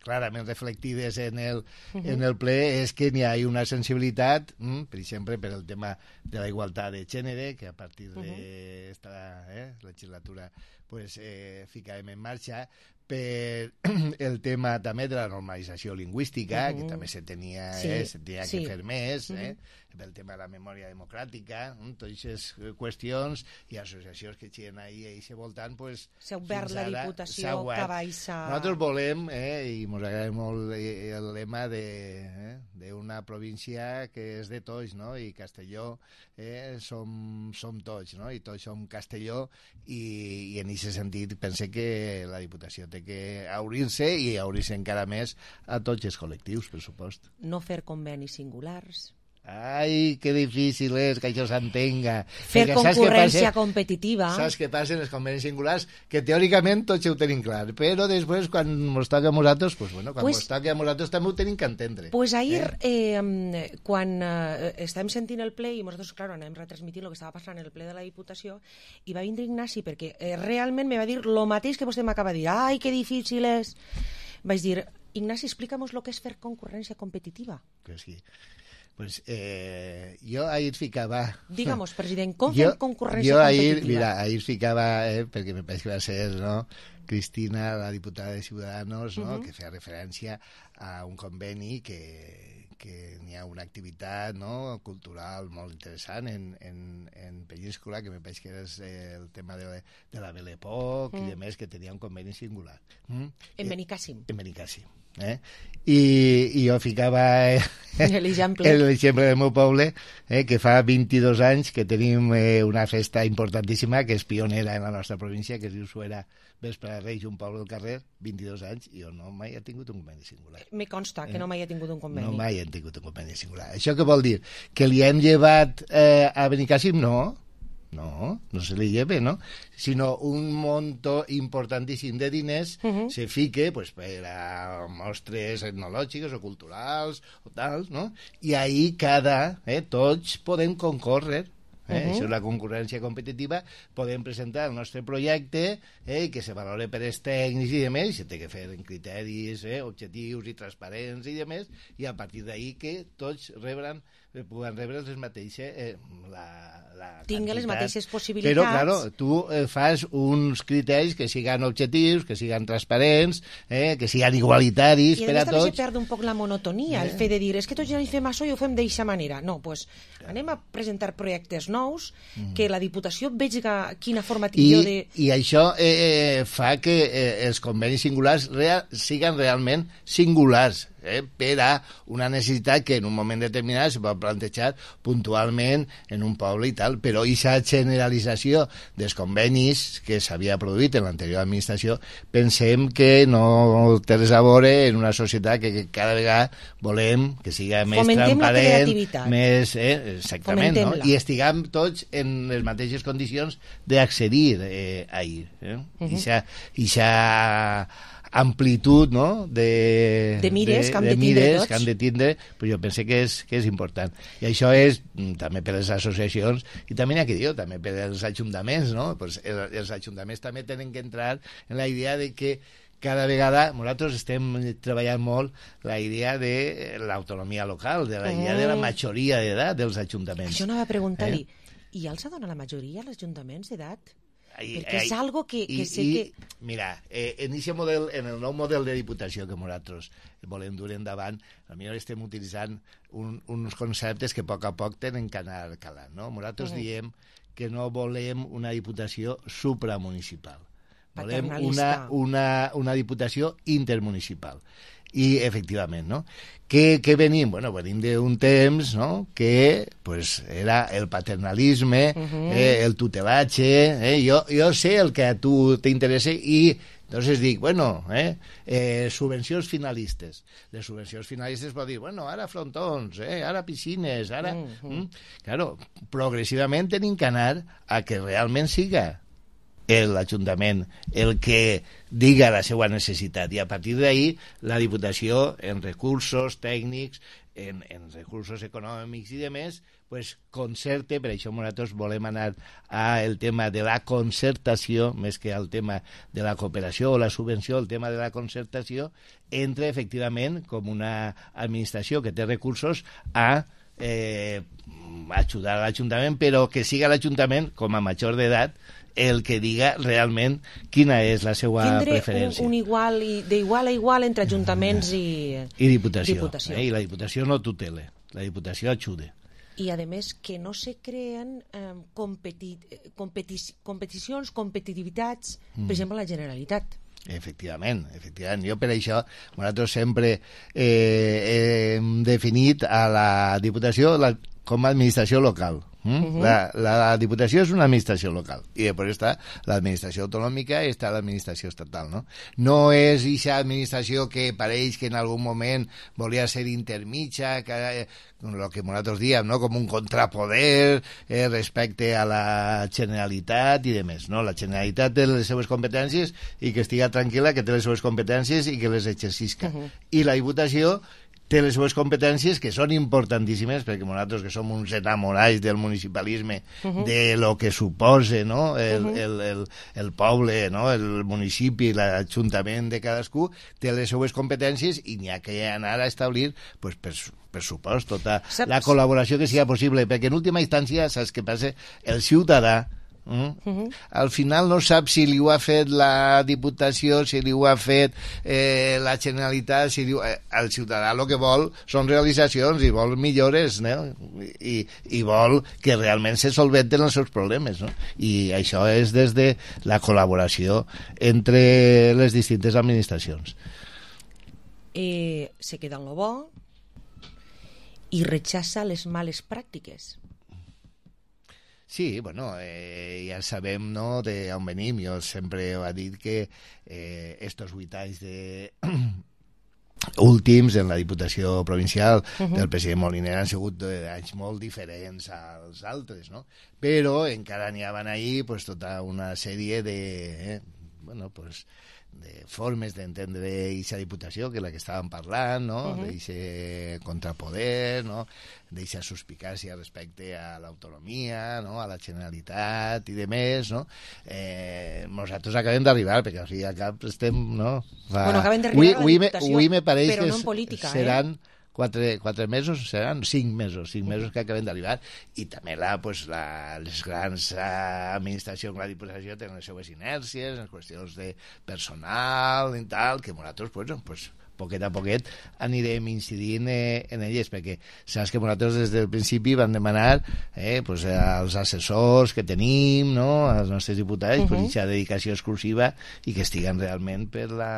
clarament reflectides en el, uh-huh. en el ple és que n'hi ha una sensibilitat, mm, per exemple, per el tema de la igualtat de gènere, que a partir d'esta uh-huh. eh, legislatura pues, eh, ficàvem en marxa, per el tema també de la normalització lingüística, uh-huh. que també se tenia, sí, eh, se tenia sí. que fer més, uh-huh. eh, pel tema de la memòria democràtica, eh, totes aquestes qüestions i associacions que xiren ahí i se voltant, pues, s'ha obert la Diputació Cabaixa. Nosaltres volem, eh, i ens agrada molt el lema de, eh, d'una província que és de tots, no? I Castelló eh, som, som tots, no? I tots som Castelló, i, i en aquest sentit pense que la Diputació té que obrir-se i obrir-se encara més a tots els col·lectius, per supost. No fer convenis singulars. Ai, que difícil és que això s'entenga. Fer perquè concurrència passa, competitiva. Saps què passa en els convenis singulars? Que teòricament tots ho tenim clar, però després quan ens toca a nosaltres, pues bueno, quan pues, ens toca a nosaltres també ho tenim que entendre. Pues ahir, eh? Eh, quan eh, estàvem sentint el ple, i nosaltres, clar, anem retransmitint el que estava passant en el ple de la Diputació, i va vindre Ignasi, perquè eh, realment me va dir el mateix que vostè m'acaba de dir. Ai, que difícil és. Vaig dir, Ignasi, explícanos lo que és fer concurrència competitiva. Que sí. Pues eh, jo ahir ficava... Digamos, president, com fem concurrència jo ahir, competitiva? Mira, ahir ficava, eh, perquè me pareix que va ser, no?, Cristina, la diputada de Ciudadanos, no?, uh-huh. que feia referència a un conveni que, que n'hi ha una activitat, no?, cultural molt interessant en, en, en Peníscola, que me pareix que és el tema de, de la Belle Époque uh-huh. i de més, que tenia un conveni singular. Mm? En Benicàssim. En Benicàssim. Eh? I, i jo ficava eh, l'exemple del meu poble, eh, que fa vint-i-dos anys que tenim eh, una festa importantíssima que és pionera en la nostra província, que es diu Suera Vespre de Reis, un poble del carrer, vint-i-dos anys, i jo no mai he tingut un conveni singular. Me consta que eh? no mai he tingut un conveni. No mai he tingut un conveni singular. Això què vol dir? Que li hem llevat eh, a Benicàssim? No. No, no se li lleve, ¿no? Sino un monto importantíssim de diners uh-huh. se fique pues, per a mostres etnològiques o culturals o tals, no? I ahí cada, eh, tots podem concórrer. Eh? Uh-huh. Això és la concurrència competitiva, podem presentar el nostre projecte eh, que se valore per els tècnics i demés, i se té que fer en criteris eh, objectius i transparents i demés, i a partir d'ahí que tots rebran puguen rebre les mateixes eh, la, la tinguin les mateixes possibilitats, però claro, tu eh, fas uns criteris que siguin objectius, que siguin transparents eh, que siguin igualitaris per a tots. I a més també se perd un poc la monotonia, eh? El fet de dir, és que tots ja hi fem això i ho fem d'eixa manera. No, doncs pues, anem a presentar projectes nous, mm. que la Diputació vegi quina forma tingui de... I això eh, fa que eh, els convenis singulars real, siguin realment singulars, eh, per a una necessitat que en un moment determinat se pot plantejar puntualment en un poble i tal, però aquesta generalització dels convenis que s'havia produït en l'anterior administració pensem que no té res a veure en una societat que, que cada vegada volem que siga més fomentem transparent, més, eh, exactament, no? I estiguem tots en les mateixes condicions d'accedir eh, a ahir. Eh? Uh-huh. Ixa, ixa amplitud, no?, de, de mires, de, que, han de de mires tots. que han de tindre, però jo penso que és, que és important. I això és també per les associacions i també n'hi ha que dir, també per els ajuntaments, no? Pues els, els ajuntaments també tenen que entrar en la idea de que cada vegada nosaltres estem treballant molt la idea de l'autonomia local, de la idea de la majoria d'edat dels ajuntaments. Això anava a preguntar-li, eh? I ja els dona la majoria als ajuntaments d'edat? I, perquè és algo que, que i, sé i, que... Mira, eh, en, model, en el nou model de diputació que nosaltres volem dur endavant, potser estem utilitzant un, uns conceptes que a poc a poc tenen que anar calant, no? Nosaltres uh-huh. diem que no volem una diputació supramunicipal. Volem una, una, una diputació intermunicipal. I, efectivament, no? Què, què venim? Bueno, venim d'un temps, no?, que pues, era el paternalisme, uh-huh. eh, el tutelatge, eh? Jo, jo sé el que a tu t'interessa i entonces dic, bueno, eh, eh, subvencions finalistes. Les subvencions finalistes pot dir, bueno, ara frontons, eh, ara piscines, ara... Uh-huh. Mm? Claro, progressivament tenim que anar a que realment siga l'Ajuntament el que diga la seva necessitat i a partir d'ahí la Diputació en recursos tècnics en, en recursos econòmics i demés, pues, concerte, per això nosaltres volem anar al tema de la concertació, més que al tema de la cooperació o la subvenció, el tema de la concertació, entre, efectivament, com una administració que té recursos, a eh, ajudar a l'Ajuntament, però que siga l'Ajuntament, com a major d'edat, el que diga realment quina és la seva Tindre preferència. un, un igual i d'igual a igual entre ajuntaments i, I diputació. diputació. Eh? I la diputació no tutela, la diputació ajuda. I, a més, que no se creen eh, competi competi competicions, competitivitats, mm. per exemple, la Generalitat. Efectivament, efectivament. Jo per això nosaltres sempre eh, hem definit a la Diputació la, com a administració local. Mm? Uh-huh. la, la, la Diputació és una administració local i després està l'administració autonòmica i està l'administració estatal, no? No és aquesta administració que pareix que en algun moment volia ser intermitja, que eh, el que nosaltres diem, no? Com un contrapoder eh, respecte a la Generalitat i demés, no? La Generalitat té les seves competències i que estiga tranquil·la que té les seves competències i que les exercisca. Uh-huh. I la Diputació té les seves competències que són importantíssimes perquè nosaltres que som uns enamorats del municipalisme, uh-huh. de lo que suposa, no? el, uh-huh. el, el, el poble, no? El municipi, l'Ajuntament de cadascú té les seves competències i n'hi ha que anar a establir pues, per, per supost tota saps? La col·laboració que sigui possible, perquè en última instància saps què passa? El ciutadà Mm? Uh-huh. Al final no sap si li ho ha fet la Diputació, si li ho ha fet eh, la Generalitat, si li ho... eh, el ciutadà el que vol són realitzacions i vol millores, no? I, i vol que realment se solventen els seus problemes, no? I això és des de la col·laboració entre les distintes administracions. Eh, se queda en lo bo i rechaça les males pràctiques. Sí, bueno, eh, ja sabem, no?, d'on venim. Jo sempre he dit que eh, estos vuit anys de... últims en la Diputació Provincial uh-huh. del president Moliner han sigut anys molt diferents als altres, no? Però encara n'hi havia ahí pues, tota una sèrie de... Eh, bueno, pues... de formes d'entendre aquesta Diputació, que és la que estàvem parlant, no? Uh-huh. D'aquest contrapoder, no? D'aquesta suspicàcia respecte a l'autonomia, no? A la Generalitat i de més, no? Eh, nosaltres acabem d'arribar, perquè al fi al cap estem, no? Fa... Bueno, acabem d'arribar a la Diputació, avui me pareix però que no en política, seran... eh? Quatre, quatre mesos, seran cinc mesos, cinc mesos que acabem d'arribar, i també la, pues, la, les grans administracions, la Diputació, tenen les seues inèrcies, les qüestions de personal i tal, que nosaltres, pues, pues, poquet a poquet anirem incidint eh, en elles, perquè saps que nosaltres des del principi vam demanar eh, pues, als assessors que tenim, no?, als nostres diputats, uh-huh. pues, aquesta dedicació exclusiva i que estiguen realment per la,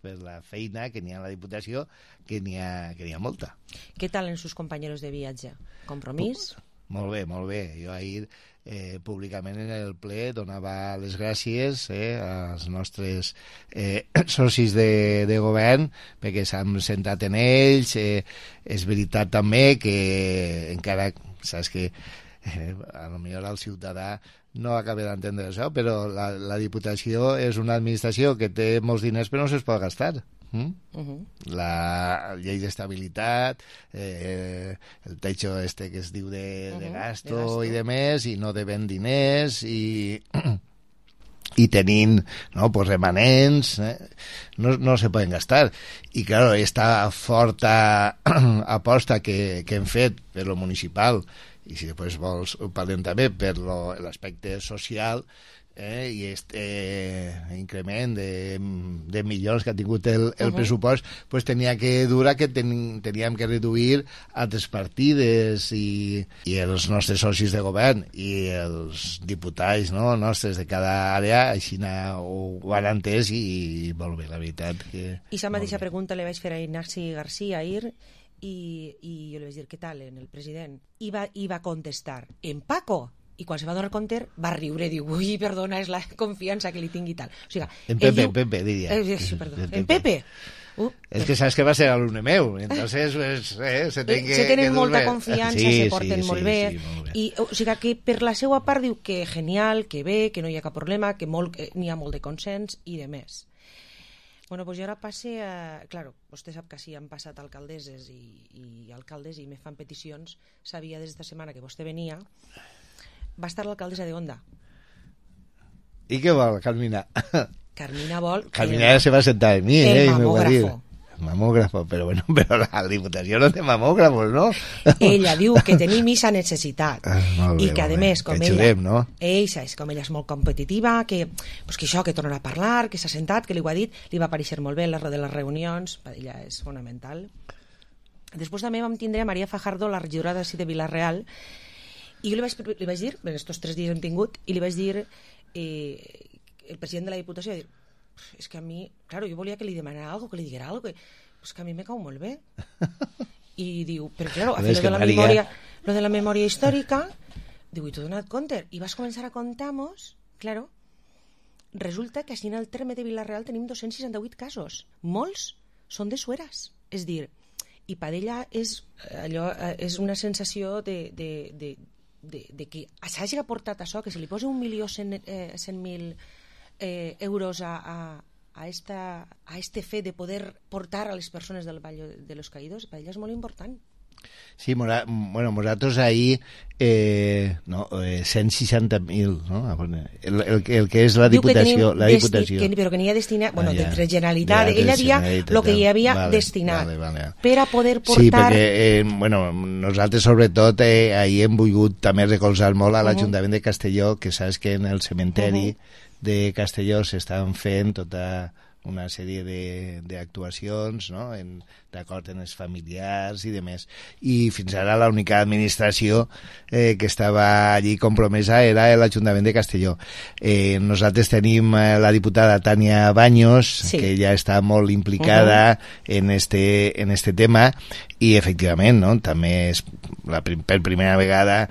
per la feina que n'hi ha a la Diputació, que n'hi ha, que n'hi ha molta. Què tal en sus compañeros de viatge? Compromís? Molt bé, molt bé. Jo ahir eh, públicament en el ple donava les gràcies eh, als nostres eh, socis de, de govern perquè s'han centrat en ells. Eh, és veritat també que encara, saps que eh, a lo millor el ciutadà no acaba d'entendre això, però la, la Diputació és una administració que té molts diners però no se'ls pot gastar. Mm? Uh-huh. La llei d'estabilitat, eh, el techo este que es diu de, uh-huh. de, gasto de gasto i de més, i no deben diners i, i tenint no, pues remanents eh, no, no se poden gastar i claro, esta forta aposta que, que hem fet per lo municipal i si després vols parlem també per lo, l'aspecte social Eh, i este eh, increment de, de milions que ha tingut el, el uh-huh. pressupost, pues tenia que durar que ten, teníem que reduir altres partides i, i els nostres socis de govern i els diputats no, nostres de cada àrea així ho, ho han entès i, i molt bé, la veritat que... I la mateixa pregunta li vaig fer a Ignasi García ahir i, i jo li vaig dir què tal en el president i va, i va contestar en Paco. I quan se va donar compte va riure, diu, ui, perdona, és la confiança que li tingui tal. O sigui, en Pepe, diu, en Pepe, diria. Eh, sí, perdó, en, en Pepe. Uh, és que saps que va ser alumne meu, entonces pues, eh, se, ten que, se tenen que molta bé. confiança, sí, se porten sí, molt sí, bé. Sí, molt bé. I, o sigui que per la seva part diu que genial, que bé, que no hi ha cap problema, que molt, que n'hi ha molt de consens i de més. Bueno, pues jo ara passe a... Claro, vostè sap que sí, han passat alcaldesses i, i alcaldes i me fan peticions. Sabia des d'esta setmana que vostè venia. Va estar l'alcaldessa de Onda. I què vol, Carmina? Carmina vol... Carmina se va sentar en mi, el eh? mamògrafo. Mamógrafo, pero bueno, pero la Diputació no té mamògrafos, no? Ella diu que tenim aquesta necessitat ah, bé, i que, a més, com que ella, xulem, no? ella és com ella és molt competitiva, que, pues, que això, que tornarà a parlar, que s'ha sentat, que li ho ha dit, li va aparèixer molt bé en les de les reunions, per ella és fonamental. Després també vam tindre a Maria Fajardo, la regidora de, de Vila-real, i jo li vaig, li vaig dir, en estos tres dies hem tingut, i li vaig dir, eh, el president de la Diputació, dir, és que a mi, claro, jo volia que li demanara algo, que li diguera algo, que, pues que a mi me cau molt bé. I diu, però claro, a fer lo de la Maria... memòria, lo de la memòria històrica, diu, i t'ho he donat compte, i vas començar a contar-nos, claro, resulta que així en el terme de Vila-real tenim dos-cents seixanta-vuit casos, molts són de sueres, és dir, i per ella és, allò, és una sensació de, de, de, de, de que s'hagi aportat això, que se li posi un milió cent, eh, cent mil Eh, euros a, a, a, esta, a este fe de poder portar a les persones del Vall de los Caídos, per ella és molt important. Sí, mora, bueno, nosaltres ahir eh, no, eh, cent seixanta mil, no? el, el, el que és la Diputació, la Diputació. Que, però que n'hi ha destinat, bueno, ah, ja. de Generalitat, ella dia el que hi havia vale, destinat vale, vale. per a poder portar... Sí, perquè eh, bueno, nosaltres sobretot eh, ahir hem volgut també recolzar molt a l'Ajuntament uh -huh. de Castelló, que saps que en el cementeri uh -huh. de Castelló s'estan fent tota una sèrie d'actuacions, no? d'acord amb els familiars i demés. I fins ara l'única administració eh, que estava allí compromesa era l'Ajuntament de Castelló. Eh, nosaltres tenim eh, la diputada Tània Baños, sí. que ja està molt implicada uh-huh. en, este, en este tema, i efectivament, no? també és la, per primera vegada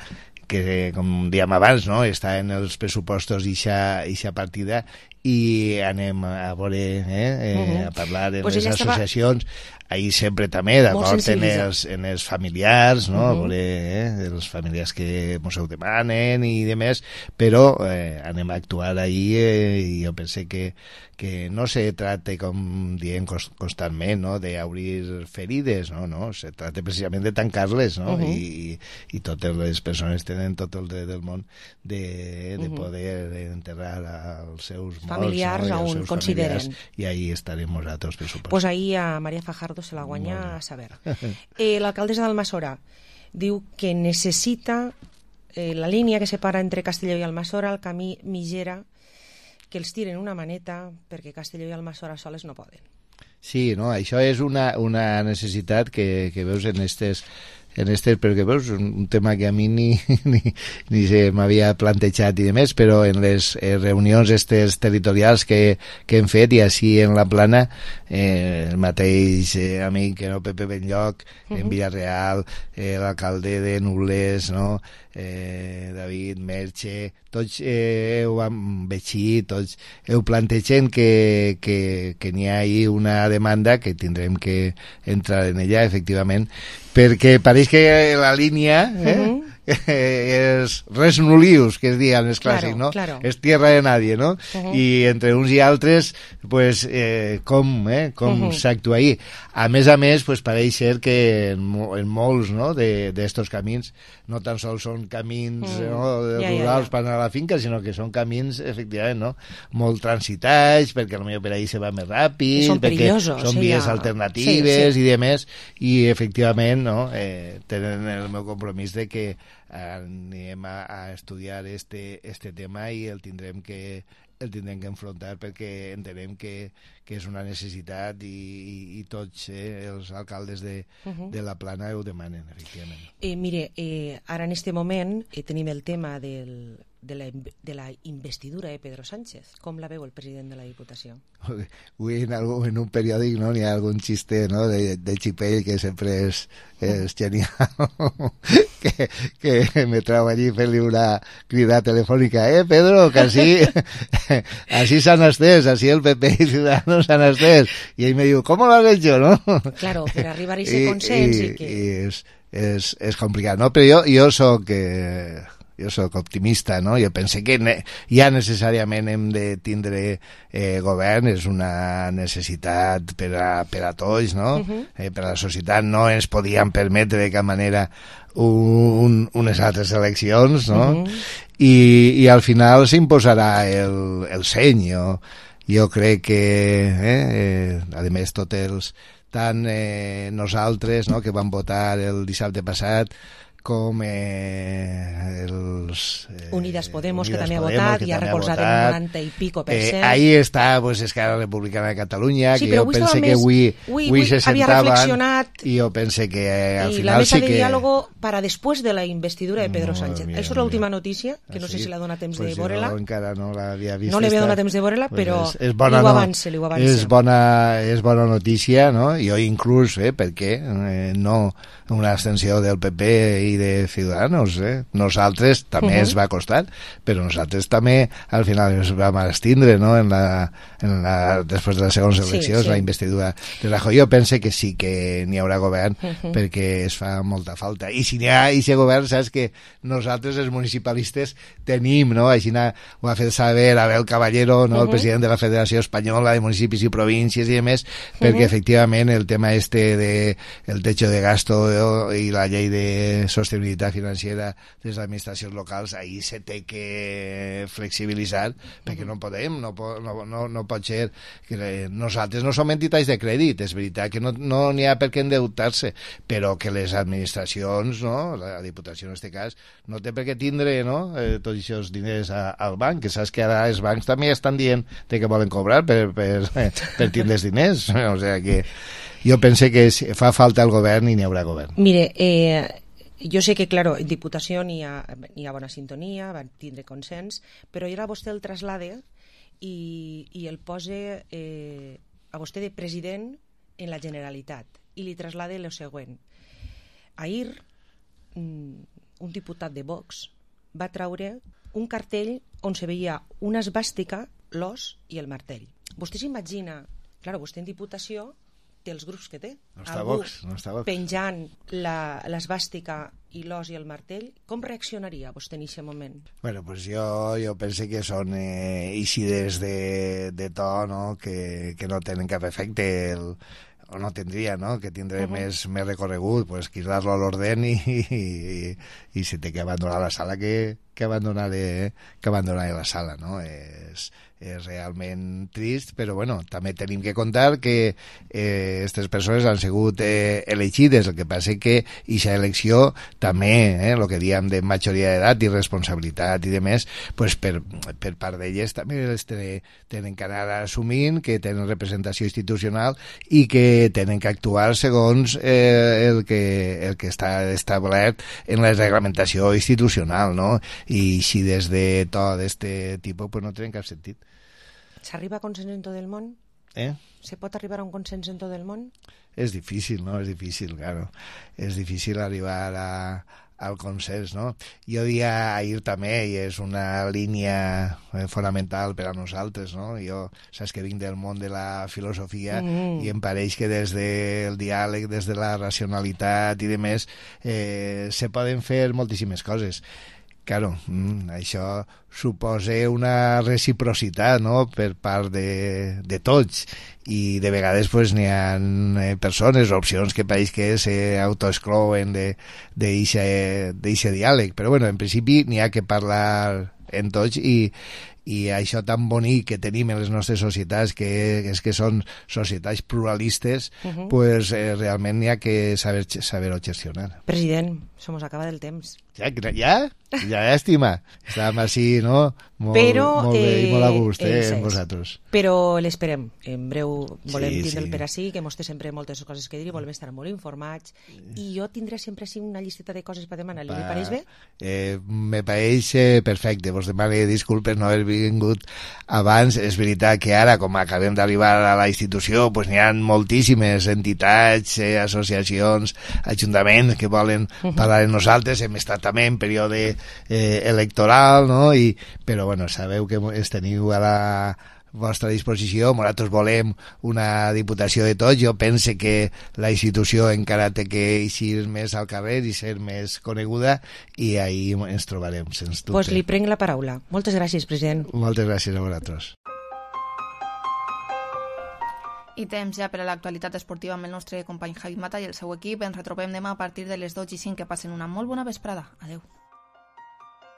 que, com dèiem abans, no? està en els pressupostos ixa partida, i anem a veure, eh, eh, uh-huh. a parlar en pues les associacions, estava... ahir sempre també d'acord en, els, en els familiars, no? Uh-huh. a veure eh, els familiars que ens ho demanen i demés, però eh, anem a actuar ahir eh, i jo pense que, que no se tracta, com diem constantment, no? d'obrir ferides, no? no, se tracta precisament de tancar-les, no? uh-huh. I, i totes les persones tenen tot el dret del món de, de uh-huh. poder enterrar als seus familiars, no? on consideren. I ahí estarem nosaltres, per supost. Pues ahí a Maria Fajardo se la guanya a saber. Eh, L'alcaldessa d'Almassora diu que necessita eh, la línia que separa entre Castelló i Almassora, el camí Migera, que els tiren una maneta perquè Castelló i Almassora soles no poden. Sí, no, això és una, una necessitat que, que veus en estes en este, perquè veus, un, un tema que a mi ni, ni, ni se m'havia plantejat i demés, però en les eh, reunions estes territorials que, que hem fet, i així en la Plana, eh, el mateix eh, amic, no, Pepe Benlloc, uh-huh. en Vila-real, eh, l'alcalde de Nules, no? eh, David Merche, tots eh, heu veixit, tots heu plantejat que, que, que n'hi ha ahí una demanda que tindrem que entrar en ella, efectivament, perquè pareix que la línia eh, uh-huh. és res nulius, que es diuen els clàssics, claro, no? Claro. És tierra de nadie, no? Uh-huh. I entre uns i altres, pues, eh, com, eh, com uh-huh. s'actua ahí. A més a més, pues, pareix ser que en, en molts no, d'estos camins no tan sols són camins uh-huh. no, ja, rurals ja, ja. per anar a la finca, sinó que són camins, efectivament, no? molt transitats, perquè potser per ahí se va més ràpid, són perquè perillosos, són sí, vies ja. alternatives sí, sí. i demés, i efectivament no, eh, tenen el meu compromís de que anem a, a estudiar este, este tema i el tindrem que el tindrem que enfrontar perquè entenem que, que és una necessitat i, i, i tots eh, els alcaldes de, uh-huh. de la Plana ho demanen, efectivament. Eh, mire, eh, ara en este moment eh, tenim el tema del, de, la, de la investidura de Pedro Sánchez. Com la veu el president de la Diputació? Avui en, algun, en un periòdic no, n'hi ha algun xiste no, de, de Xipell que sempre és, és genial que, que me trau allí fent-li una crida telefònica, eh Pedro, que així així s'han estès, així el P P i Ciudadanos s'han estès, i ell me diu, ¿cómo lo has hecho? ¿no? Claro, per arribar a ese consens i, i que... I és, és, és complicat, no? Però jo, jo soc eh, jo sóc optimista, no? Jo pense que ne ja necessàriament hem de tindre eh, govern, és una necessitat per a, per a tots, no? Uh-huh. eh, per a la societat no ens podíem permetre de cap manera un, unes altres eleccions, no? Uh-huh. I, i al final s'imposarà el, el seny. Jo, jo crec que, eh, eh, a més, tots els, tant eh, nosaltres, no?, que vam votar el dissabte passat, com eh, els... Eh, Unidas Podemos, Unidas que també ha Podemos, votat, que i ha també recolzat votat. el noranta i pico per cent. Eh, ahí està, pues, Esquerra Republicana de Catalunya, sí, que jo pense que avui, avui, avui se havia sentaven reflexionat, i jo pense que eh, al i final la mesa sí de que... diàlogo para después de la investidura de Pedro Sánchez. mira, Això és l'última notícia, que no sé sí? si l'ha donat temps pues de veure-la. Jo encara no l'havia vist. No li havia esta. donat temps de veure-la, Pues però és, és bona, li ho no, avance, li ho avance. És bona, és bona notícia, no? Jo inclús, eh, perquè eh, no una abstenció del P P i de Ciudadanos, eh? Nosaltres també uh-huh. es va costar, però nosaltres també al final ens vam abstindre, no?, en la, en la, després de les segones eleccions, sí, sí. la investidura de Rajoy. Jo pense que sí que n'hi haurà govern, uh-huh. perquè es fa molta falta. I si n'hi ha aquest govern, saps que nosaltres, els municipalistes, tenim, no?, així ho ha fet saber Abel Caballero, no?, uh-huh. el president de la Federació Espanyola de Municipis i Províncies i demés, perquè uh-huh. efectivament el tema este de el techo de gasto i la llei de sostenibilitat financiera de les administracions locals, ahí se té que flexibilitzar, perquè no podem, no, no, no, no pot ser que nosaltres no som entitats de crèdit, és veritat que no n'hi no ha per què endeutar-se, però que les administracions, no, la Diputació en aquest cas, no té per què tindre, no, eh, tots aquests diners a, al banc, que saps que ara els bancs també estan dient de que volen cobrar per, per, per tindre els diners, o sigui que jo pense que fa falta el govern i n'hi haurà govern. Mire, eh, jo sé que, claro, en Diputació n'hi ha, n'hi ha bona sintonia, van tindre consens, però ara vostè el traslade i, i el posa eh, a vostè de president en la Generalitat i li traslade el següent. Ahir, un diputat de Vox va traure un cartell on se veia una esvàstica, l'os i el martell. Vostè s'imagina, clar, vostè en Diputació té els grups que té. No està Algú Vox, no està Vox. penjant l'esvàstica i l'os i el martell, com reaccionaria vostè en aquest moment? Bueno, pues jo, jo penso que són eh, eixides de, de to, no?, que, que no tenen cap efecte, el, o no tindria, no?, que tindré uh -huh. més, més recorregut, pues quitar-lo a l'orden i, i, i, i si té que abandonar la sala, que, que abandonaré, que abandonaré la sala, no? És, és realment trist, però bueno, també tenim que contar que aquestes eh, persones han sigut eh, elegides, el que passa que aquesta elecció també, eh, el que diem de majoria d'edat i responsabilitat i demés, pues per, per part d'elles també les tenen que anar assumint, que tenen representació institucional i que tenen que actuar segons eh, el, que, el que està establert en la reglamentació institucional, no? I si des de tot d'aquest tipus pues no tenen cap sentit. S'arriba a consens en tot el món? Eh? Se pot arribar a un consens en tot el món? És difícil, no? És difícil, claro. És difícil arribar a, al consens, no? Jo dia ahir també, i és una línia fonamental per a nosaltres, no? Jo, saps que vinc del món de la filosofia mm. i em pareix que des del diàleg, des de la racionalitat i demés, eh, se poden fer moltíssimes coses. Claro, mm, això suposa una reciprocitat, no?, per part de, de tots, i de vegades pues, n'hi ha eh, persones o opcions que pareix que s'autoexclouen d'aquest diàleg, però bueno, en principi n'hi ha que parlar en tots i i això tan bonic que tenim en les nostres societats, que és que són societats pluralistes, uh-huh. pues eh, realment n'hi ha que saber, saber-ho gestionar. President, se mos acaba del temps. Ja? Ja? Ja, llàstima. Estàvem així, no? Molt, Però, molt bé i molt a gust, eh, eh amb vosaltres. Però l'esperem. En breu volem sí, tindre'l sí. per així, que mos té sempre moltes coses que dir i volem estar molt informats. I jo tindré sempre així una llisteta de coses per demanar. Li pareix bé? Eh, me pareix eh, perfecte. Vos demano disculpes no haver vingut abans. És veritat que ara, com acabem d'arribar a la institució, pues n'hi ha moltíssimes entitats, eh, associacions, ajuntaments que volen uh-huh. parlar amb nosaltres. Hem estat també en període eh, electoral, no? I, però bueno, sabeu que es teniu ara vostra disposició. Nosaltres volem una diputació de tots. Jo pense que la institució encara té que eixir més al carrer i ser més coneguda, i ahir ens trobarem, sens dubte. Pues li prenc la paraula. Moltes gràcies, president. Moltes gràcies a vosaltres. I temps ja per a l'actualitat esportiva amb el nostre company Javi Mata i el seu equip. Ens retrobem demà a partir de les dotze i cinc. Que passen una molt bona vesprada. Adeu.